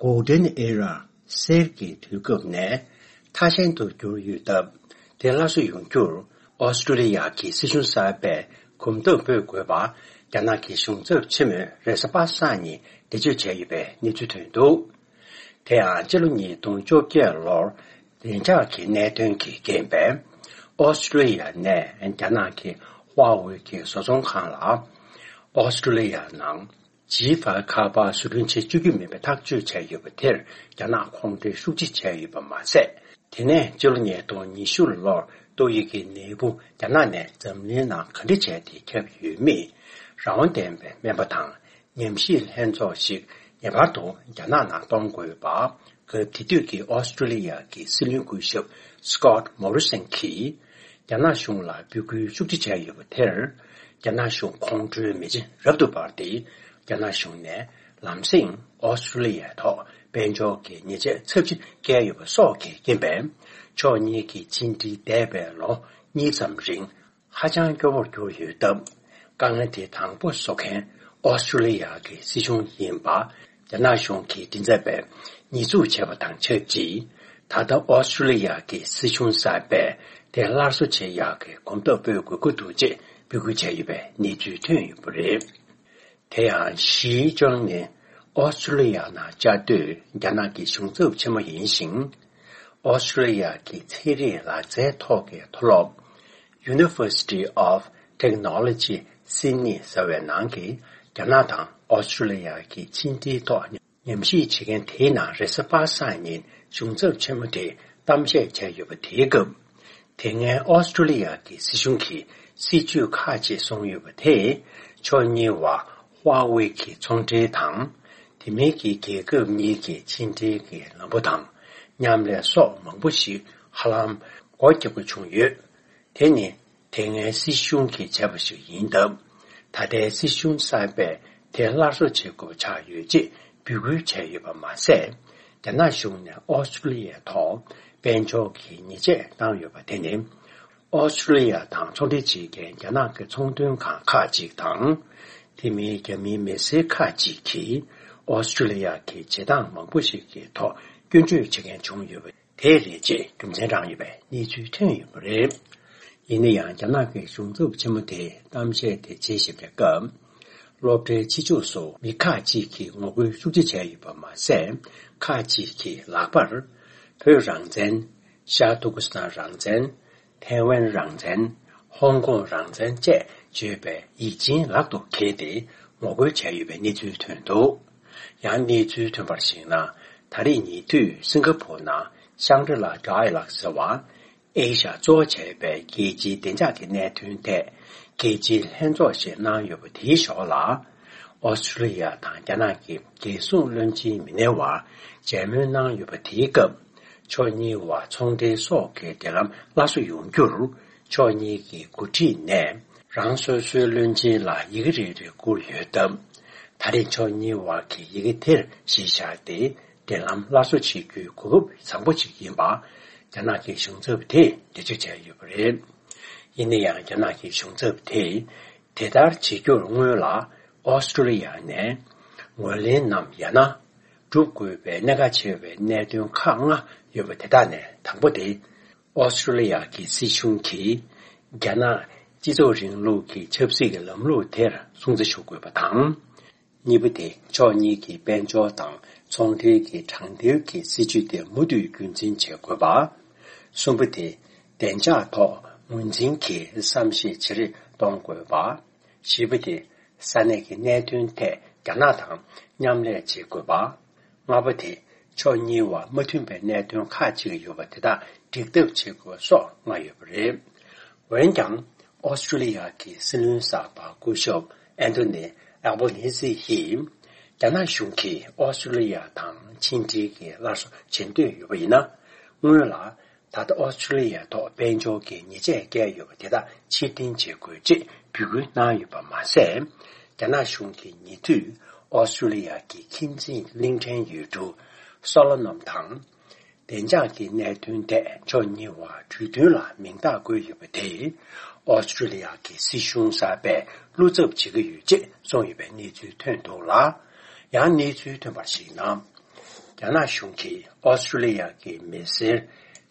Golden Era གསེར་གྱི་དུས་སྐབས་ནས་མཐའ་ཞན་དུ་གྱུར་ཡོད་སྟབས། དེ་སླར་གསོ་ཡོང་རྒྱུར་ཨོ་སི་ཁྲུ་ལི་ཡ་གི་སྲིད་གཞུང་གསར་པས་གོམ་སྟབས་སྤོས་དགོས་པ། རྒྱ་ནག་གི་གཞུང་ཚབ་ཆེན་མོས་རེས་གཟའ་པ་སངས་ཉིན་འགྲེལ་བརྗོད་བྱས་ཡོད་པའི་གནས་ཚུལ་ཐོན་འདུག་དེ་ཡང་སྤྱི་ལོ་ཉིས་སྟོང་བཅོ་བརྒྱད་ལོར་བདེ་འཇགས་ཀྱི་གནད་དོན་གྱིས་རྐྱེན་པས། ཨོ་སི་ཁྲུ་ལི་ཡ་ནས་རྒྱ་ནག་གི་ཧྭ་ཝེ་གི་བཟོ་ཚོང་ཁང་ལ། ཨོ་སི་ཁྲུ་ལི་ཡ་ནང་། ཇི་ཧྥ་ཁ་པར་བཟོ་སྐྲུན་བྱེད་བཅུག་རྒྱུ་མིན་པའི་ཐག་གཅོད་བྱས་ཡོད་པ་དེར་རྒྱ་ནག་ཁོང་ཁྲོའི་ཤུགས་ཆེ་བྱས་ཡོད་པ་མ་ཟད། དེ་ནས་ཕྱི་ལོ་ཉིས་སྟོང་ཉི་ཤུ་ལོར་ཏོག་དབྱིབས་ཀྱི་ནད་འབུ་རྒྱ་ནག་ནས་འཛམ་གླིང་ནང་ག་འདྲ་བྱས་ཏེ་ཁྱབ་ཡོད་མེད་རང་དབང་ལྡན་པའི་སྨན་པ་དང་ཉམས་ཞིབ་ལྷན་ཚོགས་ཤིག་ངེས་པར་དུ་རྒྱ་ནག་ནང་གཏོང་དགོས་པ། སྐབས་དེ་དུས་ཀྱི་ཨོ་སི་ཁྲུ་ལི་ཡ་གི་སྲིད་བློན་སྐུ་ཞབས་Scott Morrison གྱིས་རྒྱ་ནག་གཞུང་ལ་འབོད་སྐུལ་ཤུགས་ཆེ་བྱས་ཡོད་པ་དེར། རྒྱ་ནག་གཞུང་ཁོང་ཁྲོའི་མེ་ལྕེ་རབ་ཏུ་འབར་ཏེ། རྒྱ་ནག་གཞུང་ནས་ལམ་སེང་ཨོ་སི་ཁྲུ་ལི་ཡའི་ཐོག་དཔལ་འབྱོར་གྱི་ཉེས་ཆད་ཚབས་ཆེ་བཀལ་ཡོད་པ་སོགས་ཀྱི་རྐྱེན་པས། ཕྱོགས་གཉིས་ཀྱི་ཕྱི་འབྲེལ་འདས་པའི་ལོ་གཉིས་ཙམ་རིང་ཧ་ཅང་སྐྱོ་བོར་གྱུར་ཡོད་སྟབས། དཀའ་ངལ་དེ་དང་པོ་བཟོ་མཁན་ཨོ་སི་ཁྲུ་ལི་ཡ་གི་སྲིད་གཞུང་ཡིན་པ། རྒྱ་ནག་གཞུང་གི་མགྲིན་ཚབ་པས་ཉེས་འཛུགས་བྱས་པ་དང་ཆབས་ཅིག་ད་ལྟ་ཨོ་སི་ཁྲུ་ལི་ཡ་གི་སྲིད་གཞུང་གསར་པས་དེ་སླར་གསོ་བྱེད་ཡག་གི་གོམ་སྟབས་སྤོས་དགོས་ཀྱི་འདུག་ཅེས་འབོད་སྐུལ་བྱས་ཡོད་པའི་གནས་ཚུལ་ཐོན་ཡོད་པ་རེད། དེ་ཡང་ཞི་ཅང་ནི་ཨོ་སི་ཁྲུ་ལི་ཡ་ནང་བཅའ་སྡོད་རྒྱ་ནག་གི་གཞུང་ཚབ་ཆེན་མོ་ཡིན་ཞིང་། ཨོ་སི་ཁྲུ་ལི་ཡ་གི་ཚན་རིག་ལག་རྩལ་ཐོག་གི་མཐོ་སློབ། University of Technology Sydney ཟེར་བའི་ནང་གི་རྒྱ་ནག་དང་ཨོ་སི་ཁྲུ་ལི་ཡ་གི་ཕྱི་འབྲེལ་ཐོག་ཉམས་ཞིབ་བྱེད་མཁན་དེའི་ནང་རེས་གཟའ་པ་སངས་ཉིན་གཞུང་ཚབ་ཆེན་མོ་དེས་གཏམ་བཤད་བྱས་ཡོད་པ་དེའི་སྐབས། དེ་སྔའི་ཨོ་སི་ཁྲུ་ལི་ཡ་གི་སྲིད་གཞུང་གིས་སྲིད་ཇུས་ཁག་ཅིག་བཟུང་ཡོད་པ་དེས་ཕྱོགས་གཉིས་བར་ཧྭ་ཝེ་གི་ཚོང་འབྲེལ་དང་། དེ་མིན་གྱི་རྒྱལ་ཁབ་གཉིས་ཀྱི་ཕྱི་འབྲེལ་གྱི་ལམ་བུ་དང་མཉམ་ལས་སོགས་མང་པོ་ཞིག་ཧ་ལམ་སྒོ་བརྒྱབ་དགོས་བྱུང་ཡོད། དེ་ནི་དེ་སྔའི་སྲིད་གཞུང་གིས་བྱས་པ་ཞིག་ཡིན་སྟབས། ད་ལྟའི་སྲིད་གཞུང་གསར་པས་དེ་སླར་གསོ་བྱེད་དགོས་པ་ཆགས་ཡོད་ཅེས་འབོད་སྐུལ་བྱས་ཡོད་པ་མ་ཟད། རྒྱ་ནག་གཞུང་ནས་ཨོ་སི་ཁྲུ་ལི་ཡའི་ཐོག་དཔལ་འབྱོར་གྱི་ཉེས་ཆད་བཏང་ཡོད་པ་དེ་ནི། ཨོ་སི་ཁྲུ་ལི་ཡ་དང་ཚོང་འབྲེལ་བྱེད་མཁན་རྒྱ་ནག་གི་ཚོང་དོན་ཁང་ཁག་ཅིག་དང་། དེ་མིན་རྒྱ་མིའི་མི་སེར་ཁག་ཅིག་གིས་ཨོ་སི་ཁྲུ་ལི་ཡ་གི་བྱེད་སྟངས་མང་པོ་ཞིག་གི་ཐོག་སྐྱོན་བརྗོད་བྱེད་མཁན་བྱུང་ཡོད་པ་དེ་རེད་ཅེས་རྒྱུ་མཚན་བགྲངས་ཡོད་པའི་གནས་ཚུལ་ཐོན་ཡོད་པ་རེད། ཡིན་ན་ཡང་རྒྱ་ནག་གི་གཞུང་ཚབ་ཆེན་མོ་དེས་གཏམ་བཤད་དེ་བྱེད་བཞིན་པའི་སྐབས། སློབ་གྲྭའི་ཕྱི་ཕྱོགས་སུ་མི་ཁག་ཅིག་གིས་ངོ་རྒོལ་ཤུགས་ཆེ་བྱས་ཡོད་པ་མ་ཟད། ཁག་ཅིག་གིས་ལག་པར། བོད་རང་བཙན། ཤར་ཏུར་ཀི་སི་ཐན་རང་བཙན། ཐའེ་ཝན་རང་བཙན། ཧོང་ཀོང་རང་བཙན་བཅས་བརྗོད་པའི་ཡིག་ཆེན་ལག་ཏུ་འཁྱེར་ཏེ་ངོ་རྒོལ་བྱས་ཡོད་པའི་གནས་ཚུལ་ཐོན་འདུག་ཡང་གནས་ཚུལ་ཐོན་པར་གཞིགས་ན། ད་རེས་ཉེ་དུས་སིང་ག་ཕོར་ནང་ཤང་གྲི་ལ་ཌའི་ལག་ཟེར་བ། ཨེ་ཤ་གཙོ་བྱས་པའི་རྒྱལ་སྤྱིའི་བདེ་འཇགས་ཀྱི་གནད་དོན་ཐད་རྒྱལ་སྤྱིའི་ལྷན་ཚོགས་ཤིག་གནང་ཡོད་པ་དེའི་ཞོར་ལ། ཨོ་སི་ཀྲི་ལི་ཡ་དང་རྒྱ་ནག་གི་རྒྱལ་སྲུང་བློན་ཆེན་མི་སྣའི་བར་མཇལ་མོལ་གནང་ཡོད་པ་དེའི་སྐབས། ཕྱོགས་གཉིས་བར་ཚོང་འབྲེལ་སོགས་ཀྱི་འབྲེལ་ལམ་སླར་གསོ་ཡོང་རྒྱུར། ཕྱོགས་གཉིས་ཀྱི་འགོ་ཁྲིད་ནས་རང་སོ་སོའི་བློན་ཆེན་ལ་ཡི་གེ་རེ་རེ་བསྐུར་ཡོད་སྟབས། ད་རེས་ཕྱོགས་གཉིས་བར་གྱི་ཡི་གེ་དེར་གཞི་བཞག་སྟེ། འབྲེལ་ལམ་སླར་གསོ་བྱེད་རྒྱུའི་གོ་སྐབས་བཟང་པོ་ཞིག་ཡིན་པ། རྒྱ་ནག་གི་གཞུང་ཚབ་དེས་འགྲེལ་བརྗོད་བྱས་ཡོད་པ་རེད། ཡིན་ན་ཡང་རྒྱ་ནག་གི་གཞུང་ཚབ་དེས་དེ་ལྟར་བྱེད་རྒྱུར་སྔོན་ལ་ཨོ་སི་ཀྲི་ལི་ཡ་ནས་ངོས་ལེན་ནམ་ཡང་ན་སྒྲུབ་དགོས་པའི་གནད་འགག་ཆེ་བའི་གནད་དོན་ཁག་ལྔ་ཡོད་པ་དེ་དག་ནས་དང་པོ་དེ། ཨོ་སི་ཀྲི་ལི་ཡ་གི་སྲིད་གཞུང་གིས་རྒྱ་ནག་སྤྱི་ཚོགས་རིང་ལུགས་ཀྱི་ཆབ་སྲིད་ཀྱི་ལམ་ལུགས་དེར་སྲུང་བརྩི་ཞུ་དགོས་པ་དང་། གཉིས་པ་དེ། ཕྱོགས་གཉིས་ཀྱི་དཔལ་འབྱོར་དང་ཚོང་འབྲེལ་གྱི་དྲང་འདེགས་ཀྱི་སྲིད་ཇུས་དེ་མུ་མཐུད་རྒྱུན་འཛིན་བྱེད་དགོས་པ། གསུམ་པ་དེ། བདེ་འཇགས་ཐོག་ངོས་འཛིན་གྱི་བསམ་ཤེས་ཇེ་རེ་གཏོང་དགོས་པ། བཞི་པ་དེ། ས་གནས་ཀྱི་གནད་དོན་ཐད་རྒྱ་ནག་དང་མཉམ་ལས་བྱེད་དགོས་པ། ལྔ་པ་དེ། ཕྱོགས་གཉིས་བར་མ་མཐུན་པའི་གནད་དོན་ཁག་ཅིག་ཡོད་པ་དེ་དག་འགྲིག་ཐབས་བྱེད་དགོས་སོགས་ལྔ་ཡོད་པ་རེད། འོན་ཀྱང་། ཨོ་སི་ཀྲི་ལི་ཡ་གི་སྲིད་བློན་གསར་པ་སྐུ་ཞབས་ཨན་ཐོ་ནི་ཨལ་བོ་ནི་སི་ཡིས། རྒྱ་ནག་གཞུང་གིས་ཨོ་སི་ཀྲི་ལི་ཡ་དང་ཕྱི་འབྲེལ་གྱི་སླར་གསོ་བྱེད་འདོད་ཡོད་པ་ཡིན་ན། སྔོན་ལ། ད་ལྟ་ཨོ་སི་ཀྲི་ལི་ཡའི་ཐོག་དཔལ་འབྱོར་གྱི་ཉེས་ཆད་བཀལ་ཡོད་པ་དེ་དག་ཕྱིར་འཐེན་བྱེད་དགོས་ཅེས་འབོད་སྐུལ་གནང་ཡོད་པ་མ་ཟད། རྒྱ་ནག་གཞུང་གིས་ཉེ་དུས་ཨོ་སི་ཀྲི་ལི་ཡ་གི་ཁྱིམ་མཚེས་གླིང་ཕྲན་ཡུལ་གྲུ་སོ་ལོ་ནམ་དང་། བདེ་འཇགས་ཀྱི་གནད་དོན་ཐད་ཕྱོགས་གཉིས་བར་གྲོས་མཐུན་ལ་མིང་རྟགས་བཀོད་ཡོད་པ་དེས། ཨོ་སི་ཀྲི་ལི་ཡ་གི་སྲིད་གཞུང་གསར་པས་བློ་འཚབ་བྱེད་ཀྱི་ཡོད་ཅེས་གསུངས་ཡོད་པའི་གནས་ཚུལ་ཐོན་འདུག་ལ། ཡང་གནས་ཚུལ་ཐོན་པར་གཞིགས་ན། རྒྱ་ནག་གཞུང་གིས་ཨོ་སི་ཀྲི་ལི་ཡ་གི་མི་སེར་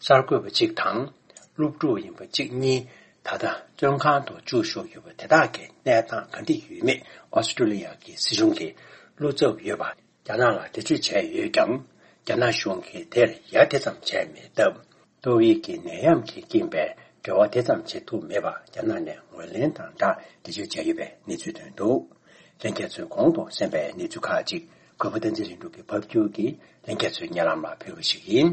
གསར་འགོད་པ་གཅིག་དང་། སློབ་ཕྲུག་ཡིན་པ་གཅིག་གཉིས་ད་ལྟ་བཙོན་ཁང་དུ་བཅུག་བཞག་ཡོད་པ་དེ་དག་གི་གནས་སྟངས་ག་འདྲ་ཡོད་མེད་ཨོ་སི་ཀྲི་ལི་ཡ་གི་སྲིད་གཞུང་གིས་བློ་འཚབ་ཡོད་པ་རྒྱ་ནག་ལ་འགྲེལ་བརྗོད་བྱས་ཡོད་ཀྱང་། རྒྱ་ནག་གཞུང་གིས་དེར་ཡ་དེ་ཙམ་བྱས་མེད་སྟབས། ཏོག་དབྱིབས་ཀྱི་ནད་ཡམས་ཀྱི་རྐྱེན་པས་འབྲེལ་བ་དེ་ཙམ་བྱེད་ཐུབ་མེད་པ་རྒྱ་ནག་ནས་ངོས་ལེན་དང་སྦྲགས་འགྲེལ་བརྗོད་བྱས་ཡོད་པའི་གནས་ཚུལ་ཐོན་འདུག་ལྷན་རྒྱས་ཚོས་གོང་དུ་གསན་པའི་གནས་ཚུལ་ཁག་ཅིག་གུས་པ་བསྟན་འཛིན་ལྷུན་གྲུབ་ཀྱིས་ཕབ་སྒྱུར་གྱིས་ལྷན་རྒྱས་ཚོའི་སྙན་ལམ་ལ་ཕུལ་བ་ཞིག་ཡིན།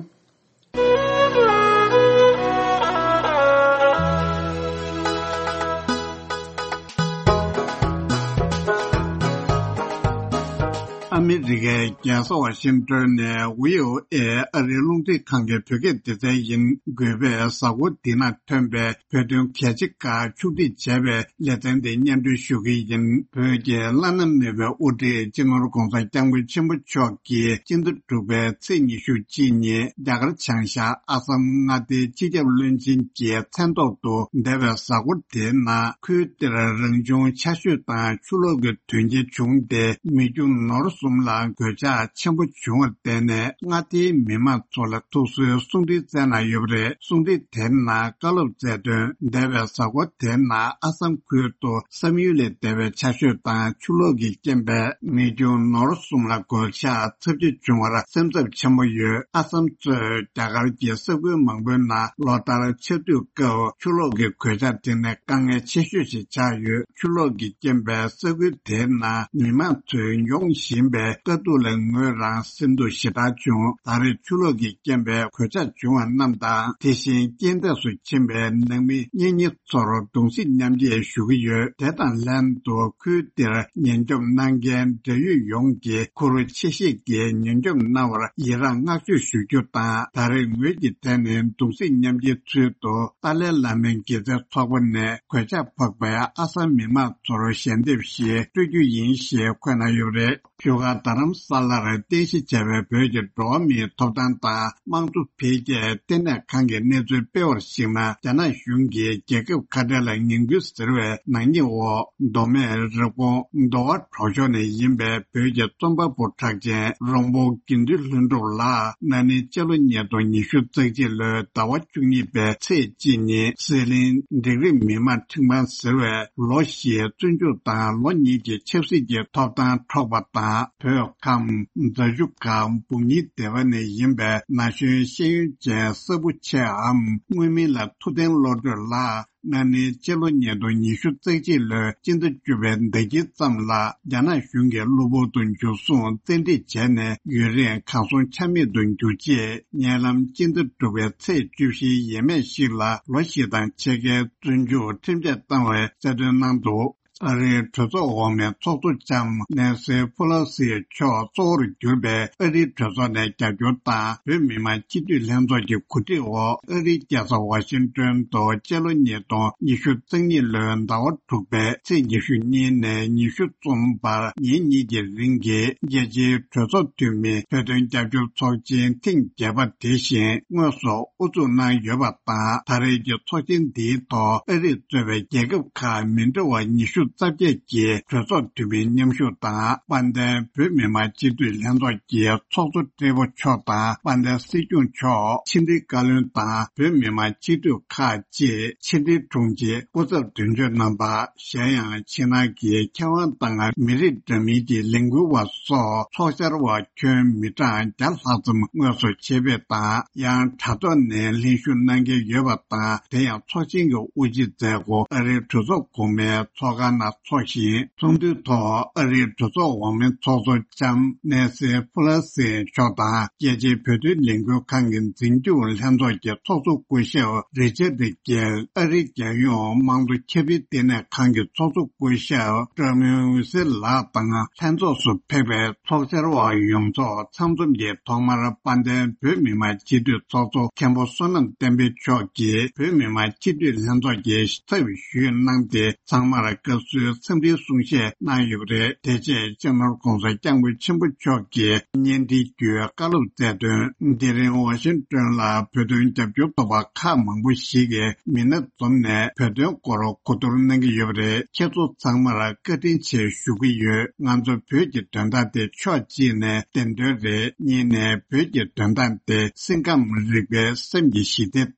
ཨ་མི་རི་ཀའི་རྒྱལ་ས་ཝ་ཤིང་ཏོན་ནས་ཝི་ཨོ་ཨེ་ཨ་རིའི་རླུང་འཕྲིན་ཁང་གི་བོད་སྐད་སྡེ་ཚན་ཡིན་དགོས་པས། གཟའ་འཁོར་འདི་ན་ཐོན་པའི་བོད་དོན་གལ་ཆེ་ཁག་ཕྱོགས་སྒྲིག་བྱས་པའི་ལེ་ཚན་འདི་སྙན་སྒྲོན་ཞུ་གི་ཡིན། བོད་ཀྱི་བླ་ན་མེད་པའི་དབུ་ཁྲིད་སྤྱི་ནོར་༧གོང་ས་༧སྐྱབས་མགོན་ཆེན་པོ་མཆོག་གིས་སྤྱི་ཟླ་དྲུག་པའི་ཚེས་ཉི་ཤུ་གཅིག་ཉིན་རྒྱ་གར་བྱང་ཤར་ཨ་སམ་མངའ་སྡེའི་སྤྱི་ཁྱབ་བློན་ཆེན་གྱི་མཚན་ཐོག་ཏུ་འདས་པའི་གཟའ་འཁོར་དེའི་ནང་ཁུལ་དེར་རང་བྱུང་ཆར་ཞོད་དང་ཆུ་ལོག་གི་དོན་རྐྱེན་བྱུང་སྟེ། མི་རྒྱུ་ནོར་གསུམ་ལ་གོད་ཆག་ཆེན་པོ་བྱུང་བར་བརྟེན་ནས། མངའ་སྡེའི་མི་མང་ཚོ་ལ་ཐུགས་གསོའི་གསུང་འཕྲིན་བསྩལ་གནང་ཡོད་པ་རེད། གསུང་འཕྲིན་དེའི་ནང་བཀའ་སློབ་སྩལ་དོན། འདས་པའི་གཟའ་འཁོར་དེའི་ནང་ཨ་སམ་ཁུལ་དུ་བསམ་ཡུལ་ལས་འདས་པའི་ཆར་ཞོད་དང་ཆུ་ལོག་གི་རྐྱེན་པས་མི་རྒྱུ་ནོར་གསུམ་ལ་གོད་ཆག་ཚབས་ཆེ་བྱུང་བར་སེམས་འཚབ་ཆེན་པོ་ཡོད། ཨ་སམ་གཙོས་རྒྱ་གར་གྱི་ས་ཁུལ་མང་པོའི་ནང་ལོ་ལྟར་ཆར་དུས་སྐབས་ཆུ་ལོག་གི་གོད་ཆག་འཕྲད་ནས་དཀའ་ངལ་ཆེ་ཤོས་ཤིག་ཆགས་ཡོད། ཆུ་ལོག་གི་རྐྱེན་པས་ས་ཁུལ་དེའི་ནང་མི་མང་ཚོས་མྱོང་བཞིན་པའི་དཀའ་སྡུག་ལས་ངོས་རང་སེམས་སྡུག་ཞེ་དྲག་བྱུང་། ད་རེས་ཆུ་ལོག་གི་རྐྱེན་པས་གོད་ཆག་བྱུང་བ་རྣམས་དང་། དེ་བཞིན་རྐྱེན་འདས་སུ་ཕྱིན་པའི་ནང་མི་གཉེན་ཉེ་ཚོར་གདུང་སེམས་མཉམ་སྐྱེད་ཞུ་གི་ཡོད། དེ་དང་ལྷན་དུ་ཁུལ་དེར་ཉེན་སྐྱོབ་གནང་མཁན་འབྲེལ་ཡོད་ཡོངས་ཀྱིས་ཁུར་ཆེ་བཞེས་ཀྱིས་ཉེན་སྐྱོབ་གནང་བར་ཡི་རངས་བསྔགས་བརྗོད་ཞུ་རྒྱུ་དང་། ད་རེས་ངོས་ཀྱིས་དེ་ནི་གདུང་སེམས་མཉམ་སྐྱེད་ཚུལ་དུ་ཏཱ་ལའི་བླ་མའི་དགེ་རྩའི་ཚོགས་པ་ནས་གོད་ཆག་ཕོག་པའི་ཨ་སམ་མི་མང་ཚོར་ཞལ་འདེབས་ཤིག་སྤྲོད་རྒྱུ་ཡིན་ཞེས་འཁོད་གནང་ཡོད་པ་རེད། བཞུགས་སྒར་ རྡ་རམ་ས་ལར་རྟེན་གཞི་བྱས་པའི་བོད་ཀྱི་འགྲོ་བ་མིའི་ཐོབ་ཐང་དང་དམངས་གཙོ་འཕེལ་རྒྱས་ལྟེ་གནས་ཁང་གི་གནས་ཚུལ་སྤེལ་བར་གཞིགས་ན། རྒྱ་ནག་གཞུང་གིས་རྒྱལ་ཁབ་ཁ་བྲལ་ལ་ངན་སྐུལ་ཟེར་བའི་ནག་ཉེས་འོག་མདོ་སྨད་རེབ་གོང་མདོ་ཁ་གྲོང་ཆོག་ནས་ཡིན་པའི་བོད་ཀྱི་རྩོམ་པ་པོ་གྲགས་ཅན་རོང་པོ་དགེ་འདུན་ལྷུན་གྲུབ་ལགས་ན་ནིང་སྤྱི་ལོ་ཉིས་སྟོང་ཉི་ཤུ་རྩ་གཅིག་ལོའི་ཟླ་བ་བཅུ་གཉིས་པའི་ཚེས་གཅིག་ཉིན་ཟི་ལིང་འབྲིང་རིམ་མི་དམངས་ཁྲིམས་ཁང་ཟེར་བས་ལོ་བཞིའི་བཙོན་འཇུག་དང་ལོ་གཉིས་ཀྱི་ཆབ་སྲིད་ཀྱི་ཐོབ་ཐང་འཕྲོག་པ་དང་། བོད་ཁམས་རྫ་ཆུ་སྒང་སྦུག་ཉིལ་སྡེ་བ་ནས་ཡིན་པའི་ན་གཞོན་ཤེས་ཡོན་ཅན་གསར་བུ་ཆེའམ་དངོས་མིང་ལ་ཐུབ་བསྟན་བློ་གྲོས་ལགས་ན་ནིང་སྤྱི་ལོ་ཉིས་སྟོང་ཉི་ཤུ་རྩ་གཅིག་ལོའི་སྤྱི་ཟླ་བཅུ་པའི་ཟླ་དཀྱིལ་ཙམ་ལ་རྒྱ་ནག་གཞུང་གིས་གློ་བུར་དུ་འཇུ་བཟུང་བཙན་ཁྲིད་བྱས་ནས་ཡུན་རིང་གར་སོང་ཆ་མེད་དུ་གྱུར་རྗེས། ཉེ་ལམ་སྤྱི་ཟླ་དྲུག་པའི་ཚེས་བཅུ་བཞིའི་ཡས་མས་ཤིག་ལ་ལོ་བཞི་དང་ཕྱེད་ཀའི་བཙོན་འཇུག་ཁྲིམས་ཆད་བཏང་བའི་གསལ་སྟོན་གནང་འདུག་ཨ་རིའི་གྲོས་ཚོགས་འོག་མའི་ཚོགས་གཙོ་ལྕམ་ནེན་སི་ཕུ་ལོ་སི་མཆོག་གཙོ་བོར་གྱུར་པའི་ཨ་རིའི་གྲོས་ཚོགས་ནས་རྒྱབ་སྐྱོར་དང་བོད་མི་མང་སྤྱི་འཐུས་ལྷན་ཚོགས་ཀྱི་གོ་སྒྲིག་འོག་ཨ་རིའི་རྒྱལ་ས་ཝ་ཤིང་ཏོན་དུ་སྤྱི་ལོ་ཉིས་སྟོང་ཉི་ཤུ་རྩ་གཉིས་ལོའི་ཟླ་བ་དྲུག་པའི་ཚེས་ཉི་ཤུ་གཉིས་ནས་ཉི་ཤུ་གསུམ་བར་ཉིན་གཉིས་ཀྱི་རིང་གི་རྒྱལ་སྤྱིའི་གྲོས་ཚོགས་འཐུས་མི་བོད་དོན་རྒྱབ་སྐྱོར་ཚོགས་ཆེན་ཐེངས་བརྒྱད་པ་དེ་བཞིན་དངོས་སུ་དབུ་འཛུགས་གནང་ཡོད་པ་དང་། ད་རེས་ཀྱི་ཚོགས་ཆེན་འདིའི་ཐོག་ཨ་རིས་གཙོས་པའི་རྒྱལ་ཁབ་ཁག་མི་འདྲ་བ་ཉི་ཤུ་རྩ་བརྒྱད་ཀྱི་གྲོས་ཚོགས་འཐུས་མིའི་མཉམ་ཞུགས་དང་། དཔལ་ལྡན་བོད་མི་མང་སྤྱི་འཐུས་ལྷན་ཚོགས་ཀྱི་ཚོགས་གཙོ་ཏྲེ་པོ་མཆོག་དང་། དཔལ་ལྡན་སྲིད་སྐྱོང་མཆོག་ཕྱི་འབྲེལ་བཀའ་བློན་དང་བོད་མི་མང་སྤྱི་འཐུས་ཁག་ཅིག་ཕྱི་འབྲེལ་དྲུང་ཆེ་སྐུ་ཚབ་དོན་གཅོད་རྣམ་པ། གཞན་ཡང་ཕྱི་ནང་གི་མཁས་དབང་དང་མི་རིགས་འདྲ་མིན་གྱི་ལས་འགུལ་བ་སོགས་ཚོགས་བཅར་བ་ཁྱོན་མི་གྲངས་བརྒྱ་ལྷག་ཙམ་དངོས་སུ་ཆེད་ཕེབས་དང་། ཡང་དྲ་ཐོག་ནས་ལྷན་ཞུགས་གནང་མཁན་ཡོད་པ་དང་། དེ་ཡང་ཚོགས་ཆེན་གྱི་དབུ་འབྱེད་མཛད་སྒོ་ཨ་རིའི་གྲོས་ཚོགས་གོང་མའི་ཚོགས་ཁང་ནང་འཚོགས་ཤིང་། ཚོགས་འདུའི་ཐོག་ཨ་རིའི་གྲོས་ཚོགས་འོག་མའི་ཚོགས་གཙོ་ལྕམ་ནེན་སི་ཕུ་ལ་སི་མཆོག་དང་། རྒྱལ་སྤྱིའི་བོད་དོན་ལས་འགུལ་ཁང་གི་འཛིན་སྐྱོང་ལྷན་ཚོགས་ཀྱི་ཚོགས་གཙོ་སྐུ་ཞབས་རི་ཅར་ཌི་གྷེལ། ཨ་རིའི་རྒྱལ་ཡོངས་དམངས་གཙོ་ཁྱབ་སྤེལ་ལྟེ་གནས་ཁང་གི་ཚོགས་གཙོ་སྐུ་ཞབས་ཀྲོ་མིན་ཝི་སི་ལགས་དང་། ལྷན་ཚོགས་སུ་ཕེབས་པའི་ཚོགས་བཅར་བ་ཡོངས་རྫོགས་ཚང་འཛོམས་ཀྱིས་ཐོག་མར་དཔལ་ལྡན་བོད་མི་མང་སྤྱི་འཐུས་ཚོགས་གཙོ་མཁན་པོ་བསོད་ནམས་བསྟན་འཕེལ་མཆོག་གིས་བོད་མི་མང་སྤྱི་འཐུས་ལྷན་ཚོགས་ཀྱི་ཚབ་ཞུས་གནང་སྟེ། ཚང་མར་བཀའ་ཟུར་འཚམས་འདྲིའི་གསུང་བཤད་གནང་ཡོད་པ་རེད། དེ་རྗེས་སྤྱི་ནོར་༸གོང་ས་༸སྐྱབས་མགོན་ཆེན་པོ་མཆོག་གིས་བརྙན་འཕྲིན་བརྒྱུད་བཀའ་སློབ་སྩལ་དོན། དེ་རིང་ཝ་ཤིང་ཏོན་ལ་བོད་དོན་རྒྱབ་སྐྱོར་ཚོགས་པ་ཁག་མང་པོ་ཞིག་གིས་མི་སྣ་འཛོམས་ནས་བོད་དོན་སྐོར་གོ་བསྡུར་གནང་གི་ཡོད་པ་རེད། ཁྱེད་ཚོ་ཚང་མར་བཀའ་དྲིན་ཆེ་ཞུ་གི་ཡོད། ང་ཚོ་བོད་ཀྱི་དོན་དག་དེ་ཕྱོགས་གཅིག་ནས་བདེན་དོན་རེད། གཉིས་ནས་བོད་ཀྱི་དོན་དག་དེ་སེམས་ཁམས་རིག་པའི་སེམས་ཀྱི་ཞི་བདེ་དང་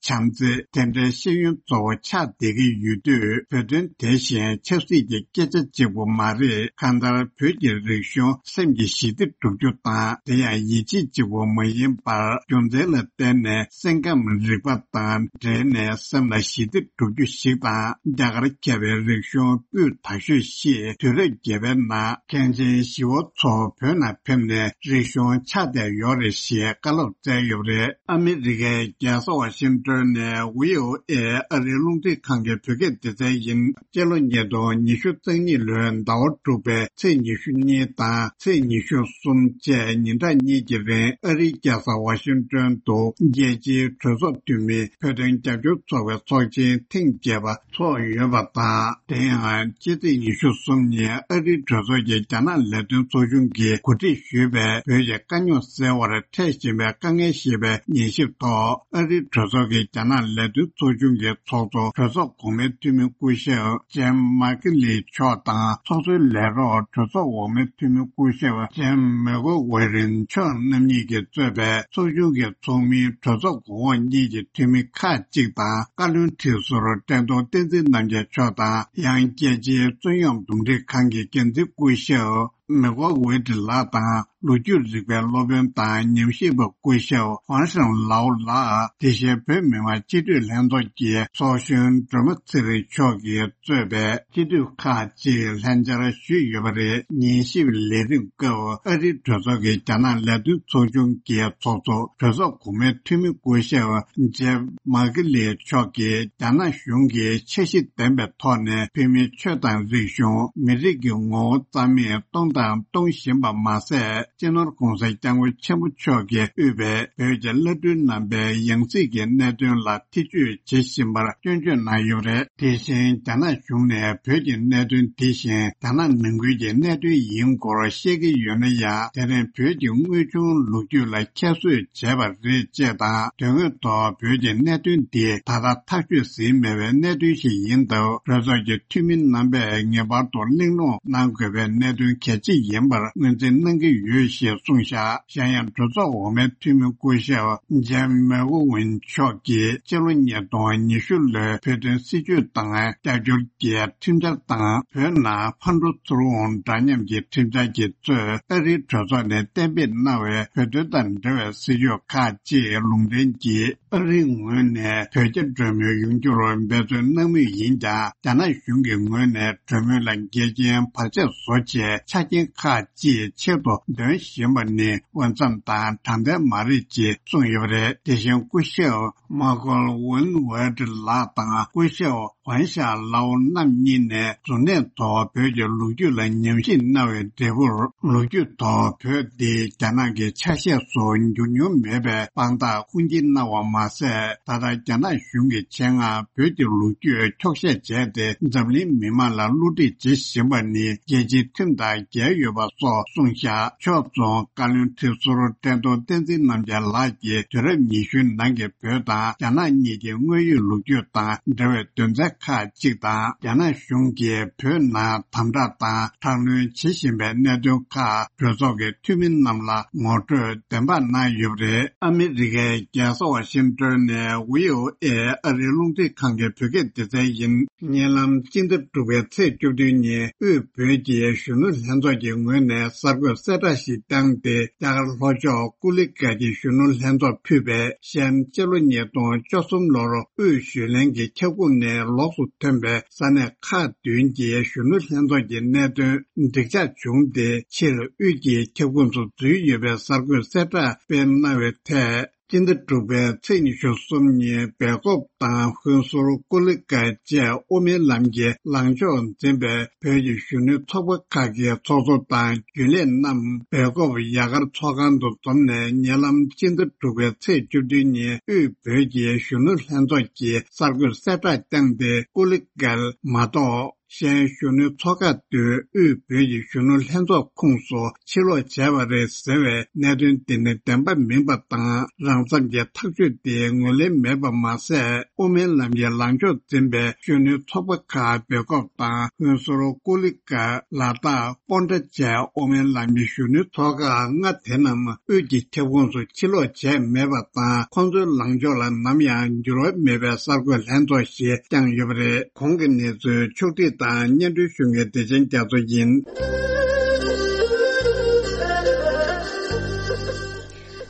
བྱམས་བརྩེ། དེ་འདྲའི་ཤེས་ཡོན་གཙོ་བོ་ཆགས་བསྡད་ཀྱི་ཡོད་དུས། བོད་དོན་དེ་བཞིན་ཆབ་སྲིད་ཀྱི་སྐད་ཆ་གཅིག་པུ་མ་རེད། གང་ལྟར་བོད་ཀྱི་རིག་གཞུང་སེམས་ཀྱི་ཞི་བདེ་སྒྲུབ་རྒྱུ་དང་། དེ་ཡང་ཡིད་ཆེས་གཅིག་པུ་མ་ཡིན་པར་རྒྱུ་མཚན་ལ་བརྟེན་ནས་སེམས་ཁམས་རིག་པ་དང་འབྲེལ་ནས་སེམས་ལ་ཞི་བདེ་སྒྲུབ་རྒྱུ་ཞིག་དང་། རྒྱ་གར་རྒྱལ་པོའི་རིག་གཞུང་སྤུས་དག་ཤོས་ཤིག་དུས་རབས་བརྒྱད་པའི་ནང་མཁན་ཆེན་ཞི་བ་འཚོ་བོད་ནང་ཕེབས་ནས་རིག་གཞུང་ཆགས་བསྡད་ཡོད་རེད་ཞེས་བཀའ་སློབ་སྩལ་ཡོད་པ་རེད། ཨ་མི་རི་ཀའི་རྒྱལ་ས་ཝ་ཤིང་ཏོན་ནས་བྷི་ཨོ་ཨེ་ཨ་རིའི་རླུང་འཕྲིན་ཁང་གི་བོད་སྐད་སྡེ་ཚན་ཡིན། སྤྱི་ལོ་ཉིས་སྟོང་ཉི་ཤུ་རྩ་གཉིས་ལོའི་ཟླ་བ་དྲུག་པའི་ཚེས་ཉི་ཤུ་གཉིས་དང་ཚེས་ཉི་ཤུ་གསུམ་བཅས་ཉིན་གྲངས་གཉིས་ཀྱི་རིང་ཨ་རིའི་རྒྱལ་ས་ཝ་ཤིང་ཏོན་དུ་རྒྱལ་སྤྱིའི་གྲོས་ཚོགས་འཐུས་མི་བོད་དོན་རྒྱབ་སྐྱོར་ཚོགས་པའི་ཚོགས་ཆེན་ཐེངས་བརྒྱད་པ་ཚོགས་ཡོད་པ་དང་། དེ་ཡང་ཕྱི་ཚེས་ཉི་ཤུ་གསུམ་ཉིན་ཨ་རིའི་གྲོས་ཚོགས་ཀྱི་རྒྱ་ནག་ལས་དོན་ཚོགས་ཆུང་གིས་གོ་སྒྲིག་ཞུས་པའི་བོད་ཀྱི་དཀའ་རྙོག་སེལ་བར་འཕྲད་བཞིན་པའི་དཀའ་ངལ་ཞེས་པའི་ཉན་ཞིབ་ཐོག་ཨ་རིའི་གྲོས་ཚོགས་ཀྱི་རྒྱ་ནག་ལས་དོན་ཚོགས་ཆུང་གི་ཚོགས་གཙོ་གྲོས་ཚོགས་གོང་མའི་འཐུས་མི་སྐུ་ཞབས་ཇེམ་མཱ་ཀི་ལི་མཆོག་དང་། ཚོགས་གཙོའི་ལས་རོགས་གྲོས་ཚོགས་འོག་མའི་འཐུས་མི་སྐུ་ཞབས་ཇེམ་མེ་གོ་ཝེ་རིན་མཆོག་རྣམ་གཉིས་ཀྱིས་གཙོས་པའི་ཚོགས་ཆུང་གི་ཚོགས་མི་གྲོས་ཚོགས་གོང་འོག་གཉིས་ཀྱི་འཐུས་མི་ཁག་ཅིག་དང་། བཀའ་བློན་ཁྲི་ཟུར་བཀྲས་མཐོང་བསྟན་འཛིན་རྣམ་རྒྱལ་མཆོག་དང་། ཡང་རྒྱལ་སྤྱིའི་རྩོད་གཡོག་འདུམ་འགྲིག་ཁང་གི་འགན་འཛིན་སྐུ་ཞབས་མེ་གོ་ཝེ་ཏི་ལགས་དང་། ལོ་རྒྱུས་རིག་པའི་སློབ་དཔོན་དང་ཉམས་ཞིབ་པ་སྐུ་ཞབས་ཧོན་ཧྲན་ལའོ་ལགས། དེ་བཞིན་བོད་མི་མང་སྤྱི་འཐུས་ལྷན་ཚོགས་ཀྱི་ཚོགས་གཞོན་སྒྲོལ་མ་ཚེ་རིང་མཆོག་གིས་གཙོས་པའི་སྤྱི་འཐུས་ཁག་ཅིག་ལྷན་བཅར་ཞུས་ཡོད་པ་རེད། ཉན་ཞིབ་ལས་རིམ་སྐབས་ཨ་རིའི་གྲོས་ཚོགས་ཀྱི་རྒྱ་ནག་ལས་དོན་ཚོགས་ཆུང་གི་ཚོགས་གཙོ་གྲོས་ཚོགས་གོང་མའི་འཐུས་མི་སྐུ་ཞབས་ཇེབ་མཱ་ཀི་ལི་མཆོག་གིས་རྒྱ་ནག་གཞུང་གིས་འཆར་གཞི་ལྡན་པའི་ཐོག་ནས་བོད་མིའི་ཆོས་དང་རིག་གཞུང་། མི་རིགས་ཀྱི་ངོ་བོ་རྩ་མེད་གཏོང་ སྟངས་གཏོང་བཞིན་པ་མ་ཟད། སྤྱི་ནོར་༧གོང་ས་༧སྐྱབས་མགོན་ཆེན་པོ་མཆོག་གིས་དབུས་པའི་བོད་ཀྱི་བླ་སྤྲུལ་རྣམ་པའི་ཡང་སྲིད་ཀྱི་གནད་དོན་ལ་ཐེ་བྱུས་བྱེད་བཞིན་པར་སྐྱོན་བརྗོད་གནང་ཡོད་པ་རེད། དེ་བཞིན་རྒྱ་ནག་གཞུང་ནས་བོད་ཀྱི་གནད་དོན་དེ་བཞིན་རྒྱ་ནག་ནང་ཁུལ་གྱི་གནད་དོན་ཡིན་སྐོར་བཤད་ཀྱི་ཡོད་ན་ཡང་། དེ་རིང་བོད་ཀྱི་དངོས་བྱུང་ལོ་རྒྱུས་ལ་ཁྱད་གསོད་བྱས་པ་རེད་ཅེས་དང་། དོན་དངོས་ཐོག་བོད་ཀྱི་གནད་དོན་འདི་ད་ལྟ་ཐག་གཅོད་ཟིན་མེད་པའི་གནད་དོན་ཞིག་ཡིན་སྟབས། གྲོས་ཚོགས་ཀྱི་འཐུས་མི་རྣམ་པས་ངེས་པར་དུ་གླེང་སློང་གནང་དགོས་པའི་གནད་དོན་གལ་ཆེ་ཡིན་པར་ངོས་འཛིན་གནང་གི་ཡོད་ཞེས་གསུངས་བཞག་གཞན་ཡང་གྲོས་ཚོགས་འོག་མའི་འཐུས་མི་སྐུ་ཞབས་ཇེམ་མེ་ཝོ་ཝིན་མཆོག་གིས་སྤྱི་ལོ་ཉིས་སྟོང་ཉི་ཤུ་ལོའི་བོད་དོན་སྲིད་བྱུས་དང་རྒྱབ་སྐྱོར་གྱི་ཁྲིམས་འཆར་དང་། བོད་ནང་ཕར་འགྲོ་ཚུར་འོང་འདྲ་མཉམ་གྱི་ཁྲིམས་འཆར་གྱི་གཙོས་ཨ་རིའི་གྲོས་ཚོགས་ནས་གཏན་འབེབས་གནང་བའི་བོད་དོན་དང་འབྲེལ་བའི་སྲིད་བྱུས་ཁག་ཅིག་ལུང་འདྲེན་གྱིས། ཨ་རིའི་ངོས་ནས་བོད་རྒྱ་གྲོས་མོལ་ཡོང་རྒྱུར་འབད་བརྩོན་གནང་མུས་ཡིན་ཀྱང་། རྒྱ་ནག་གཞུང་གི་ངོས་ནས་གྲོས་མོལ་ལ་འགལ་རྐྱེན་བར་ཆད་བཟོ་ཆེད་ཆ་རྐྱེན་ཁག་ཅིག་ཆེད་དུ་འདོན་བཞིན་པ་ནི་འོས་འཚམ་དང་དྲང་བདེན་མ་རེད་ཅེས་གསུངས་ཡོད་པ་རེད། དེ་བཞིན་སྐུ་ཞབས་མ་ཀོལ་ཝུན་ཝེར་ལགས་དང་སྐུ་ཞབས་ཝན་ཤ་ལའོ་རྣམ་གཉིས་ནས་གཟུར་གནས་ཐོག་བོད་ཀྱི་ལོ་རྒྱུས་ལ་ཉམས་ཞིབ་གནང་བའི་འབྲས་བུར། ལོ་རྒྱུས་ཐོག་བོད་འདི་རྒྱ་ནག་གི་ཆ་ཤས་སུ་འགྱུར་མྱོང་མེད་པའི་དཔང་རྟགས་ཁུངས་སྐྱེལ་གནང་བ་མ་ཟད། ད་ལྟ་རྒྱ་ནག་གཞུང་གིས་ཆེད་མངགས་བོད་ཀྱི་ལོ་རྒྱུས་འཁྱོག་བཤད་བྱས་ཏེ། འཛམ་གླིང་མི་མང་ལ་བསླུ་བྲིད་བྱེད་བཞིན་པ་ནི་རྒྱལ་སྤྱིའི་ཁྲིམས་དང་འགལ་ཡོད་པ་སོགས་གསུངས་བཞག་ཕྱོགས་མཚུངས་བཀའ་བློན་ཁྲི་ཟུར་བཀྲས་མཐོང་བསྟན་འཛིན་རྣམ་རྒྱལ་ལགས་ཀྱིས་དུས་རབས་ཉི་ཤུའི་ནང་གི་བོད་དང་རྒྱ་ནག་གཉིས་ཀྱི་དངོས་ཡོད་ལོ་རྒྱུས་དང་འབྲེལ་བའི་དོན་ཚན་ཁག་ཅིག་དང་། རྒྱ་ནག་གཞུང་གིས་བོད་ནང་དམ་དྲག་དང་དྲག་གནོན་བྱེད་བཞིན་པའི་གནད་དོན་ཁག་གྲོས་ཚོགས་ཀྱི་འཐུས་མི་རྣམས་ལ་ངོ་སྤྲོད་བདེན་དཔང་གནང་ཡོད་པ་རེད། ཨ་མི་རི་ཀའི་རྒྱལ་ས་ཝ་ཤིང་ཏོན་ནས་བྷི་ཨོ་ཨེ་ཨ་རིའི་རླུང་འཕྲིན་ཁང་གི་བོད་སྐད་སྡེ་ཚན་ཡིན། ཉེ་ལམ་སྤྱི་ཟླ་དྲུག་པའི་ཚེས་བཅུ་བདུན་ཉིན་དབུས་བོད་ཀྱི་གཞོན་ནུ་ལྷན་ཚོགས་ཀྱི་ངོས་ནས་གསར་འགོད་གསལ་བསྒྲགས་ཤིག་བཏང་སྟེ། རྒྱ་གར་ལྷོ་ཕྱོགས་ཀུ་ལི་གྷལ་གྱི་གཞོན་ནུ་ལྷན་ཚོགས་ཕུད་པའི་གཞན། སྤྱི་ལོ་ཉིས་སྟོང་བཅུ་གསུམ་ལོར་དབུས་གཞོན་ལྷན་གྱི་ཁྱབ་ཁོངས་ནས་ལོགས་སུ་ཐོན་པའི་ས་གནས་ཁག་བདུན་གྱི་གཞོན་ནུ་ལྷན་ཚོགས་ཀྱི་གནད་དོན་འགྲིག་ཆགས་བྱུང་སྟེ། ཕྱིར་དབུས་ཀྱི་ཁྱབ་ཁོངས་སུ་འཛུལ་ཡོད་པའི་གསར་འགོད་གསལ་བསྒྲགས་སྤེལ་གནང་བའི་ཐད། སྤྱི་ཟླ་དྲུག་པའི་ཚེས་ཉི་ཤུ་གསུམ་ཉིན་སྦེལ་ཀོབ་དང་ཧུན་སུར་ཀུ་ལི་ཀལ་བཅས་དབུ་མའི་ལམ་གྱི་ལངས་ཕྱོགས་འཛིན་པའི་བོད་ཀྱི་གཞོན་ནུའི་ཚོགས་པ་ཁག་གི་ཚོགས་གཙོ་དང་རྒྱུན་ལས་རྣམས་སྦེལ་ཀོབ་རྒྱ་གར་ཚོགས་ཁང་དུ་འཛོམས་ནས། ཉེ་ལམ་སྤྱི་ཟླ་དྲུག་པའི་ཚེས་བཅུ་བདུན་ཉིན་དབུས་བོད་ཀྱི་གཞོན་ནུ་ལྷན་ཚོགས་ཀྱིས་གསར་འགོད་གསལ་བསྒྲགས་བསྐྱངས་ཏེ། ཀུ་ལི་ཀལ་མ་གཏོགས། གཞན་གཞོན་ནུའི་ཚོགས་ཁག་བདུན་དབུས་བོད་ཀྱི་གཞོན་ནུ་ལྷན་ཚོགས་ཁོངས་སུ་ཕྱིར་ལོག་བྱས་པ་རེད་ཟེར་བའི་གནད་དོན་འདི་ནི་བདེན་པ་མིན་པ་དང་། རང་འཚམས་ཀྱི་ཐག་གཅོད་དེ་ངོས་ལེན་མེད་པ་མ་ཟད། དབུ་མའི་ལམ་གྱི་ལངས་ཕྱོགས་འཛིན་པའི་གཞོན་ནུའི་ཚོགས་པ་ཁག་སྦེལ་ཀོབ་དང་ཧུན་སུར་ཀུ་ལི་ཀ་ལ་དྭགས་པོན་ཏྲ་བཅས་དབུ་མའི་ལམ་གྱི་གཞོན་ནུའི་ཚོགས་ཁག་ལྔ་དེ་རྣམས་དབུས་ཀྱི་ཁྱབ་ཁོངས་སུ་ཕྱིར་ལོག་བྱས་མེད་པ་དང་། ཁོང་ཚོའི་ལངས་ཕྱོགས་ལ་ནམ་ཡང་འགྱུར་བ་མེད་པའི་གསར་འགོད་ལྷན་ཚོགས་ཤིག་བསྐྱངས་ཡོད་པ་རེད། གོང་གི་གནས་ཚུལ་ཕྱོགས་བསྒྲིགས་དང་སྙན་སྒྲོན་ཞུ་མཁན་བདེ་ཆེན་རྒྱ་མཚོ་ཡིན།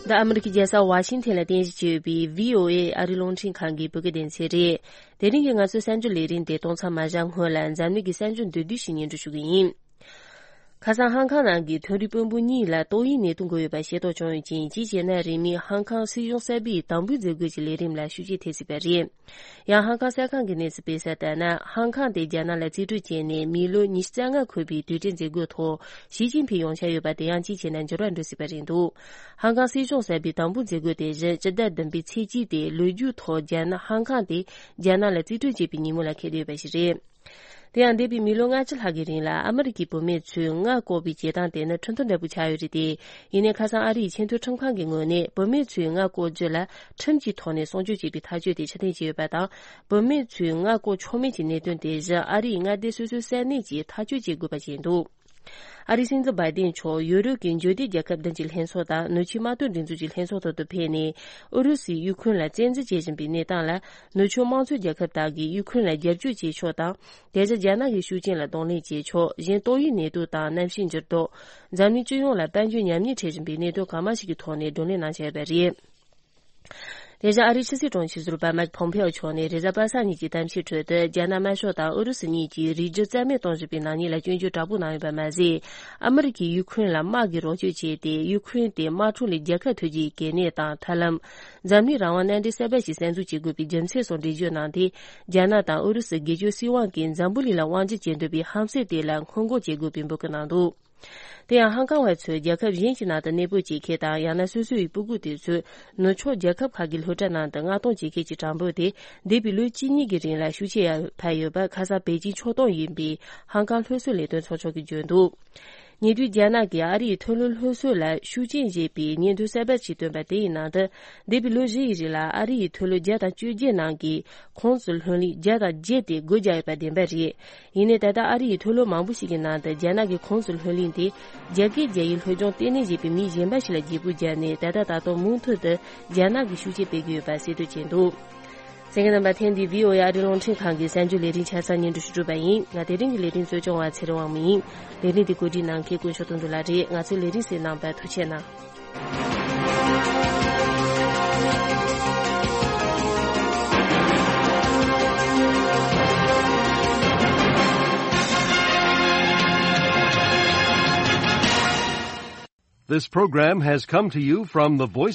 འདི་ཨ་མི་རི་ཀའི་རྒྱལ་ས་ཝ་ཤིང་ཐན་ལ་རྟེན་གཞི་བྱས་ཡོད་པའི་བྷི་ཨོ་ཨེ་ཨ་རིའི་རླུང་འཕྲིན་ཁང་གི་བོད་སྐད་སྡེ་ཚན་རེད། དེ་རིང་གི་ང་ཚོའི་གསར་འགྱུར་ལས་རིམ་དེ་གཏོང་མཚམས་མ་བཞག་སྔོན་ལ། འཛམ་གླིང་གི་གསར་འགྱུར་མདོར་བསྡུས་ཤིག་སྙན་སྒྲོན་ཞུ་གི་ཡིན། ཁ་སང་ཧང་ཀང་ནང་གི་མཐོ་རིམ་དཔོན་པོ་གཉིས་ལ་ཏོག་དབྱིབས་ནད་དུག་འགོས་ཡོད་པ་ཤེས་རྟོགས་བྱུང་ཡོད་ཅིང་། གཅིག་བྱས་ན་རིང་མིན་ཧང་ཀང་སྲིད་གཞུང་གསར་པས་དམ་འབུལ་མཛད་དགོས་ཀྱི་ལས་རིམ་ལ་ཤུགས་རྐྱེན་ཐེབས་སྲིད་པ་རེད། ཡང་ཧང་ཀང་གསར་ཁང་གི་གནས་ཚུལ་སྤེལ་གསལ་ལྟར་ན། ཧང་ཀང་དེ་རྒྱ་ནག་ལ་རྩིས་སྤྲོད་བྱས་ནས་མི་ལོ་ཉི་ཤུ་རྩ་ལྔ་འཁོར་བའི་དུས་དྲན་མཛད་སྒོའི་ཐོག་ཞི་ཅིན་ཕིང་ཡོང་འཆར་ཡོད་པ་དེ་ཡང་གཅིག་བྱས་ན་འགྱུར་བ་འགྲོ་སྲིད་པ་རེད་འདུག་ཧང་ཀང་སྲིད་གཞུང་གསར་པས་དམ་འབུལ་མཛད་སྒོ་དེ་བཞིན་སྤྱི་ཟླ་བདུན་པའི་ཚེས་གཅིག་སྟེ། ལོ་རྒྱུས་ཐོག་རྒྱ་ནག་ཧང་ཀང་དེ་རྒྱ་ནག་ལ་རྩིས་སྤྲོད་བྱས་པའི་ཉིན་མོ་ལ་འཁེལ་བསྡད་ཡོད་པ་ཞིག་རེད། དེ་ཡང་འདས་པའི་མི་ལོ་ལྔ་བཅུ་ལྷག་གི་རིང་ལ་ཨ་མི་རི་ཀའི་བུད་མེད་ཚོས་མངལ་བཀོག་པའི་བྱེད་སྟངས་དེ་ནི་ཁྲིམས་ཐོག་འབྲས་བུ་ཆགས་ཡོད་རེད་དེ། ཡིན་ནའི་ཁ་སང་ཨ་རིའི་ཆེས་མཐོའི་ཁྲིམས་ཁང་གི་ངོས་ནས་བུད་མེད་ཚོས་མངལ་བཀོག་རྒྱུ་ལ་ཁྲིམས་ཀྱི་ཐོག་ནས་སྲུང་སྐྱོབ་བྱེད་པའི་ཐག་གཅོད་དེ་ཕྱིར་འཐེན་བྱས་ཡོད་པ་དང་། བུད་མེད་ཚོས་མངལ་བཀོག་ཆོག་མིན་གྱི་གནད་དོན་དེ་བཞིན་ཨ་རིའི་མངའ་སྡེ་སོ་སོའི་ས་གནས་ཀྱིས་ཐག་གཅོད་བྱེད་དགོས་པ་བྱས་འདུག་ཨ་རིའི་སྲིད་འཛིན་བྷའི་ཏིན་མཆོག་ཡུ་རོབ་ཀྱི་འབྱོར་ལྡན་རྒྱལ་ཁབ་བདུན་གྱི་ལྷན་ཚོགས་དང་ནུབ་ཕྱོགས་དམག་དོན་སྒྲིག་འཛུགས་ཀྱི་ལྷན་ཚོགས་ཐོག་ཏུ་ཕེབས་ནས། ཨུ་རུ་སུས་ཡུ་ཁུ་རེན་ལ་བཙན་འཛུལ་བྱེད་བཞིན་པའི་གནས་སྟངས་ལ། ནུབ་ཕྱོགས་དམངས་གཙོའི་རྒྱལ་ཁབ་དག་གིས་ཡུ་ཁུ་རེན་ལ་རྒྱབ་སྐྱོར་བྱེད་ཕྱོགས་དང་། དེ་བཞིན་རྒྱ་ནག་གི་ཤུགས་རྐྱེན་ལ་གདོང་ལེན་བྱེད་ཕྱོགས། གཞན་ཏོག་དབྱིབས་ནད་དུག་དང་གནམ་གཤིས་འགྱུར་ལྡོག་འཛམ་གླིང་སྤྱི་ཡོངས་ལ་དཔལ་འབྱོར་ཉམས་ཉེས་འཕྲད་བཞིན་པའི་གནད་དོན་གང་མང་ཞིག་གི་ཐོག་ནས་བགྲོ་གླེང་གནང་འཆར་ཡོད་པ་རེད། དེ་བཞིན་ཨ་རིའི་ཕྱི་སྲིད་དྲུང་ཆེ་ཟུར་པ་མཱིག་ཕོམ་ཕེའོ་མཆོག་ནས་རེས་གཟའ་པ་སངས་ཉིན་གྱི་གཏམ་བཤད་ཁྲོད་དུ། རྒྱ་ནག་དམར་ཤོག་དང་ཨུ་རུ་སུ་གཉིས་ཀྱིས་རིགས་རྒྱུད་རྩ་མེད་གཏོང་བཞིན་པའི་ནག་ཉེས་ལ་སྐྱོན་བརྗོད་དྲག་པོ་གནང་ཡོད་པ་མ་ཟད། ཨ་མི་རི་ཀས་ཡུ་ཁུ་རེན་ལ་དམག་གི་རོགས་སྐྱོར་བྱས་ཏེ། ཡུ་ཁུ་རེན་དེ་དམག་འཁྲུག་ལས་རྒྱལ་ཁ་ཐོབ་རྒྱུའི་གལ་གནད་དང་ཐབས་ལམ། འཛམ་གླིང་རང་དབང་མནའ་འབྲེལ་གསར་པ་ཞིག་གསར་འཛུགས་བྱེད་དགོས་པའི་རྒྱུ་མཚན་སོགས་འགྲེལ་བརྗོད་གནང་སྟེ། རྒྱ་ནག་དང་ཨུ་རུ་སུ་སྒེར་གཅོད་སྲིད་དབང་གིས་འཛམ་བུ་གླིང་ལ་དབང་སྒྱུར་བྱེད་འདོད་པའི་ཧམ་སེམས་དེ་ལ་སྔོན་འགོག་བྱེད་དགོས་པའི་འབོད་སྐུལ་གནང་འདུག་དེ་ཡང་ཧང་ཀང་བ་ཚོས་རྒྱལ་ཁབ་གཞན་གྱི་ནང་དུ་གནས་སྤོ་བྱེད་མཁན་དང་ཡང་ན་སོ་སོའི་སྤུ་གུ་དེ་ཚོས་ནུབ་ཕྱོགས་རྒྱལ་ཁབ་ཁག་གི་སློབ་གྲྭ་ནང་དུ་མངགས་གཏོང་བྱེད་མཁན་གྱི་གྲངས་འབོར་དེ་འདས་པའི་ལོ་གཅིག་གཉིས་ཀྱི་རིང་ལ་ཤུགས་ཆེ་ཡར་འཕར་ཡོད་པ་ཁ་སང་པེ་ཅིང་ཕྱོགས་གཏོགས་ཡིན་པའི་ཧང་ཀང་སློབ་གསོ་ལས་དོན་ཚོགས་ཆུང་གིས་བརྗོད་འདུག་ཉེ་དུས་རྒྱ་ནག་གིས་ཨ་རིའི་མཐོ་སློབ་སློབ་གསོ་ལ་ཤུགས་རྐྱེན་བྱེད་པའི་སྙན་ཐོ་གསར་པ་ཞིག་བཏོན་པ་དེ་ཡི་ནང་དུ། འདས་པའི་ལོ་བཞི་ཡི་རིང་ལ་ཨ་རི་ཡི་མཐོ་སློབ་བརྒྱ་དང་བཅོ་བརྒྱད་ནང་གི་ཁོངས་སུ་ལྷོད་ལེན་བརྒྱ་དང་བརྒྱད་དེ་སྒོ་བརྒྱབ་ཡོད་པ་བདེན་པ་རེད། ཡིན་ནའི་ད་ལྟ་ཨ་རི་ཡི་མཐོ་སློབ་མང་པོ་ཞིག་གི་ནང་དུ་རྒྱ་ནག་གི་ཁོངས་སུ་ལྷོད་ལེན་དེ་རྒྱ་སྐད་རྒྱག་ཡུལ་སློབ་སྦྱོང་ལྟེ་གནས་ཞེས་པའི་མི་གཞན་པ་ཞིག་ལ་བརྗེ་པོ་བརྒྱབ་ནས། ད་ལྟ་ད་དུང་མུ་མཐུད་དུ་རྒྱ་ནག་གིས་ཤུགས་རྐྱེན་སྤེལ་གྱི་ཡོད་པ་གསལ་སྟོན་བྱས་འདུག་གསན་མཁན་རྣམ་པ། ཐེངས་འདིའི་བྷི་ཨོ་ཨེ་ཨ་རིའི་རླུང་འཕྲིན་ཁང་གི་གསར་འགྱུར་ལས་རིམ་ཆ་ཚང་སྙན་སྒྲོན་ཞུ་གྲུབ་པ་ཡིན། ང་དེ་རིང་གི་ལས་རིམ་གཙོ་སྐྱོང་བ་ཚེ་རིང་དབང་མོ་ཡིན། ལས་རིམ་འདི་གོ་སྒྲིག་གནང་མཁན་དཀོན་མཆོག་དོན་གྲུབ་ལགས་རེད། ང་ཚོའི་ལས་རིམ་གསན་གནང་བར་ཐུགས་རྗེ་གནང་། This program has come to you from the Voice